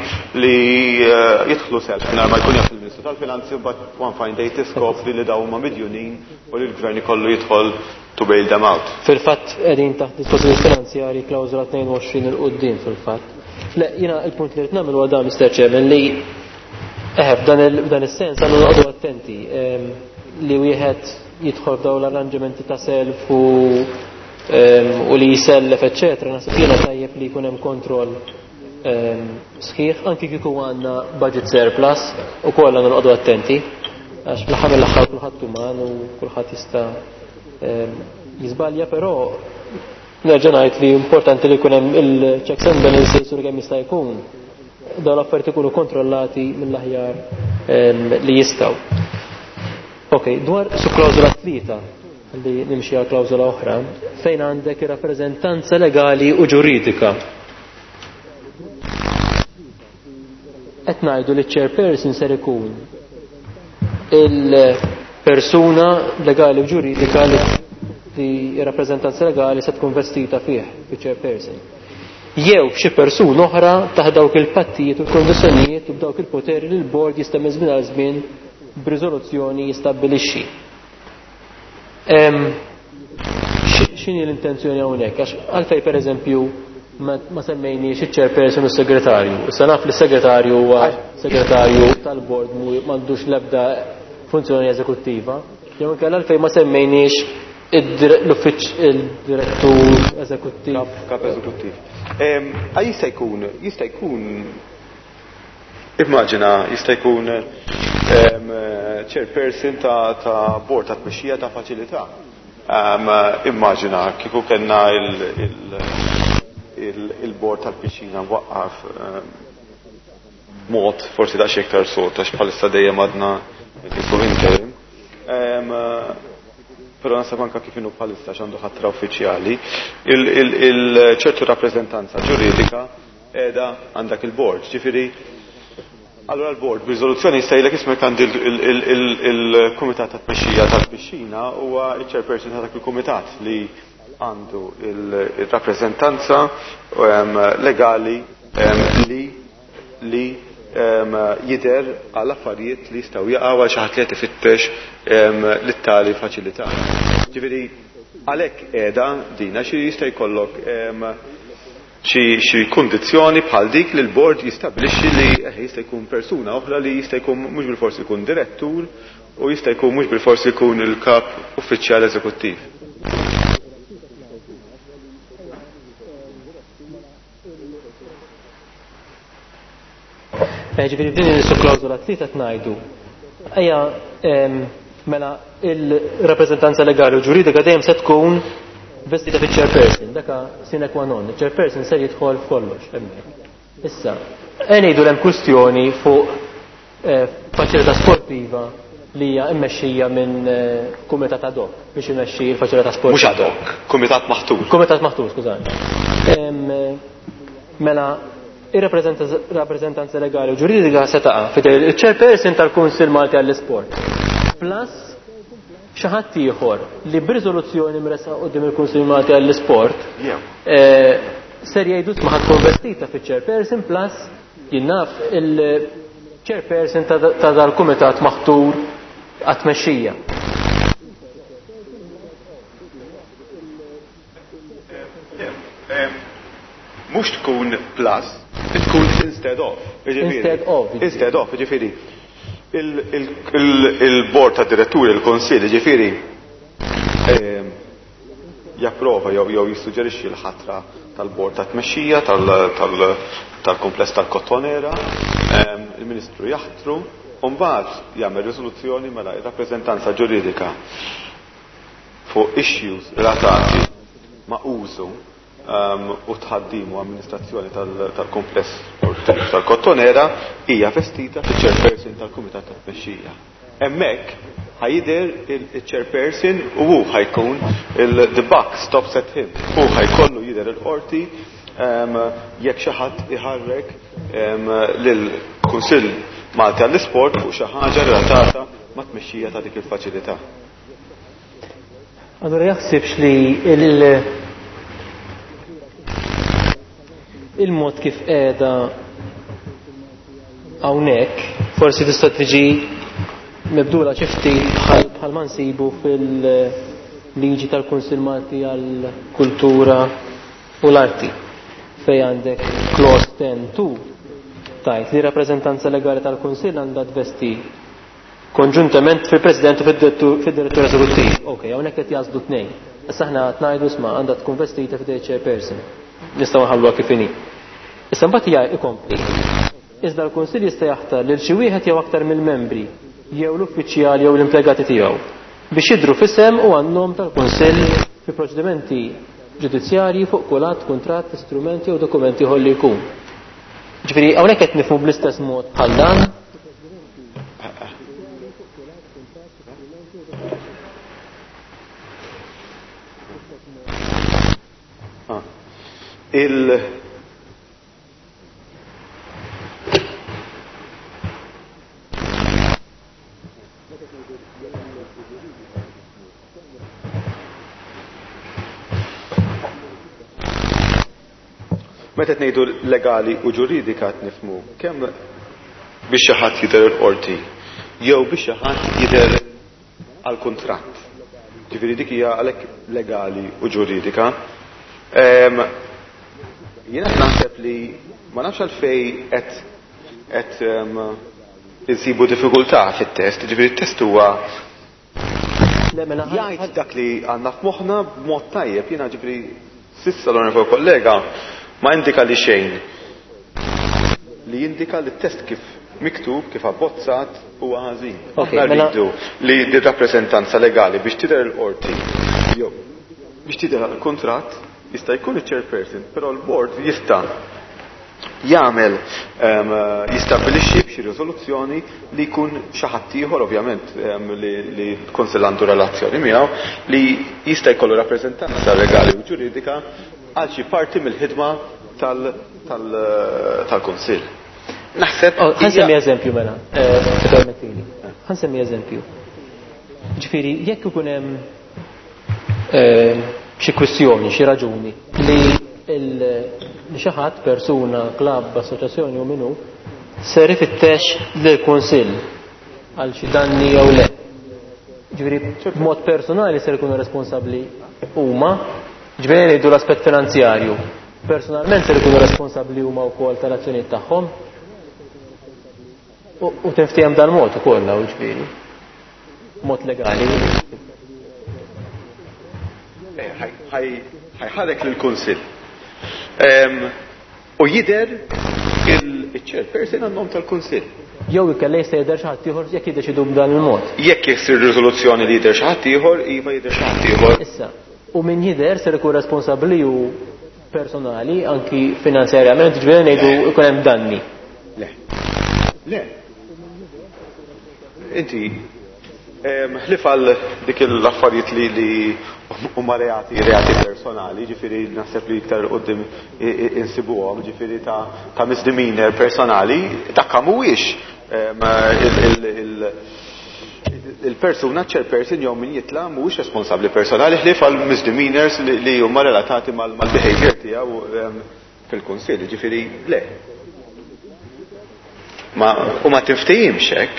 li jidħlu self mingħajr ma jkun jaf il-Ministru tal-Finanzi, but one fine day tiskopri li daw huma midjunin u li l-gvern ikollu jidħol to bail them out. Fil-fatt qegħdin taħt dispożizzjoni finanzjarji klawżola tnejn u għoxrin il quddiem fil-fatt. Le, jiena il-punt li rrid nagħmel huwa dan, Mister Chairman, li eħe f'dan is-sens għandu noqogħdu attenti li wieħed jidħol f'dawn l-arranġamenti ta' self u u li jisellef, eċċetera. Naħseb jiena tajjeb li jkun hemm kontroll sħiħ, anki kieku għandna budget surplus, ukoll għandna noqogħdu attenti, għax fl-aħħar mill-aħħar kulħadd uman u kulħadd jista' jiżbalja, però nerġa' ngħid li importanti li jkun hemm il-checks and balances u kemm jista' jkun dawn l-affarijiet ikunu kontrollati mill-aħjar li jistgħu. Ok, dwar su klawżola tlieta li nimxi għal klawżola oħra, fejn għandek ir-rappreżentanza legali u ġuridika. Qed ngħidu li ċ-chairperson ser ikun il-persuna legali u ġuridika li r-rappreżentanza legali se tkun vestita fih, fiċ-chairperson. Jew f'xi persuna oħra taħt dawk il-pattijiet u l-kondizzjonijiet u b'dawk il-poteri li l-bord jista' minn żmien għal żmien b'riżoluzzjoni jistabbilixxi. X'inhi l-intenzjoni hawnhekk? Għax għalfejn pereżempju ma semmejniex iċ-chairperson u s-segretarju. Issa naf li s-segretarju huwa segretarju tal-bord m'għandux l-ebda funzjoni eżekuttiva. Jew inkella għalfejn ma semmejniex l-uffiċ il-direttur eżekuttiv. Kap eżekuttiv. Jista' jkun, jista' jkun, immaġina, jista' jkun chairperson ta' bord ta' tmexxija ta' faċilità. Immaġina kieku kellna il-bord tal-pixxina mwaqqaf mod forsi daqsxejn iktar sod għax bħalissa dejjem għadna kif interim. Però naħseb anke kif inhu bħalissa x'għandu ħatra uffiċjali, il-ċertu rappreżentanza ġuridika qiegħda għandak il-bord. Ġifieri, allura l-bord b'riżoluzzjoni jista' jgħidlek ismek għandi il-kumitat ta' tmexxija tal-pixxina huwa ċ-chairperson ta' dak il-kumitat li għandu il-rappreżentanza legali li li jidher għal affarijiet li jistgħu jaqgħu għal xi ħadd li qed ifittex lit-tali faċilità. Ġifieri għalhekk qiegħda din għax jista' jkollok xi kundizzjoni bħal dik li l-bord jistabbilixxi li jista' jkun persuna oħra li jista' jkun mhux bilforsi jkun direttur u jista' jkun mhux bilforsi jkun il-kap uffiċjal eżekuttiv. Ġifieri f'din il-klawżola tlieta qed ngħidu. Ejja mela il-rappreżentanza legali u ġuridika dejjem se tkun vestita fiċ-chairperson, daka sine qua non, il-chairperson ser jidħol f'kollox hemmhekk. Issa, e ngħidu hemm kwistjoni fuq faċilità sportiva li hija mmexxija minn kumitat ad hoc biex imexxi l-faċilità sportiva. Mhux ad hoc, kumitat maħtur. Kumitat maħtur, skużani. Mela ir-rappreżentanza legali u ġuridika se taqa' fidel il-chairperson tal-Kunsill Malti għall-Isport. Plus xi ħadd ieħor li b'riżoluzzjoni mresqa quddiem il-Kunsill Malti għall-Isport ser jgħidu ma ħadd tkun vestita fiċ-chairperson plus jien naf il-chairperson ta' dal-kumitat maħtur għat-tmexxija. Mhux tkun plus, tkun instead of. Instead of. Instead of, ġifieri. Il-bord ta' diretturi, il-konsil, ġifieri, japprova jew jew jissuġġerixxi l-ħatra tal-bord ta' tmexxija tal-kumpless tal-Kottonera, il-Ministru jaħtru, u mbagħad jagħmel riżoluzzjoni mela r-rappreżentanza ġuridika fuq issues relatati ma' użu u tħaddim u amministrazzjoni tal-kumpless sportiv tal-Kottonera hija vestita fiċ-chairperson tal-Kumitat tat-Tmexxija. Hemmhekk Ħa jidher il-chairperson u hu ħa jkun the buck stops at him. Hu ħa jkollu jidher il-qorti jekk xi ħadd iħarrek lill-Kunsill Malti għall-Isport fuq xi ħaġa relatata ma' tmexxija ta' dik il-faċilità. Allura jaħsibx li il- il-mod kif qiegħda hawnhekk forsi tista' tiġi mibdula xi ftit bħal bħal ma nsibu fil-liġi tal-Kunsill Malti għall-Kultura u l-Arti fejn għandek clause ten two tajt li rappreżentanza legali tal-Kunsill għandha tvesti konġuntament fil-President u fid-Direttur Eżekuttiv. Ok, hawnhekk qed jażlu tnejn. Issa aħna qed ngħidu isma' għandha tkun vestita fid chairperson. Nistgħu nħalluha kif inhi. Issa mbagħad hija ikompli. Iżda l-Kunsill jista' jaħtar lil xi wieħed jew aktar mill-membri jew l-uffiċjali jew l-impjegati tiegħu biex jidhru f'isem u għan-nom tal-Kunsill fi proċedimenti ġudizzjarji fuq kull att, kuntratt, istrument jew dokumenti ieħor li jkun. Ġifieri hawnhekk qed nifhmu bl-istess mod bħal dan. Il Meta qed ngħidu legali u ġuridika qed nifhmu kemm biex xi ħadd jidher il-qorti jew biex xi ħadd jidher għal kuntratt. Ġifieri dik hija għalhekk legali u ġuridika. Jiena naħseb li ma nafx għalfejn qed qed insibu diffikultà fit-test, ġifieri t-test huwa jgħid dak li għandna f'moħħna b'mod tajjeb, jiena ġifieri s'issa l-onorevoli kollega ma indika li xejn li jindika li t-test kif miktub, kif abbozzat huwa ħażin. Aħna rridu li r-rappreżentanza legali biex tidher il-qorti jew biex tidher il-kuntratt jista' jkun il-chairperson, però l-board jista' jagħmel jistabbilixxi b'xi riżoluzzjoni li jkun xi ħadd ieħor ovvjament li l-Kunsill għandu relazzjoni miegħu li jista' jkollu rappreżentanza legali u ġuridika għal xi parti mill-ħidma tal-Kunsill. Naħseb. Ħa nsemmi eżempju mela, permettili. Ħa nsemmi eżempju. Ġifieri jekk ikun hemm xi kwistjoni, xi raġuni li li xi ħadd, persuna, klabb, assoċjazzjoni u minnu ser ifittex lill-Kunsill għal xi danni jew le. Ġifieri b'mod personali ser ikunu responsabbli huma, ġifieri ngħidu l-aspett finanzjarju. Personalment ser ikunu responsabbli huma wkoll tal-azzjonijiet tagħhom. U tinftiehem dal-mod ukoll hawn ġifieri. Mod legali. Ħajħarek lill-Kunsill. U jidher il-chairperson għan-nom tal-Kunsill. Jew ikella jista' jidher xi ħadd ieħor jekk jiddeċidu b'dan il-mod. Jekk jsir riżoluzzjoni li jidher xi ħadd ieħor, iva jidher xi ħadd ieħor. Issa, u min jidher ser ikun responsabbli u personali, anki finanzjarjament, ġifieri ngħidu jkun hemm danni. Le. Le. Inti ħlief għal dik l-affarijiet li li huma reati, reati personali, ġifieri naħseb li iktar quddiem insibuhom, ġifieri ta' ta' misdemeanor personali, dak mhuwiex il-persuna chairperson jew min jitla' mhuwiex responsabbli personali ħlief għal misdemeanors li huma relatati mal-behavior tiegħu fil-Kunsill, ġifieri le. Ma u ma tinftehimx hekk.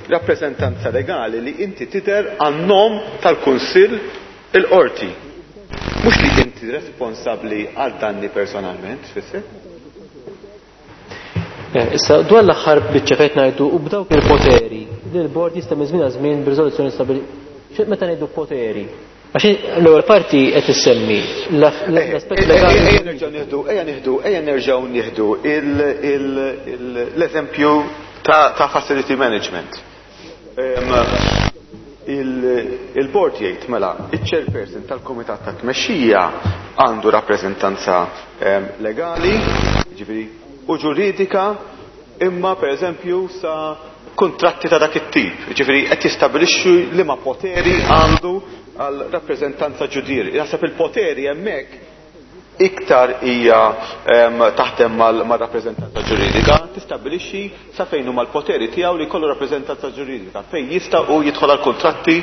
Rappreżentanza legali li inti tidher għan-nom tal-Kunsill il-qorti. Mhux li inti responsabbli għal danni personalment, tfisser? Issa, dwar l-aħħar biċċa fejn ngħidu u b'dawk il-poteri li l-bord jista' minn żmien għal żmien b'riżoluzzjoni stabbli. Meta ngħidu poteri? Għax l-ewwel parti qed issemmi l-aspett legali. Ejja nerġgħu nieħdu, ejja nieħdu, ejja nerġgħu nieħdu l-eżempju ta' facility management. Il-board jgħid mela, il-chairperson tal-Kumitat ta' Tmexxija għandu rappreżentanza legali, ġifieri, u ġuridika imma pereżempju sa kuntratti ta' dak it-tip. Jiġifieri qed jistabilixxu liema poteri għandu għal rappreżentanza ġudiri. Naħseb il-poteri hemmhekk iktar hija taħdem mal-rappreżentanza ġuridika, tistabbilixxi sa fejn huma l-poteri tiegħu li jkollu rappreżentanza ġuridika, fejn jista' hu jidħol għal kuntratti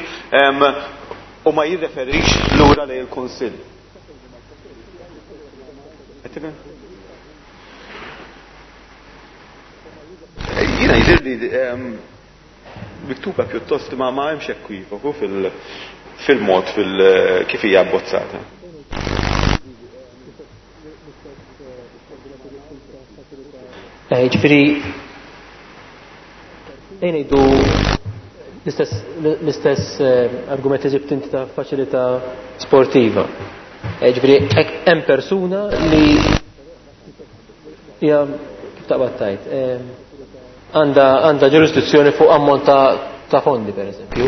u ma jirreferix lura lejn il-Kunsill. Jiena jidhirli miktuba pjuttost ma ma hemmx ekwivoku fil-mod kif hija abbozzata. Ġifieri ejja ngħidu l-istess argument li ġibt inti ta' faċilità sportiva. Ġifieri hemm persuna li hija kif taqbad tajt għandha għandha ġurisdizzjoni fuq ammont ta' fondi pereżempju.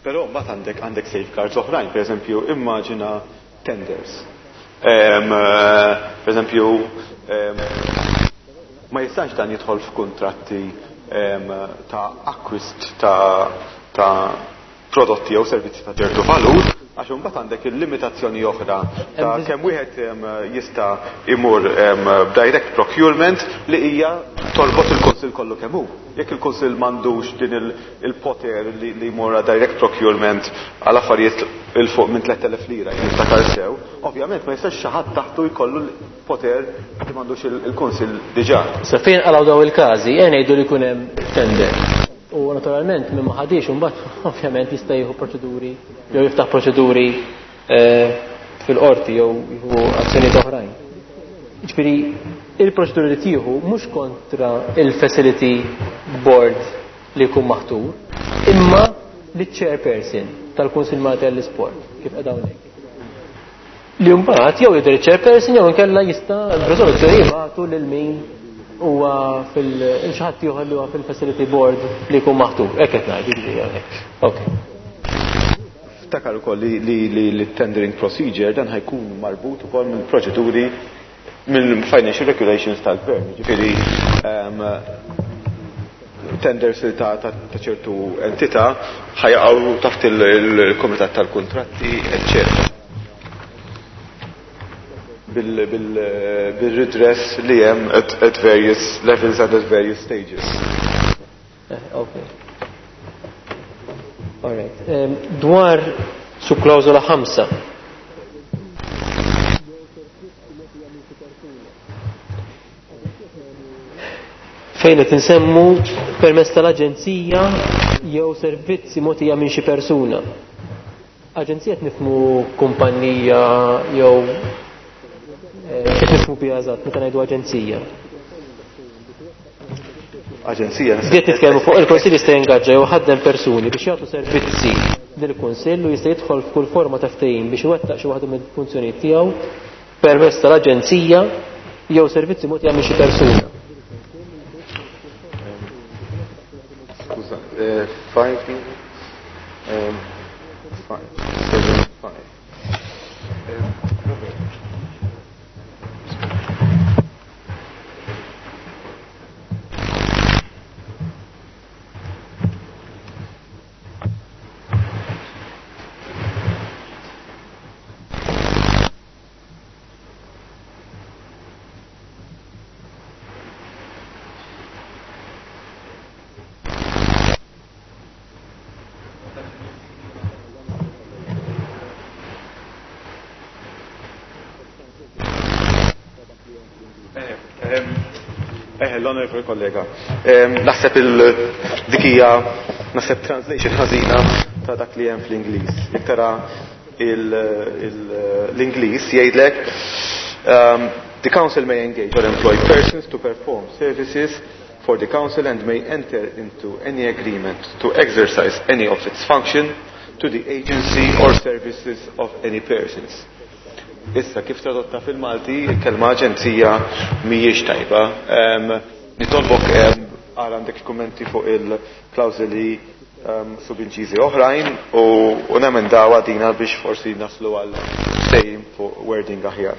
Però mbagħad għandek għandek safeguards oħrajn, pereżempju immaġina tenders. Pereżempju ma jistax dan jidħol f'kuntratti ta' akkwist ta' ta' prodotti jew servizzi ta' ċertu valur, għax imbagħad għandek il-limitazzjoni oħra ta' kemm wieħed jista' imur b'direct procurement li hija torbot il-Kunsill kollu kemm hu. Jekk il-Kunsill m'għandux din il-poter li jmur direct procurement għal affarijiet il fuq minn tliet elef lira jekk niftakar sew, ovvjament ma jistax xi ħadd taħtu jkollu l-poter li m'għandux il-Kunsill diġà. Sa fejn qalgħu daw il-każi, ejja ngħidu li jkun hemm tender. U naturalment minn ma ħadix imbagħad ovvjament jista' jieħu proċeduri jew jiftaħ proċeduri fil-qorti jew jieħu azzjonijiet oħrajn. Ġifieri il-proċeduri li tieħu mhux kontra il-facility board li jkun maħtur, imma liċ-chairperson tal-Kunsill Malti għall-Isport, kif qed hawnhekk. Li mbagħad jew jidher iċ-chairperson jew inkella jista' b'riżoluzzjoni jibgħatu lil min huwa fil xi ħadd ieħor li huwa fil-facility board li jkun maħtur. Hekk qed ngħid, jiġifieri hawnhekk. Okay. Ftakar ukoll li li li tendering procedure dan ħajkun marbut ukoll mill-proċeduri mill-financial regulations tal-gvern. Jiġifieri tenders ta' ċertu entità ħajaqgħu taħt il-kumitat tal-kuntratti, eċċetera. Bil-redress li hemm at various levels and at various stages. Okay. All right. Dwar subklawżola ħamsa. Fejn qed insemmu permezz tal-aġenzija jew servizzi mogħtija minn xi persuna. Aġenzija qed nifhmu kumpanija jew kif nifhmu biha eżatt meta ngħidu aġenzija. Aġenzija. Qed nitkellmu fuq il-Kunsill jista' jingaġġa jew ħaddem persuni biex jagħtu servizzi lill-Kunsill u jista' jidħol f'kull forma ta' ftehim biex iwettaq xi waħda mill-funzjonijiet tiegħu permezz tal-aġenzija jew servizzi mogħtija minn xi persuna. Skuża, five, five, seven, five. L-onorevoli kollega, naħseb il-dik hija naħseb translation ħażina ta' dak li hemm fl-Ingliż. Jekk tara l-Ingliż jgħidlek the council may engage or employ persons to perform services for the council and may enter into any agreement to exercise any of its function to the agency or services of any persons. Issa, kif tradotta fil-Malti, il-kelma aġenzija mhijiex tajba. Nitolbok għal għandek kummenti fuq il-klawżoli subinċiżi oħrajn u nemendaw għadina biex forsi naslu għal ftehim fuq wording aħjar.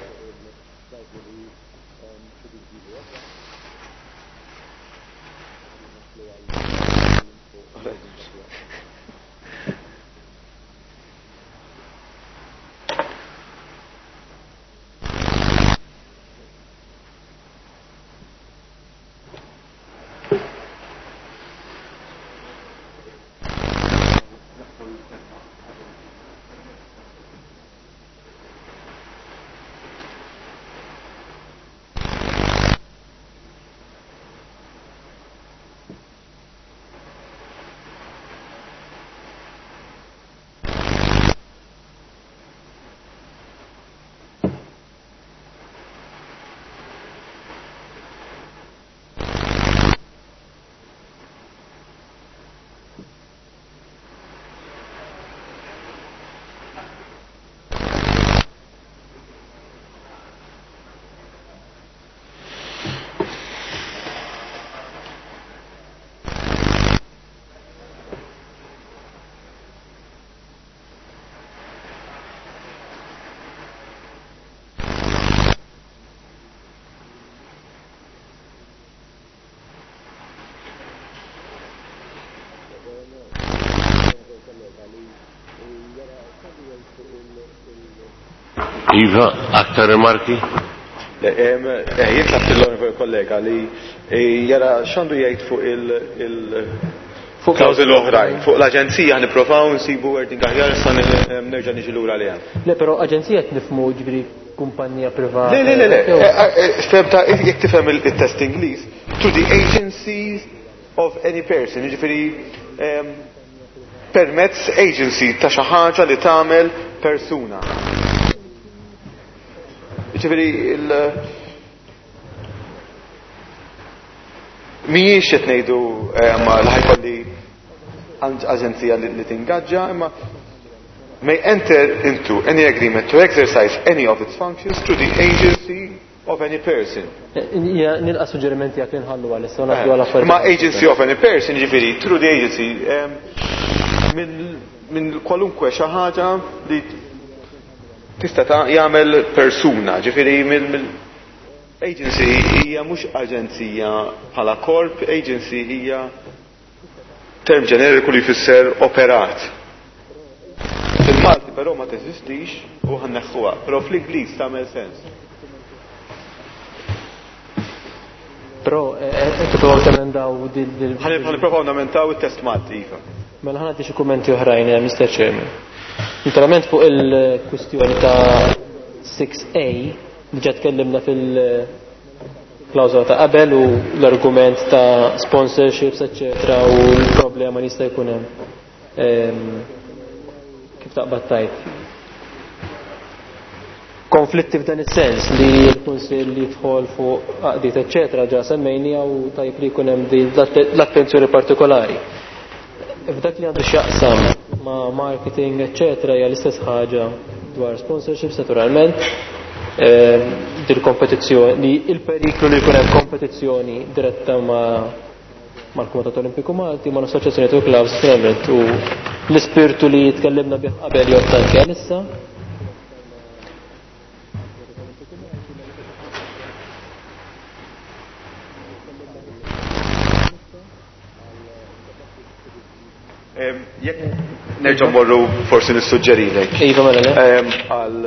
Iva, aktar rimarki? Jien tlabt l-onorevoli kollega li jara x'għandu jgħid fuq il fuq klawżoli oħrajn. Fuq l-aġenzija nipprovaw nsibu wording aħjar, issa nerġa' niġi lura għaliha. Le, però aġenzija qed nifhmu ġifieri kumpanija privata. Le, le, le, le. Fehmta, jekk tifhem il-test Ingliż, to the agency of any person, jiġifieri permezz agency ta' xi ħaġa li tagħmel persuna. Jiġifieri il mhijiex qed ngħidu li ħajkolli aġenzija li tingaġġa, imma may enter into any agreement to exercise any of its functions through the agency of any person. Nilqa' suġġerimenti jekk inħallu għalissa u ngħaddu għal affarijiet. Ma agency of any person, jiġifieri through the agency minn kwalunkwe xi ħaġa li tista' jagħmel persuna, ġifieri mill agency hija mhux aġenzija bħala korp, agency hija term ġeneriku li jfisser operat. Fil-Malti però ma teżistix u ħanneħħuha, però fl-Ingliż tagħmel sens. Però qed tippruvaw temendaw dil Ħa namentaw it-test Malti, iva. Mela ħa nagħti xi kummenti oħrajn, Mister Chairman. Naturalment fuq il-kwistjoni ta' six A diġà tkellimna fil-klawżola ta' qabel u l-argument ta' sponsorships, eċċetera, u l-problema li jista' jkun hemm. Kif taqbad tajt? Konflitti f'dan is-sens li l-Kunsill jidħol fuq għaqdiet, eċċetera, ġa semmejnija u tajb li jkun hemm din l-attenzjoni partikolari. F'dak li għandu x'jaqsam ma' marketing, eċċetera, hija l-istess ħaġa dwar sponsorships, naturalment. Dil-kompetizzjoni, il-periklu li jkun hemm kompetizzjoni diretta ma' mal-Kumitat Olimpiku Malti, ma' l-Assoċjazzjoni tal Clubs, naturalment, u l-ispirtu li tkellimna bih qabel jgħod anke għalissa. Jekk nerġa' morru forsi nissuġġerilek. Iva, mela, le. Għal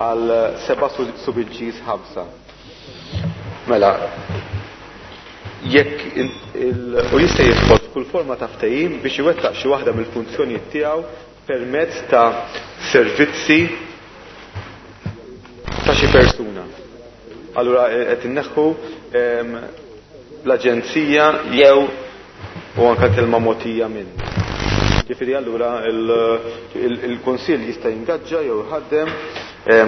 għal seba' subinċiż ħamsa. Mela, jekk u jista' jidħol f'kull forma ta' ftehim biex iwettaq xi waħda mill-funzjonijiet tiegħu permezz ta' servizzi ta' xi persuna. Allura qed inneħħu l-aġenzija jew u anke kelma mogħtija minn. Ġifieri allura il-Kunsill jista' jingaġġa jew jħaddem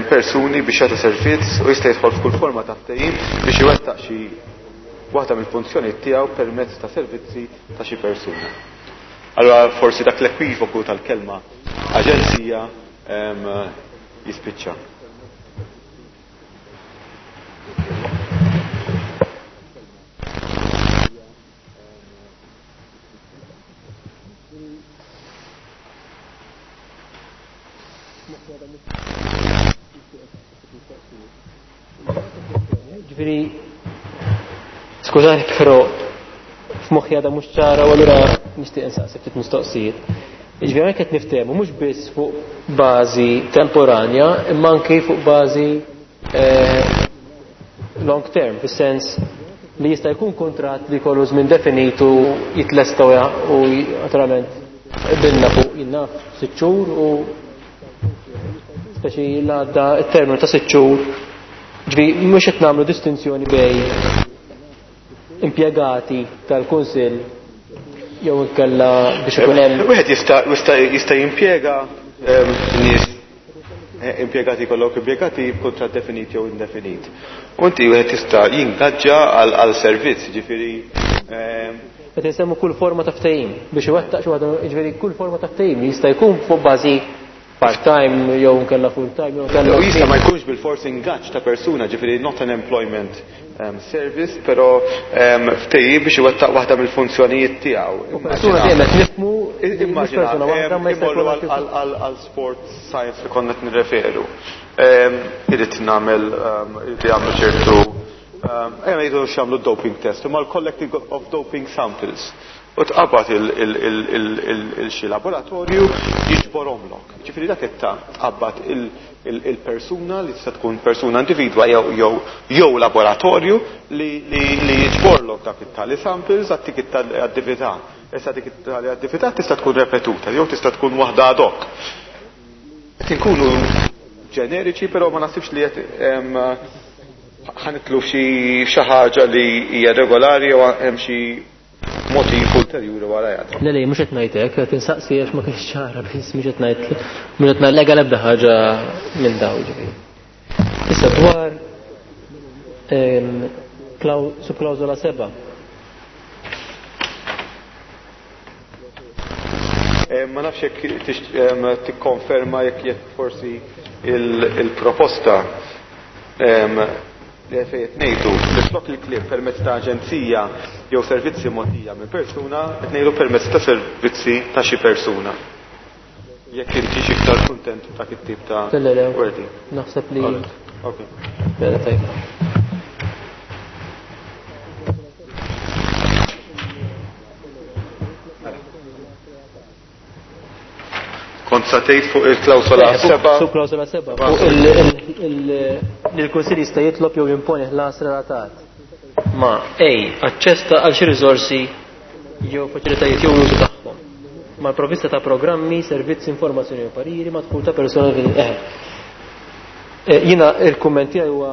persuni biex jagħtu servizz u jista' jidħol f'kull forma ta' ftehim biex iwettaq xi waħda mill-funzjonijiet tiegħu permezz ta' servizzi ta' xi persuna. Allura forsi dak l-ekwivoku tal-kelma aġenzija jispiċċa. Ġifieri, skużani, però f'moħħi għadha mhux ċara u allura nixtieq insaqsi ftit mistoqsijiet. Ġifieri hawnhekk qed niftehmu mhux biss fuq bażi temporanja, imma anke fuq bażi long term, fis-sens li jista' jkun kuntratt li jkollu żmien definitu jitlesta u naturalment qbilna fuq jinnaf sitt xhur u speċi l-għadda t-terminu ta' sitt xhur. Ġifieri mhux qed nagħmlu distinzjoni bej impjegati tal-Kunsill jew inkella biex ikun hemm. Wieħed jista' jista' jista' jimpjega nies impjegati kollok impjegati b'kuntratt definit jew indefinit. U inti wieħed jista' jingaġġa għal servizz, ġifieri Qed insemmu kull forma ta' ftehim biex iwettaq xi waħda, ġifieri kull forma ta' ftehim jista' jkun fuq bażi part-time jew nkella full-time jew nkella U jista' ma jkunx bil-fors ingaġġ ta' persuna, ġifieri not an employment um, service, però um, ftehim biex iwettaq waħda mill-funzjonijiet tiegħu. U persuna dejjem qed nifhmu Immaġina, persuna waħda ma jista' imorru jkun għal, għal, għal sport science li konna qed nirreferu. Irid nagħmel, irid jagħmlu ċertu, ejja ngħidu x'jagħmlu doping test, imma l-collecting of doping samples. U tqabad il-xi laboratorju jiġborhomlok. Ġifieri dak qed tqabad il-persuna li tista' tkun persuna individwa jew jew jew laboratorju li li jiġborlok dak it-tali samples għat dik it-attività. Issa dik it-tali attività tista' tkun repetuta jew tista' tkun waħda ad hoc. Qed inkunu ġeneriċi, però ma naħsibx li qed ħa nidħlu xi xi ħaġa li hija regolari jew hemm xi motiv ulterjuri warajha. Le le, mhux qed ngħid hekk, qed insaqsi għax ma kienx ċara biss, mhux qed ngħid mhux qed nallega l-ebda ħaġa minn dawn, ġifieri. Issa dwar subklawżola seba'. Ma nafx jekk tikkonferma jekk jekk forsi il-proposta li fejn qed ngħidu li flok il-kliem permezz ta' aġenzija jew servizzi mogħtija minn persuna, qed ngħidu permezz ta' servizzi ta' xi persuna. Jekk inti xi iktar kuntent b'dak it-tip ta' Le, le, le. wording. Naħseb li Okay. Mela tajba. Kont sa tgħid fuq il-klawsola Eh, fuq- seba'. Fuq klawsola seba'. Fuq il-, il-, il-, li l-Kunsill jista' jitlob jew jimponi ħlas relatat ma' A, aċċess ta' għal xi riżorsi jew faċilitajiet jew l-użu tagħhom, mal-provvista ta' programmi, servizzi, informazzjoni u pariri, ma' dħul ta' persuna fil-, eh. Eh, jiena il-kumment tiegħi huwa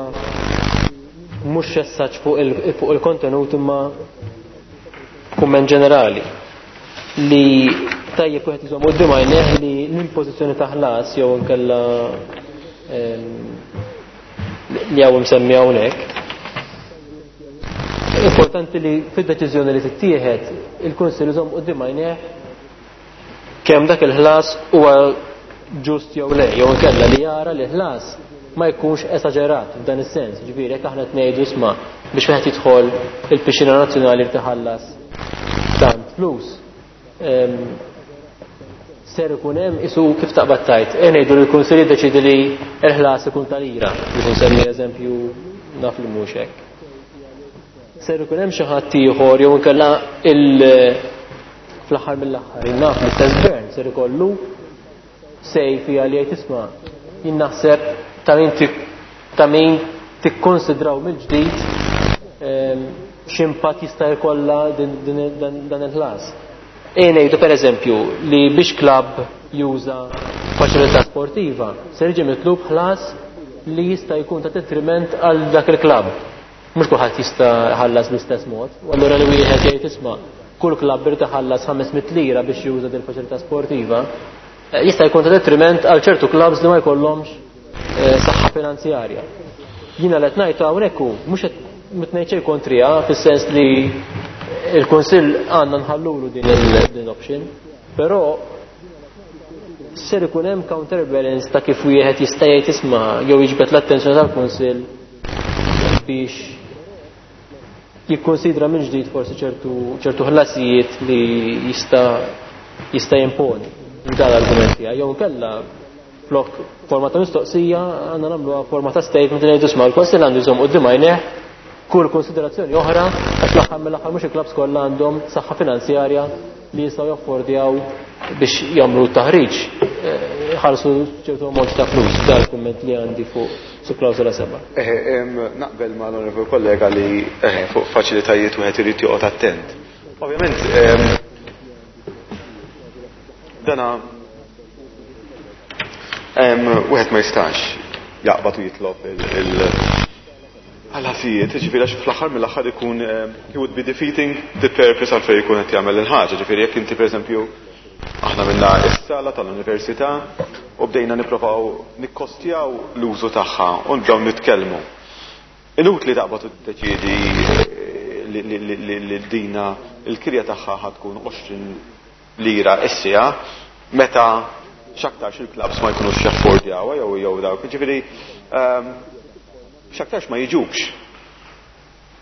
mhux essaġġ fuq il-, fuq il-kontenut imma kumment ġenerali li tajjeb wieħed iżomm quddiem għajnejh li l-impożizzjoni ta' ħlas jew inkella, ehm, li hawn imsemmi hawnhekk. Importanti li fid-deċiżjoni li tittieħed il-Kunsill iżomm quddiem għajnejh kemm dak il-ħlas huwa ġust jew le, jew inkella li jara li ħlas ma jkunx esaġerat f'dan is-sens. Ġifieri jekk aħna qed ngħidu isma' biex wieħed jidħol il-pixxina nazzjonali li tiħallas tant flus, ehm, ser ikun hemm isu kif taqbad tajt. E ngħidu li l-Kunsill jiddeċiedi li l-ħlas ikun tal-ira, biex nsemmi eżempju naf li mhux hekk. Ser ikun hemm xi ħadd ieħor jew inkella il-, fl-aħħar mill-aħħar naf l-istess gvern ser ikollu sej fija li jgħid isma' jien naħseb ta' min tik-, ta' min tikkonsidraw mill-ġdid, ehm, x'impatt jista' jkollha din, din, dan, dan il-ħlas. E ngħidu pereżempju li biex klabb juża faċilità sportiva ser jiġi mitlub ħlas li jista' jkun ta' detriment għal dak il-klabb. Mhux kulħadd jista' jħallas bl-istess mod. U allura li wieħed jgħid isma' kull klabb irid iħallas ħames mitt lira biex juża din il-faċilità sportiva, eh, jista' jkun ta' detriment għal ċertu klabbs li ma jkollhomx, eh, saħħa finanzjarja. Jiena li qed ngħid hawnhekk hu mhux qed ngħid xejn kontriha fis-sens li il-Kunsill għandna nħallulu din il-, din l-option, però ser ikun hemm counterbalance ta' kif wieħed jista' jgħid isma' jew jiġbed l-attenzjoni tal-Kunsill biex jikkonsidra minn ġdid forsi ċertu, ċertu ħlasijiet li jista', jista' jimponi. Dan l-argument tiegħi. Jew inkella flok forma ta' mistoqsija għandna nagħmluha forma ta' statement li ngħidu isma' l-Kunsill għandu jżomm quddiem għajnejh kull konsiderazzjoni oħra għax l-aħħar mill-aħħar mhux il-klabbs kollha għandhom saħħa finanzjarja li jistgħu jaffordjaw biex jagħmlu t-taħriġ, eh, ħarsu ċertu ammont ta' flus. Dan il-kumment li għandi fuq su klawsola seba'. Eh, em, naqbel ma' l-onorevoli kollega li, eh, fuq faċilitajiet wieħed irid joqgħod attent. Ovvjament, em, dana, em, wieħed ma jistax jaqbad u jitlob il-, il għal-ħasijiet, ġifieri għax fl-aħħar mill-aħħar ikun, em, he would be defeating the purpose għalfejn jkun qed jagħmel il-ħaġa. Ġifieri jekk inti pereżempju aħna minna is-sala tal-università u bdejna nipprovaw nikkostjaw l-użu tagħha u nibdew nitkellmu. Inutli taqbad u tiddeċiedi li, li, li, li, li dina il-kirja tagħha ħad tkun għoxrin lira is-siegħa meta x'aktarx il-klabs ma jkunux jaffordjawha jew jew dawk. Ġifieri, ehm, x'aktarx ma jiġux.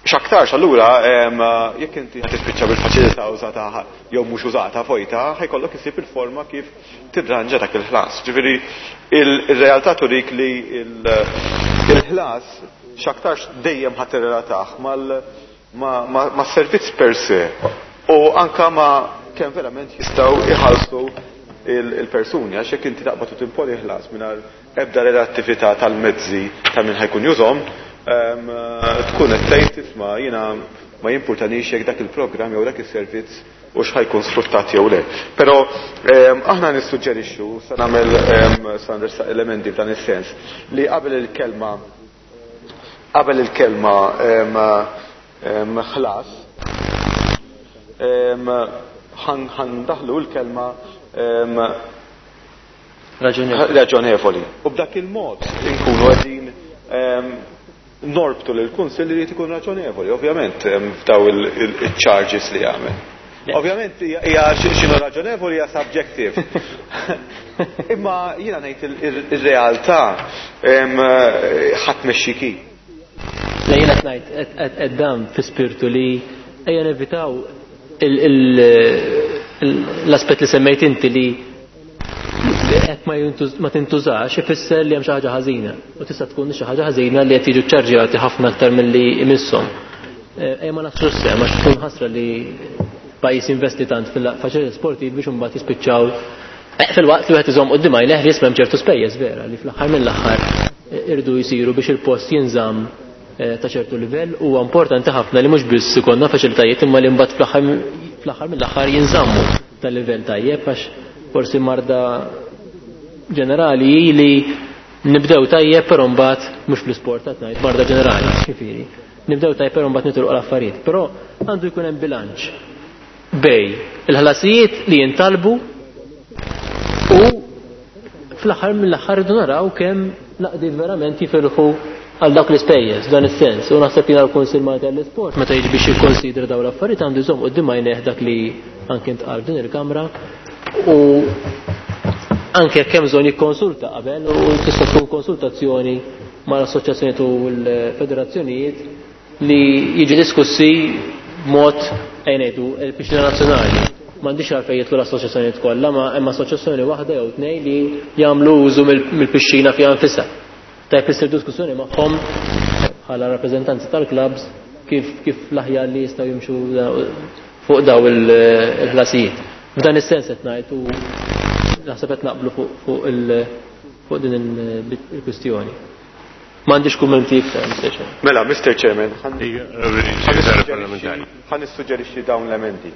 X'aktarx allura, ehm, jekk inti ħa tispiċċa bil-faċilità użata jew mhux użata vojta, ħajkollok isib il-forma kif tirranġa dak il-ħlas. Ġifieri il-, ir-realtà turik li il-, il-ħlas x'aktarx dejjem ħa tirrelatah mal-, ma-, ma-, ma' servizz per se u anka ma' kemm verament jistgħu iħallsu il-persuni, għax jekk inti taqbad u timponi ħlas mingħajr ebda relattività tal-mezzi ta' min ħajkun jużhom, tkun qed tgħid tisma' jiena ma jimpurtanix jekk dak il-programm jew dak is-servizz u x'ħajkun sfruttat jew le. Però aħna nissuġġerixxu, se nagħmel se nressaq elementi f'dan is-sens, li qabel il-kelma qabel il-kelma ħlas ħandaħlu l-kelma raġonevoli. U b'dak il-mod inkunu qegħdin norbtu lil kunsill li jrid ikun raġonevoli, ovvjament f'daw il-charges li jagħmel. Ovvjament hija x'inhu raġonevoli hija subjective. Imma jiena ngħid ir-realtà ħadd mexxiki. Le jiena qed ngħid qed dan fi spirtu li ejja nevitaw l-aspett li semmejt inti li hekk ma tintużax ifisser li hemm xi ħaġa ħażina u tista' tkun xi ħaġa ħażina li qed jiġu ċċarġjati ħafna aktar milli imisshom. Ejja ma nafx sehem għax tkun ħasra li pajjiż investi tant fil-faċilitajiet sportivi biex imbagħad jispiċċaw fil-waqt li wieħed iżomm quddiem għajnejh li jisma' hemm ċertu spejjeż vera li fl-aħħar mill-aħħar irdu jsiru biex il-post jinżamm ta' ċertu livell. Huwa importanti ħafna li mhux biss ikollna faċilitajiet imma li mbagħad fl-aħħar mill-aħħar jinżammu ta' livell tajjeb, għax forsi marda ġenerali hi li nibdew tajjeb però mbagħad mhux fl-isport qed ngħid, marda ġenerali, ġifieri. Nibdew tajjeb però mbagħad nitilqu l-affarijiet. Però għandu jkun hemm bilanċ bej il-ħlasijiet li jintalbu u fl-aħħar mill-aħħar irdu naraw kemm l-għaqdiet verament jifirħu għal dawk l-ispejjeż f'dan is-sens. U naħseb jiena l-Kunsill Malti għall-Isport meta jiġi biex jikkonsidra dawn l-affarijiet għandu jżomm quddiem għajnejh dak li anke ntqal f'din il-Kamra u anke jekk hemm bżonn jikkonsulta qabel u tista' tkun konsultazzjoni mal-assoċjazzjonijiet u l-federazzjonijiet li jiġi diskussi b'mod ejja ngħidu il-pixxina nazzjonali. M'għandix għalfejn jidħlu l-assoċjazzjonijiet kollha, ma hemm assoċjazzjoni waħda jew tnejn li jagħmlu użu mill-pixxina fiha nfisha. Tajb issir diskussjoni magħhom bħala rappreżentanti tal-klabs kif kif l-aħjar li jistgħu jimxu fuq daw il-ħlasijiet. F'dan is-sens qed ngħid u naħseb qed naqblu fuq fuq din il-kwistjoni. M'għandix kummenti iktar, Mister Chairman. Mela, Mister Chairman, ħa nissuġġerixxi dawn l-emendi.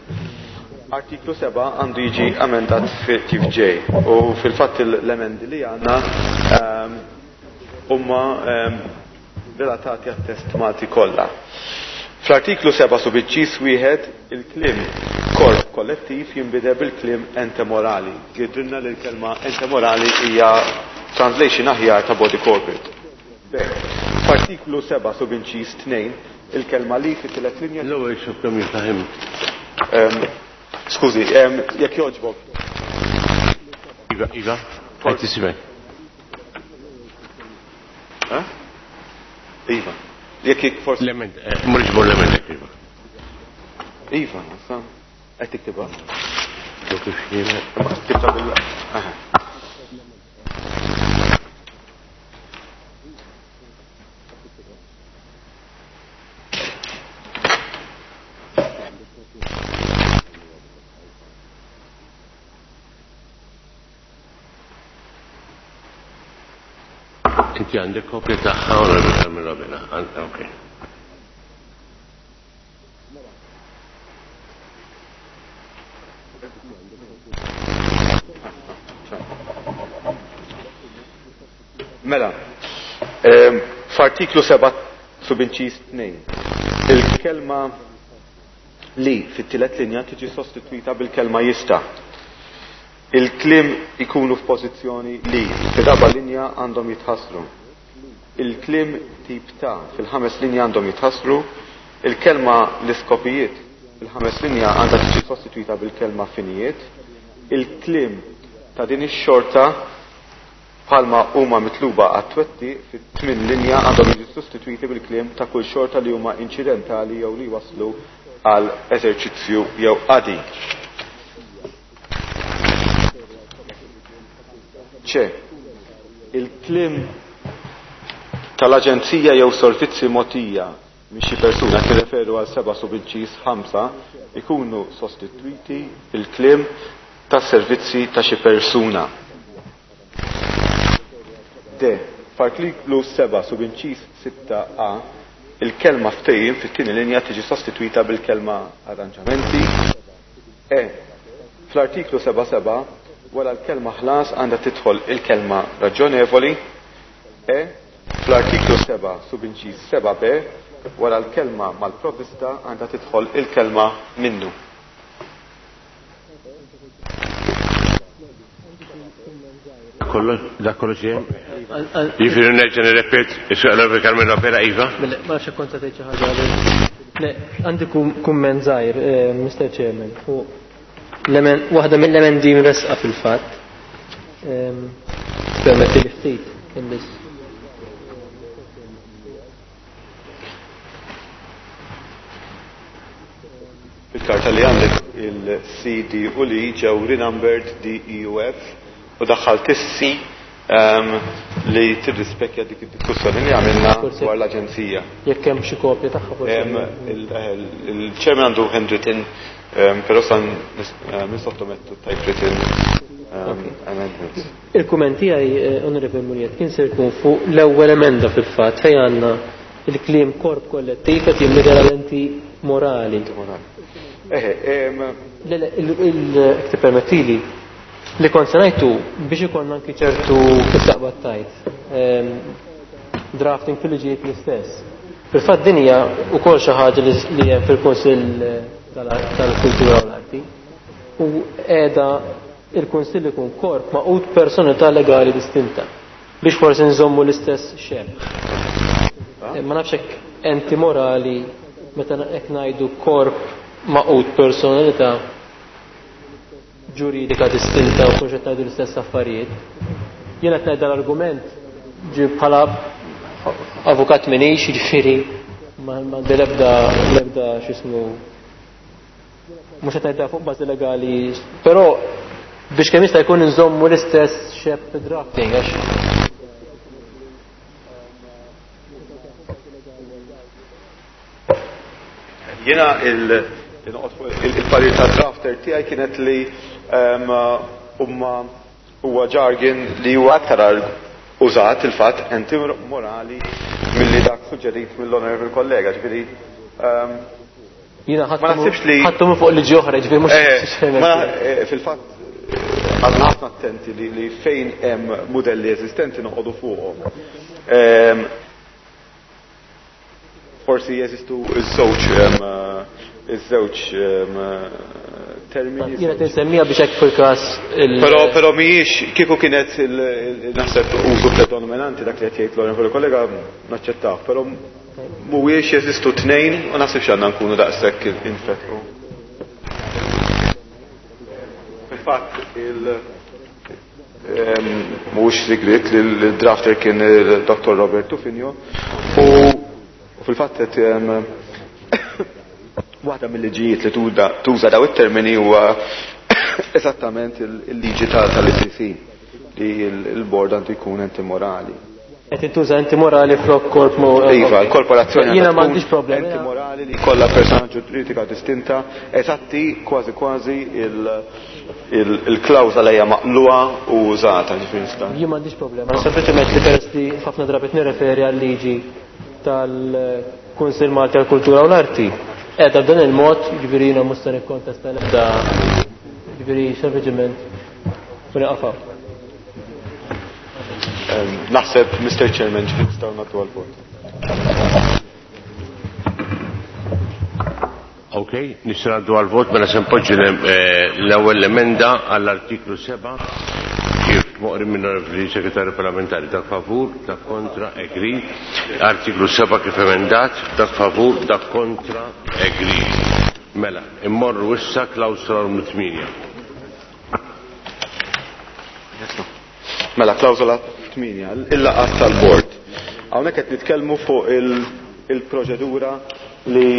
Artiklu seba' għandu jiġi amendat kif ġej u fil-fatt l-emendi li għandna huma relatati għat-test Malti kollha. Fl-artiklu seba' subinċis wieħed il-kliem korp kollettiv jinbidel bil-kliem ente morali. Jidrilna li l-kelma ente morali hija translation aħjar ta' body corporate. F'artiklu seba' subinċis tnejn il-kelma li fit-tielet linja. L-ewwel xuf kemm jiftaħim. Skużi, jekk jogħġbok. Iva, Iva, qed tismek. Iva. Jekk jekk forsi. L-emend, mhux bol l-emend, Iva. Iva, sa. Qed tiktibha. Kif jiena. Tibda bil. Aha. Inti għandek kopja tagħha u Carmelo Abela. Okej. Mela, f'artiklu seba' subinċis tnejn, il-kelma li fit-tielet linja tiġi sostitwita bil-kelma jista'. Il-kliem ikunu f'pożizzjoni li fir-raba' linja għandhom jitħassru. Il-kliem tip ta' fil-ħames linja għandhom jitħassru. Il-kelma l-iskopijiet fil-ħames linja għandha tiġi sostitwita bil-kelma finijiet. Il-kliem ta' din ix-xorta bħalma huma mitluba għat-twetti fit-tmien linja għandhom jiġu sostitwiti bil-kliem ta' kull xorta li huma inċidentali jew li waslu għal eżerċizzju jew qadi. ċe, il-kliem tal-aġenzija jew servizzi mogħtija minn xi persuna kif referu għal seba' subinċis ħamsa ikunu sostitwiti bil-kliem tas-servizzi ta' xi persuna. D. F'artiklu seba' subinċiż sitta A, il-kelma ftehim fit-tieni linja tiġi sostitwita bil-kelma arranġamenti. E. Fl-artiklu seba' seba' wara l-kelma ħlas għandha tidħol il-kelma raġonevoli. E. Fl-artiklu seba' subinċiż seba' B, wara l-kelma mal-provvista għandha tidħol il-kelma minnu. Dak kollox jien? Jiġifieri nerġa' nirrepet, is-Onorevoli Carmelo Abela, iva? Ma nafx hekk kont se tgħid xi ħaġa qabel. Le, għandi kumment żgħir, Mister Chairman, fuq waħda mill-emendi mresqa fil-fatt. Permetti li ftit biss. Fil-karta li għandek il-C, D u L ġew renumbered D, E u F u daħħalt is-C li tirrispekja dik id-diskussjoni li għamilna dwar l-aġenzija. Jekk hemm xi kopja tagħha forsi. Il-chairman għandu handwritten, però sa nissottomettu typewritten amendments. Il-kumment tiegħi, Onorevoli Muriet, kien se jkun fuq l-ewwel emenda fil-fatt fejn għandna il-kliem korp kollettiv qed jinbidel għal enti morali. Eħe, Le, le, jekk tippermettili, li kont se ngħidu biex ikollna anki ċertu kif taqbad tajt, drafting fil-liġijiet l-istess. Fil-fatt din hija wkoll xi ħaġa li hemm fil-Kunsill tal-Kultura u l-Arti u qiegħda il-Kunsill ikun korp maqut personalità legali distinta biex forsi nżommu l-istess xebh. Ma nafx hekk enti morali meta hekk ngħidu korp maqut personalità ġuridika distinta u forsi qed ngħidu l-istess affarijiet. Jiena qed ngħid dal-argument ġi bħala avukat minix, jiġifieri ma għandi l-ebda l-ebda x'ismu mhux qed ngħidha fuq bażi legali, però biex kemm jista' jkun inżommu l-istess xebh drafting għax Jiena il-parir ta' drafter tiegħi kienet li huma huwa jargon li huwa aktar użat il-fatt enti morali milli dak suġġerit mill-onorevoli kollega, ġifieri Jiena ma naħsibx li ħadtu minn fuq liġi oħra, ġifieri mhux ma fil-fatt għadna ħafna attenti li fejn hemm mudelli eżistenti noqogħdu fuqhom. Forsi jeżistu iż-żewġ iż-żewġ termini. Jiena tinsemmija biex hekk fil-każ il- Però, però mhijiex kieku kienet naħseb użu predominanti dak li qed jgħid l-onorevoli kollega naċċettaw, però mhuwiex jeżistu tnejn u naħsibx għandna nkunu daqshekk infetqu. Fil-fatt il mhuwiex sigriet li l-drafter kien il-Dottor Robert Tufino u fil-fatt qed waħda mill-liġijiet li tuża daw it-termini huwa eżattament il-liġi tal-I C C li l-bord għandu jkun enti morali. Qed intuża enti morali flok korp mo- Iva, l-korporazzjoni Jiena għandha m'għandix tkun problemi. Enti morali li jkollha persona ġuridika distinta, eżatti kważi kważi il-klawżola hija maqluha u użata, ġifieri nista'. Jien m'għandix problema. Sempliċement li peress li ħafna drabi nirreferi għal-liġi tal-Kunsill Malti għall-Kultura u l-Arti. Qiegħda b'dan il-mod, ġifieri jiena mhux se nikkontesta l-ebda, ġifieri sempliċement u nieqaf. Naħseb, Mister Chairman, ġifieri nistgħu nagħtu għall-vot. Ok, nistgħu ngħaddu għall-vot mela se npoġġi l-ewwel emenda għall-artiklu seba' kif moqri minn onorevoli segretarju parlamentari. Dak favur, dak kontra, agree. Artiklu seba' kif emendat, dak favur, dak kontra, agree. Mela, immorru issa klawsola numru tmienja. Mela, klawsola tmienja, il-laqgħat tal-bord. Hawnhekk qed nitkellmu fuq il-proċedura li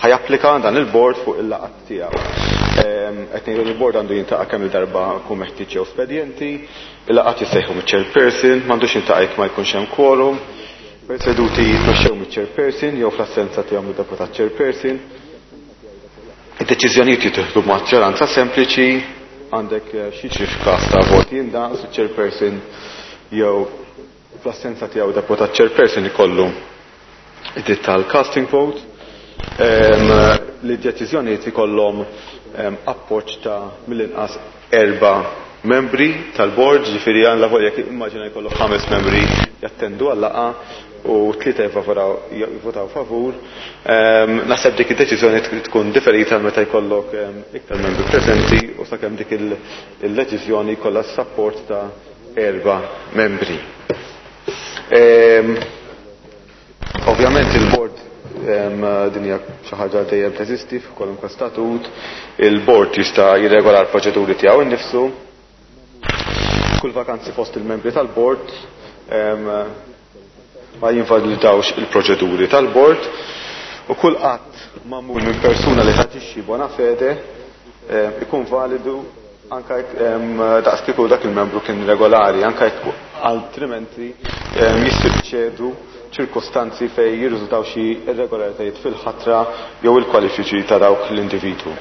ħajapplika dan il-bord fuq il-laqgħat tiegħu. Qed ngħidu li l-bord għandu jintaqa' kemm il-darba jkun meħtieġ jew spedjenti, il-laqgħat jissejħu miċ-chairperson, m'għandux jintaqa' jekk ma jkunx hemm quorum, seduti jitmexxew miċ-chairperson jew fl-assenza tiegħu mid-deputat chairperson. Id-deċiżjonijiet jittieħdu b'maġġoranza sempliċi, għandek xi f'każ ta' voti indaqs, chairperson jew fl-assenza tiegħu deputat chairperson ikollu id-dritt tal-casting vote, li d-deċiżjonijiet ikollhom appoġġ ta' mill-inqas erba' membri tal-board, ġifieri għal lavor jekk immaġina jkollok ħames membri jattendu għal-laqgħa u tlieta jivvotaw favur. Naħseb dik id-deċiżjoni tkun differita meta jkollok iktar membri preżenti u sakemm dik il-deċiżjoni jkollha s-sapport ta' erba' membri. Ovvjament il-board din hija xi ħaġa dejjem teżisti f'kwalunkwe statut, il-board jista' jirregola l-proċeduri tiegħu innifsu. Kull vakanzi fost il-membri tal-board ma jinvalidawx il-proċeduri tal-board u kull att magħmul minn persuna li taġixxi bona fede ikun validu anke daqs kieku dak il-membru kien regolari, anke altrimenti jissuċċedu ċirkostanzi fej jirriżultaw xi irregolaritajiet fil-ħatra jew il-kwalifiċi ta' dawk l-individwu.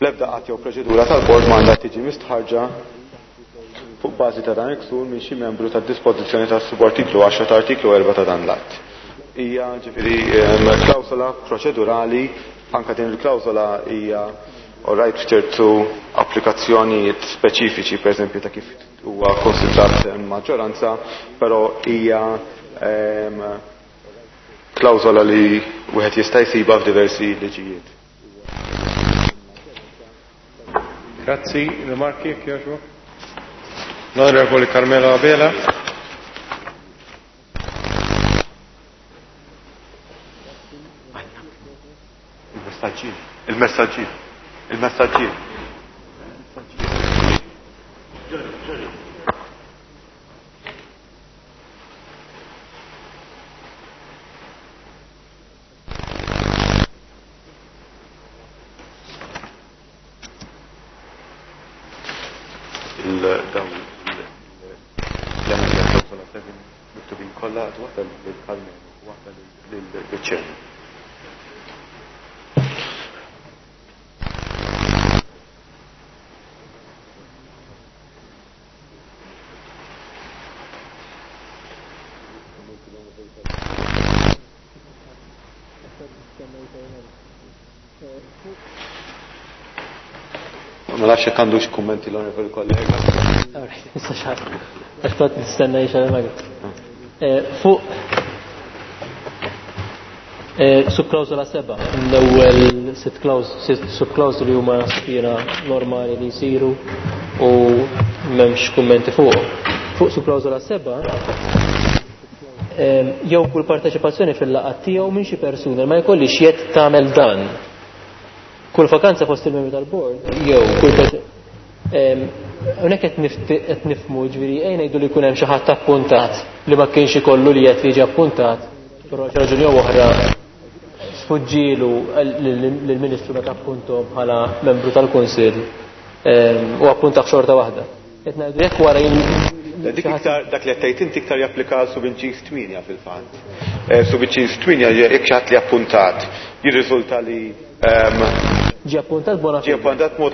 L-ebda qatt jew proċedura tal-bord ma għandha tiġi mistħarġa fuq bażi ta' dan il-ksur minn xi membru tad-dispożizzjoni tas-subartiklu għaxra ta' artiklu erba' ta' dan l-att. Hija ġifieri klawsola proċedurali, anke din il-klawsola hija orajt f'ċertu applikazzjonijiet speċifiċi, pereżempju ta' kif huwa konsidrat maġġoranza, però hija klawsola li wieħed jista' jsibha f'diversi liġijiet. Grazzi, rimarki jekk jogħġbok. L-Onorevoli Carmelo Abela. Il-messaġġier, il-messaġġier, il-messaġġier. Ma nafx jekk għandux kummenti l-onorevoli kollega. Issa xar. Għax kont nistenna jixgħal Fuq subklawsola seba', l-ewwel sitt subklawsoli huma spira normali li jsiru u m'hemmx kummenti fuq. Fuq subklawsola seba' jew kull parteċipazzjoni fil-laqgħat tiegħu minn xi persuna ma jkollix jedd tagħmel dan. Kull vakanza fost il-membri tal-bord jew kull hawnhekk qed nifhmu ġifieri ejn ngħidu li jkun hemm xi ħadd appuntat li ma kienx ikollu li qed jiġi appuntat, però xi raġuni jew oħra sfuġġielu lill-Ministru meta appuntom bħala membru tal-Kunsill u appuntah xorta waħda. Qed ngħidu jekk wara Dik iktar dak li qed tgħid inti iktar japplika għal subinċiż tmienja fil-fatt. Subinċiż tmienja jekk xi ħadd li appuntat jirriżulta li ġie appuntat bona fede. Ġie appuntat mod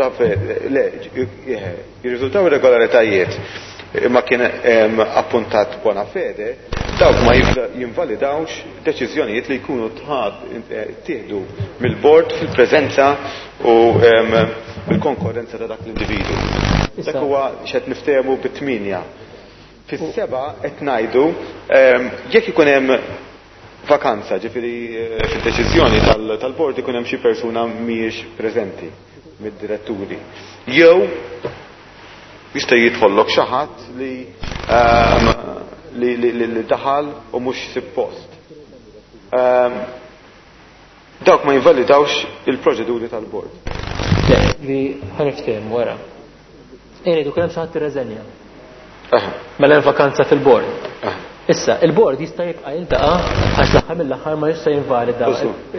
le, jirriżultaw irregolaritajiet imma kien appuntat bona fede, dawk ma jinvalidawx deċiżjonijiet li jkunu tieħdu mill-bord fil-preżenza u bil-konkorrenza ta' dak l-individu. Dak huwa x'qed niftehmu bit-tmienja. Fis-seba' qed ngħidu jekk ikun hemm vakanza, ġifieri fid-deċiżjoni tal-bord ikun hemm xi persuna mhijiex preżenti mid-diretturi. Jew jista' jidħollok xi ħadd li li daħal u mhux suppost. Dawk ma jinvalidawx il-proċeduri tal-bord. Le, li ħaniftehmu wara. Ejn kien hemm xi ħadd irreżenja. Mela hemm vakanza fil-bord. Issa, il-bord jista' jibqa' jiltaqa' għax l-aħħar mill-aħħar ma jista' jinvalida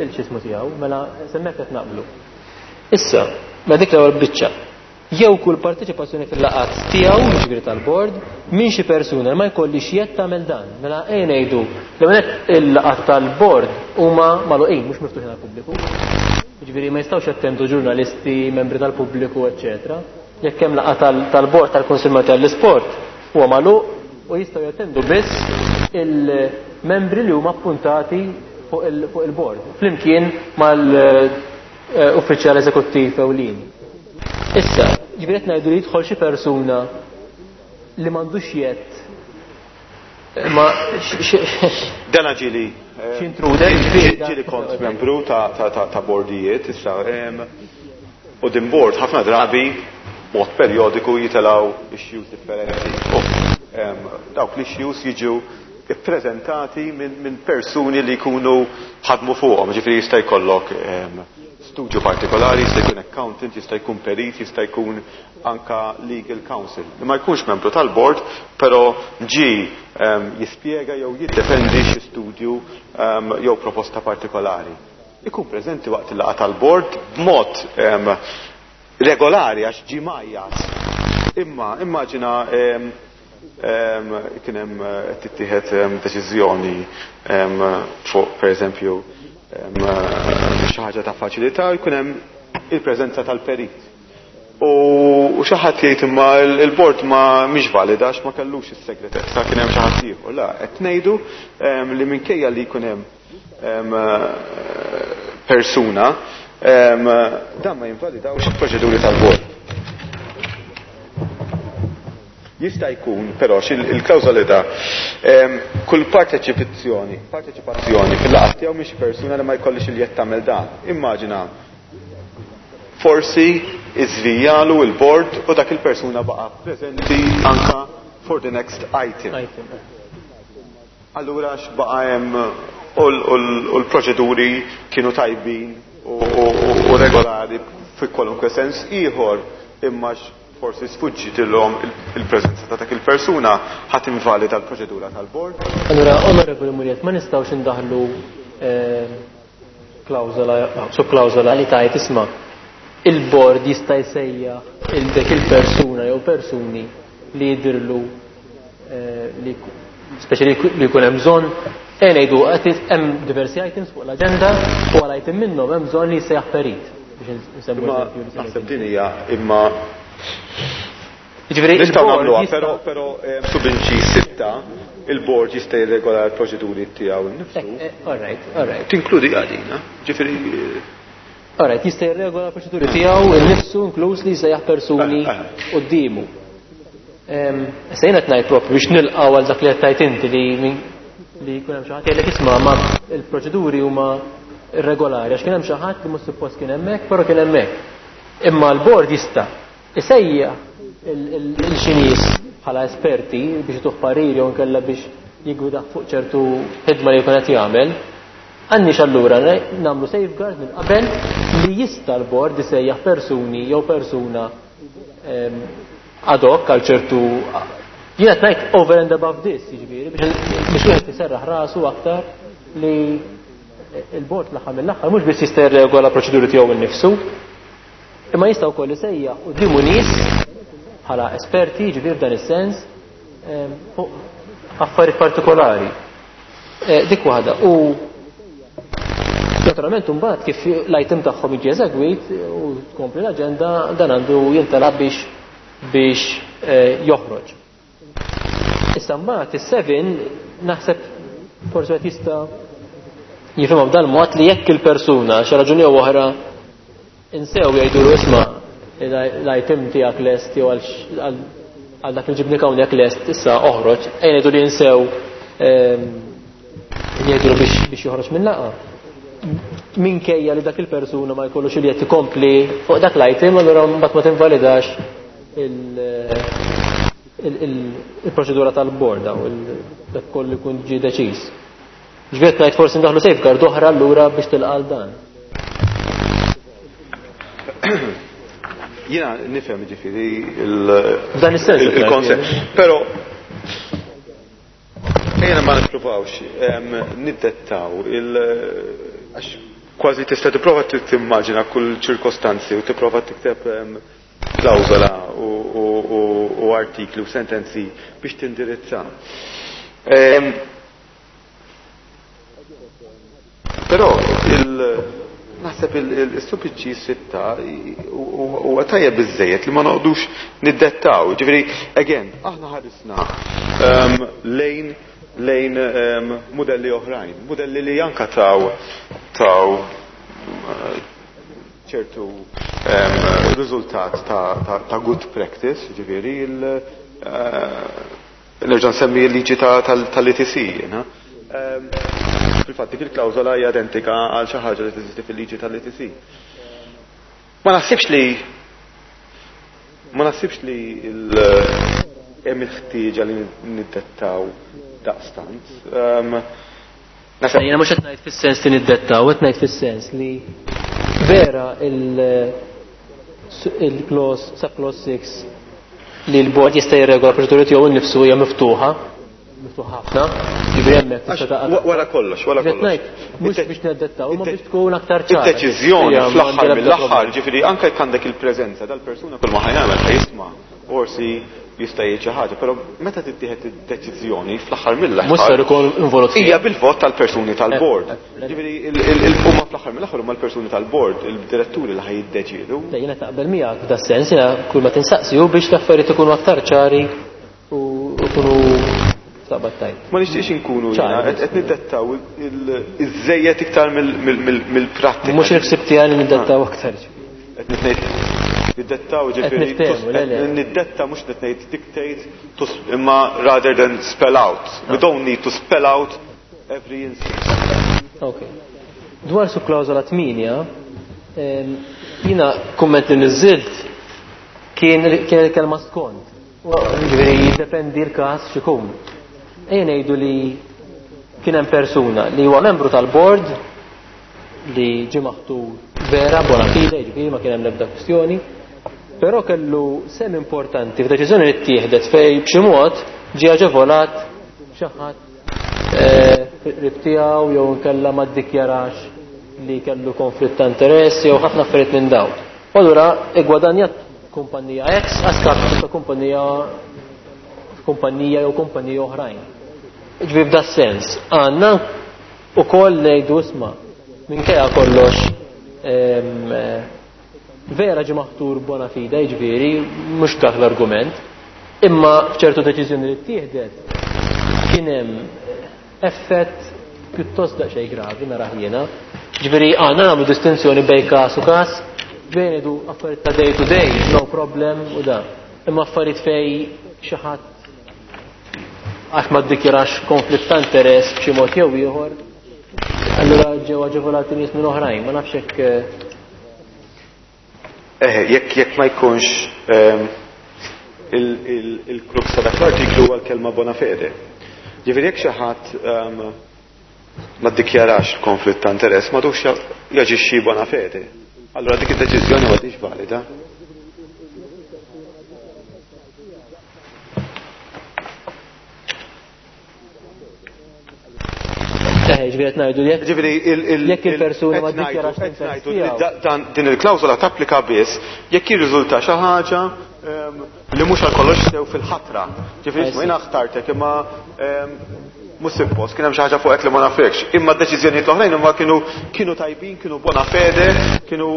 il-xismu tiegħu, mela semmek qed naqblu. Issa, ma dik l-ewwel biċċa. jew kull parteċipazzjoni fil-laqgħat tiegħu, jiġifieri tal-bord, minn xi persuna li ma jkollix jedd tagħmel dan. Mela ejja ngħidu li meta il-laqgħat tal-bord huma magħluqin, mhux miftuħin għall-pubbliku. Jiġifieri ma jistgħux jattendu ġurnalisti, membri tal-pubbliku, eċċetera. Jekk hemm laqgħa tal-bord tal-Kunsill Malti għall-Isport huwa magħluq u jistgħu jattendu biss il-membri li huma appuntati fuq il-bord, flimkien mal-uffiċjal eżekuttiv ewlieni. Issa, ġifieri qed ngħidu li jidħol xi persuna li m'għandux jedd ma Dana ġieli x'intruder, ġifieri ġieli kont membru ta' bordijiet, issa u din bord ħafna drabi mod periodiku jitelgħu issues differenti. Dawk l-issues jiġu ippreżentati minn persuni li jkunu ħadmu fuqhom, ġifieri jista' jkollok studju partikolari, jista' jkun accountant, jista' jkun perit, jista' jkun anka legal counsel. Li ma jkunx membru tal-board, però ġi jispjega jew jiddefendi xi studju jew proposta partikolari. Ikun preżenti waqt il-laqgħa tal-board b'mod regolari għax ġi majjas. Imma immaġina kien hemm qed tittieħed deċiżjoni fuq pereżempju xi ħaġa ta' faċilità jkun hemm il-preżenza tal-perit. U xi ħadd jgħid imma il-bord ma mhix valida għax ma kellux is-segretezza, kien hemm xi ħadd ieħor. La, qed ngħidu li minkejja li jkun hemm persuna dan ma jinvalidawx il-proċeduri tal-bord. Jista' jkun però il-klawżolità kull parteċipazzjoni parteċipazzjoni fil-laqgħa tiegħu mhix persuna li ma jkollix il-jedd tagħmel dan. Immaġina forsi iżvijalu il-bord u dak il-persuna baqa' preżenti anka for the next item. Allura x'baqa' hemm u l-proċeduri kienu tajbin u regolari fi kwalunkwe sens ieħor, imma forsi sfuġġitilhom il-preżenza ta' dak il-persuna ħadd invalida l-proċedura tal-bord. Allura, Onorevoli Muriet, ma nistgħux indaħlu klawżola, subklawżola li tajt isma' il-bord jista' jsejjaħ il dik il-persuna jew persuni li jidhirlu li speċi li jkun hemm bżonn. Ejja ngħidu qed hemm diversi items fuq l-aġenda u għal item minnhom hemm bżonn li jsejjaħ perit biex nsemmu eżempju li Naħseb din hija imma Jiġifieri nistgħu il-bord nagħmluha, jista' però però subinċi sitta il-bord jista' jirregola l-proċeduri tiegħu nnifsu. All right, all right. Tinkludi għadina, ġifieri All right, jista' jirregola l-proċeduri tiegħu nnifsu inkluż li jsejjaħ persuni quddiemu. Issa jiena qed ngħid propju biex nilqgħu għal dak li qed tgħid inti li li jkun hemm xi ħadd jgħidlek isma' ma l-proċeduri huma irregolari għax kien hemm xi ħadd li mhux suppost kien hemmhekk, però kien hemmhekk. Imma l-bord jista' isejjaħ il xi nies bħala esperti biex ituh pariri jew inkella biex jiggwidah fuq ċertu ħidma li jkun qed jagħmel. Għandniex allura nagħmlu safeguard minn qabel li jista' l-bord isejjaħ persuni jew persuna ad hoc għal ċertu jiena qed ngħid over and above this, jiġifieri biex wieħed iserraħ rasu aktar li il-bord l-aħħar mill-aħħar mhux biss jista' jirregola proċeduri tiegħu nnifsu, imma jista' wkoll isejjaħ quddiemu nies bħala esperti, jiġifieri f'dan is-sens, fuq affarijiet partikolari. Dik waħda. U naturalment imbagħad kif l-item tagħhom jiġi eżegwit u tkompli l-aġenda dan għandu jintalab biex biex joħroġ. Issa mbagħad is-seven naħseb forsi qed jista' jifhimha b'dan mod li jekk il-persuna xi raġuni jew oħra insew jgħidulu isma' l-item tiegħek lest jew għal dak li ġibnik hawnhekk lest issa oħroġ, ejja ngħidu li insew jgħidulu biex biex joħroġ minn laqgħa. Minkejja li dak il-persuna ma jkollux il jett ikompli fuq dak l-item, allura mbagħad ma tinvalidax il-proċedura tal-bord u dak kollu jkun ġie deċiż. Ġifieri ngħid forsi ndaħlu safeguard oħra allura biex tilqal dan. Jiena nifhem ġifieri F'dan is-sens il-konsept, però ejja ma nippruvawx niddettaw il għax kważi tista' tipprova timmaġina kull ċirkostanzi u tipprova tikteb klawżola u artikli u sentenzi biex tindirizza. Però naħseb il-S U P C sitta huwa tajjeb biżejjed li ma noqgħodux niddettaw. Ġifieri, again, aħna ħarisna lejn lejn modelli oħrajn, modelli li anka taw taw ċertu riżultat ta' good practice, ġifieri il nerġa' nsemmi l-liġi tal-E T C. Fil-fatt dik il-klawżola hija identika għal xi ħaġa li teżisti fil-liġi tal-E T C. Ma naħsibx li ma naħsibx li hemm il-ħtieġa li niddettaw daqstant. Jiena mhux qed ngħid fis-sens li niddettaw, qed ngħid fis-sens li vera il-clause sub clause six li l-board jista' jirregola proċeduri tiegħu nnifsu hija miftuħa, miftuħa ħafna, ġifieri hemmhekk tista' taqa' Wara kollox, wara kollox. Mhux biex neddettaw, ma biex tkun aktar ċara. Id-deċiżjoni fl-aħħar mill-aħħar, ġifieri anke jekk għandek il-preżenza dal-persuna, kull ma ħa jagħmel ħa jisma', forsi jista' jgħid xi ħaġa, però meta tittieħed id-deċiżjoni fl-aħħar mill-aħħar. Mhux ser ikun involut. Hija bil-vot tal-persuni tal-board. Ġifieri huma fl-aħħar mill-aħħar huma l-persuni tal-board, il-diretturi li ħa jiddeċiedu. Jiena taqbel miegħek f'da sens, jiena kull ma tinsaqsi hu biex l-affarijiet ikunu aktar ċari u ikunu taqbad tajt. Ma nixtieqx inkunu qed niddettaw iż-żejjed iktar mill-prattika. Mhux il-ħsieb tiegħi li niddettaw aktar. Qed ngħid niddettaw, ġifieri niddetta mhux qed ngħid dictate, imma rather than spell out. We don't need to spell out every instance. Okay. Dwar su klawżola tmienja, jiena kumment li niżilt kien kien il-kelma "skont". Ġifieri jiddependi l-każ x'ikun. Ejja ngħidu li kien hemm persuna li huwa membru tal-board li ġie maħtur vera bona fide, ġifieri ma kien hemm l-ebda kwistjoni, però kellu sehem importanti f'deċiżjoni li ttieħdet fej b'xi mod ġie aġevolat xi ħadd qrib tiegħu jew inkella ma ddikjarax li kellu konflitt ta' interess jew ħafna affarijiet minn dawn. U allura igwadanjat kumpanija X a skapitu ta' kumpanija kumpanija jew kumpanija oħrajn. Ġifieri f'da sens għandna ukoll ngħidu, isma', minkejja kollox vera ġi maħtur bona fide, ġifieri mhux dak l-argument, imma f'ċertu deċiżjoni li ttieħdet kien hemm effett pjuttost daqsxejn gravi, narah jiena. Ġifieri għandna nagħmlu distinzjoni bejn każ u każ, bejn ngħidu affarijiet ta' day to day, no problem u da. Imma affarijiet fej xi ħadd għax ma ddikjarax konflitt ta' interess b'xi mod jew ieħor, allura ġew aġevolati nies minn oħrajn, ma nafx hekk. Eh, jekk jekk ma jkunx il-crux ta' dak l-artiklu huwa l-kelma "bona fede". Ġifieri jekk xi ħadd ma ddikjarax konflitt ta' interess, m'għadux jaġixxi bona fede. Allura dik id-deċiżjoni m'għadix valida. Ġifieri qed ngħidu jekk Ġifieri jekk il-persuna ma ddikjarax l-interess tiegħu. Din il-klawżola tapplika biss jekk jirriżulta xi ħaġa li mhux għal kollox sew fil-ħatra. Ġifieri isma', jiena ħtartek imma mhux suppost, kien hemm xi ħaġa fuqek li ma nafekx. Imma d-deċiżjonijiet l-oħrajn imma kienu kienu tajbin, kienu bona fede, kienu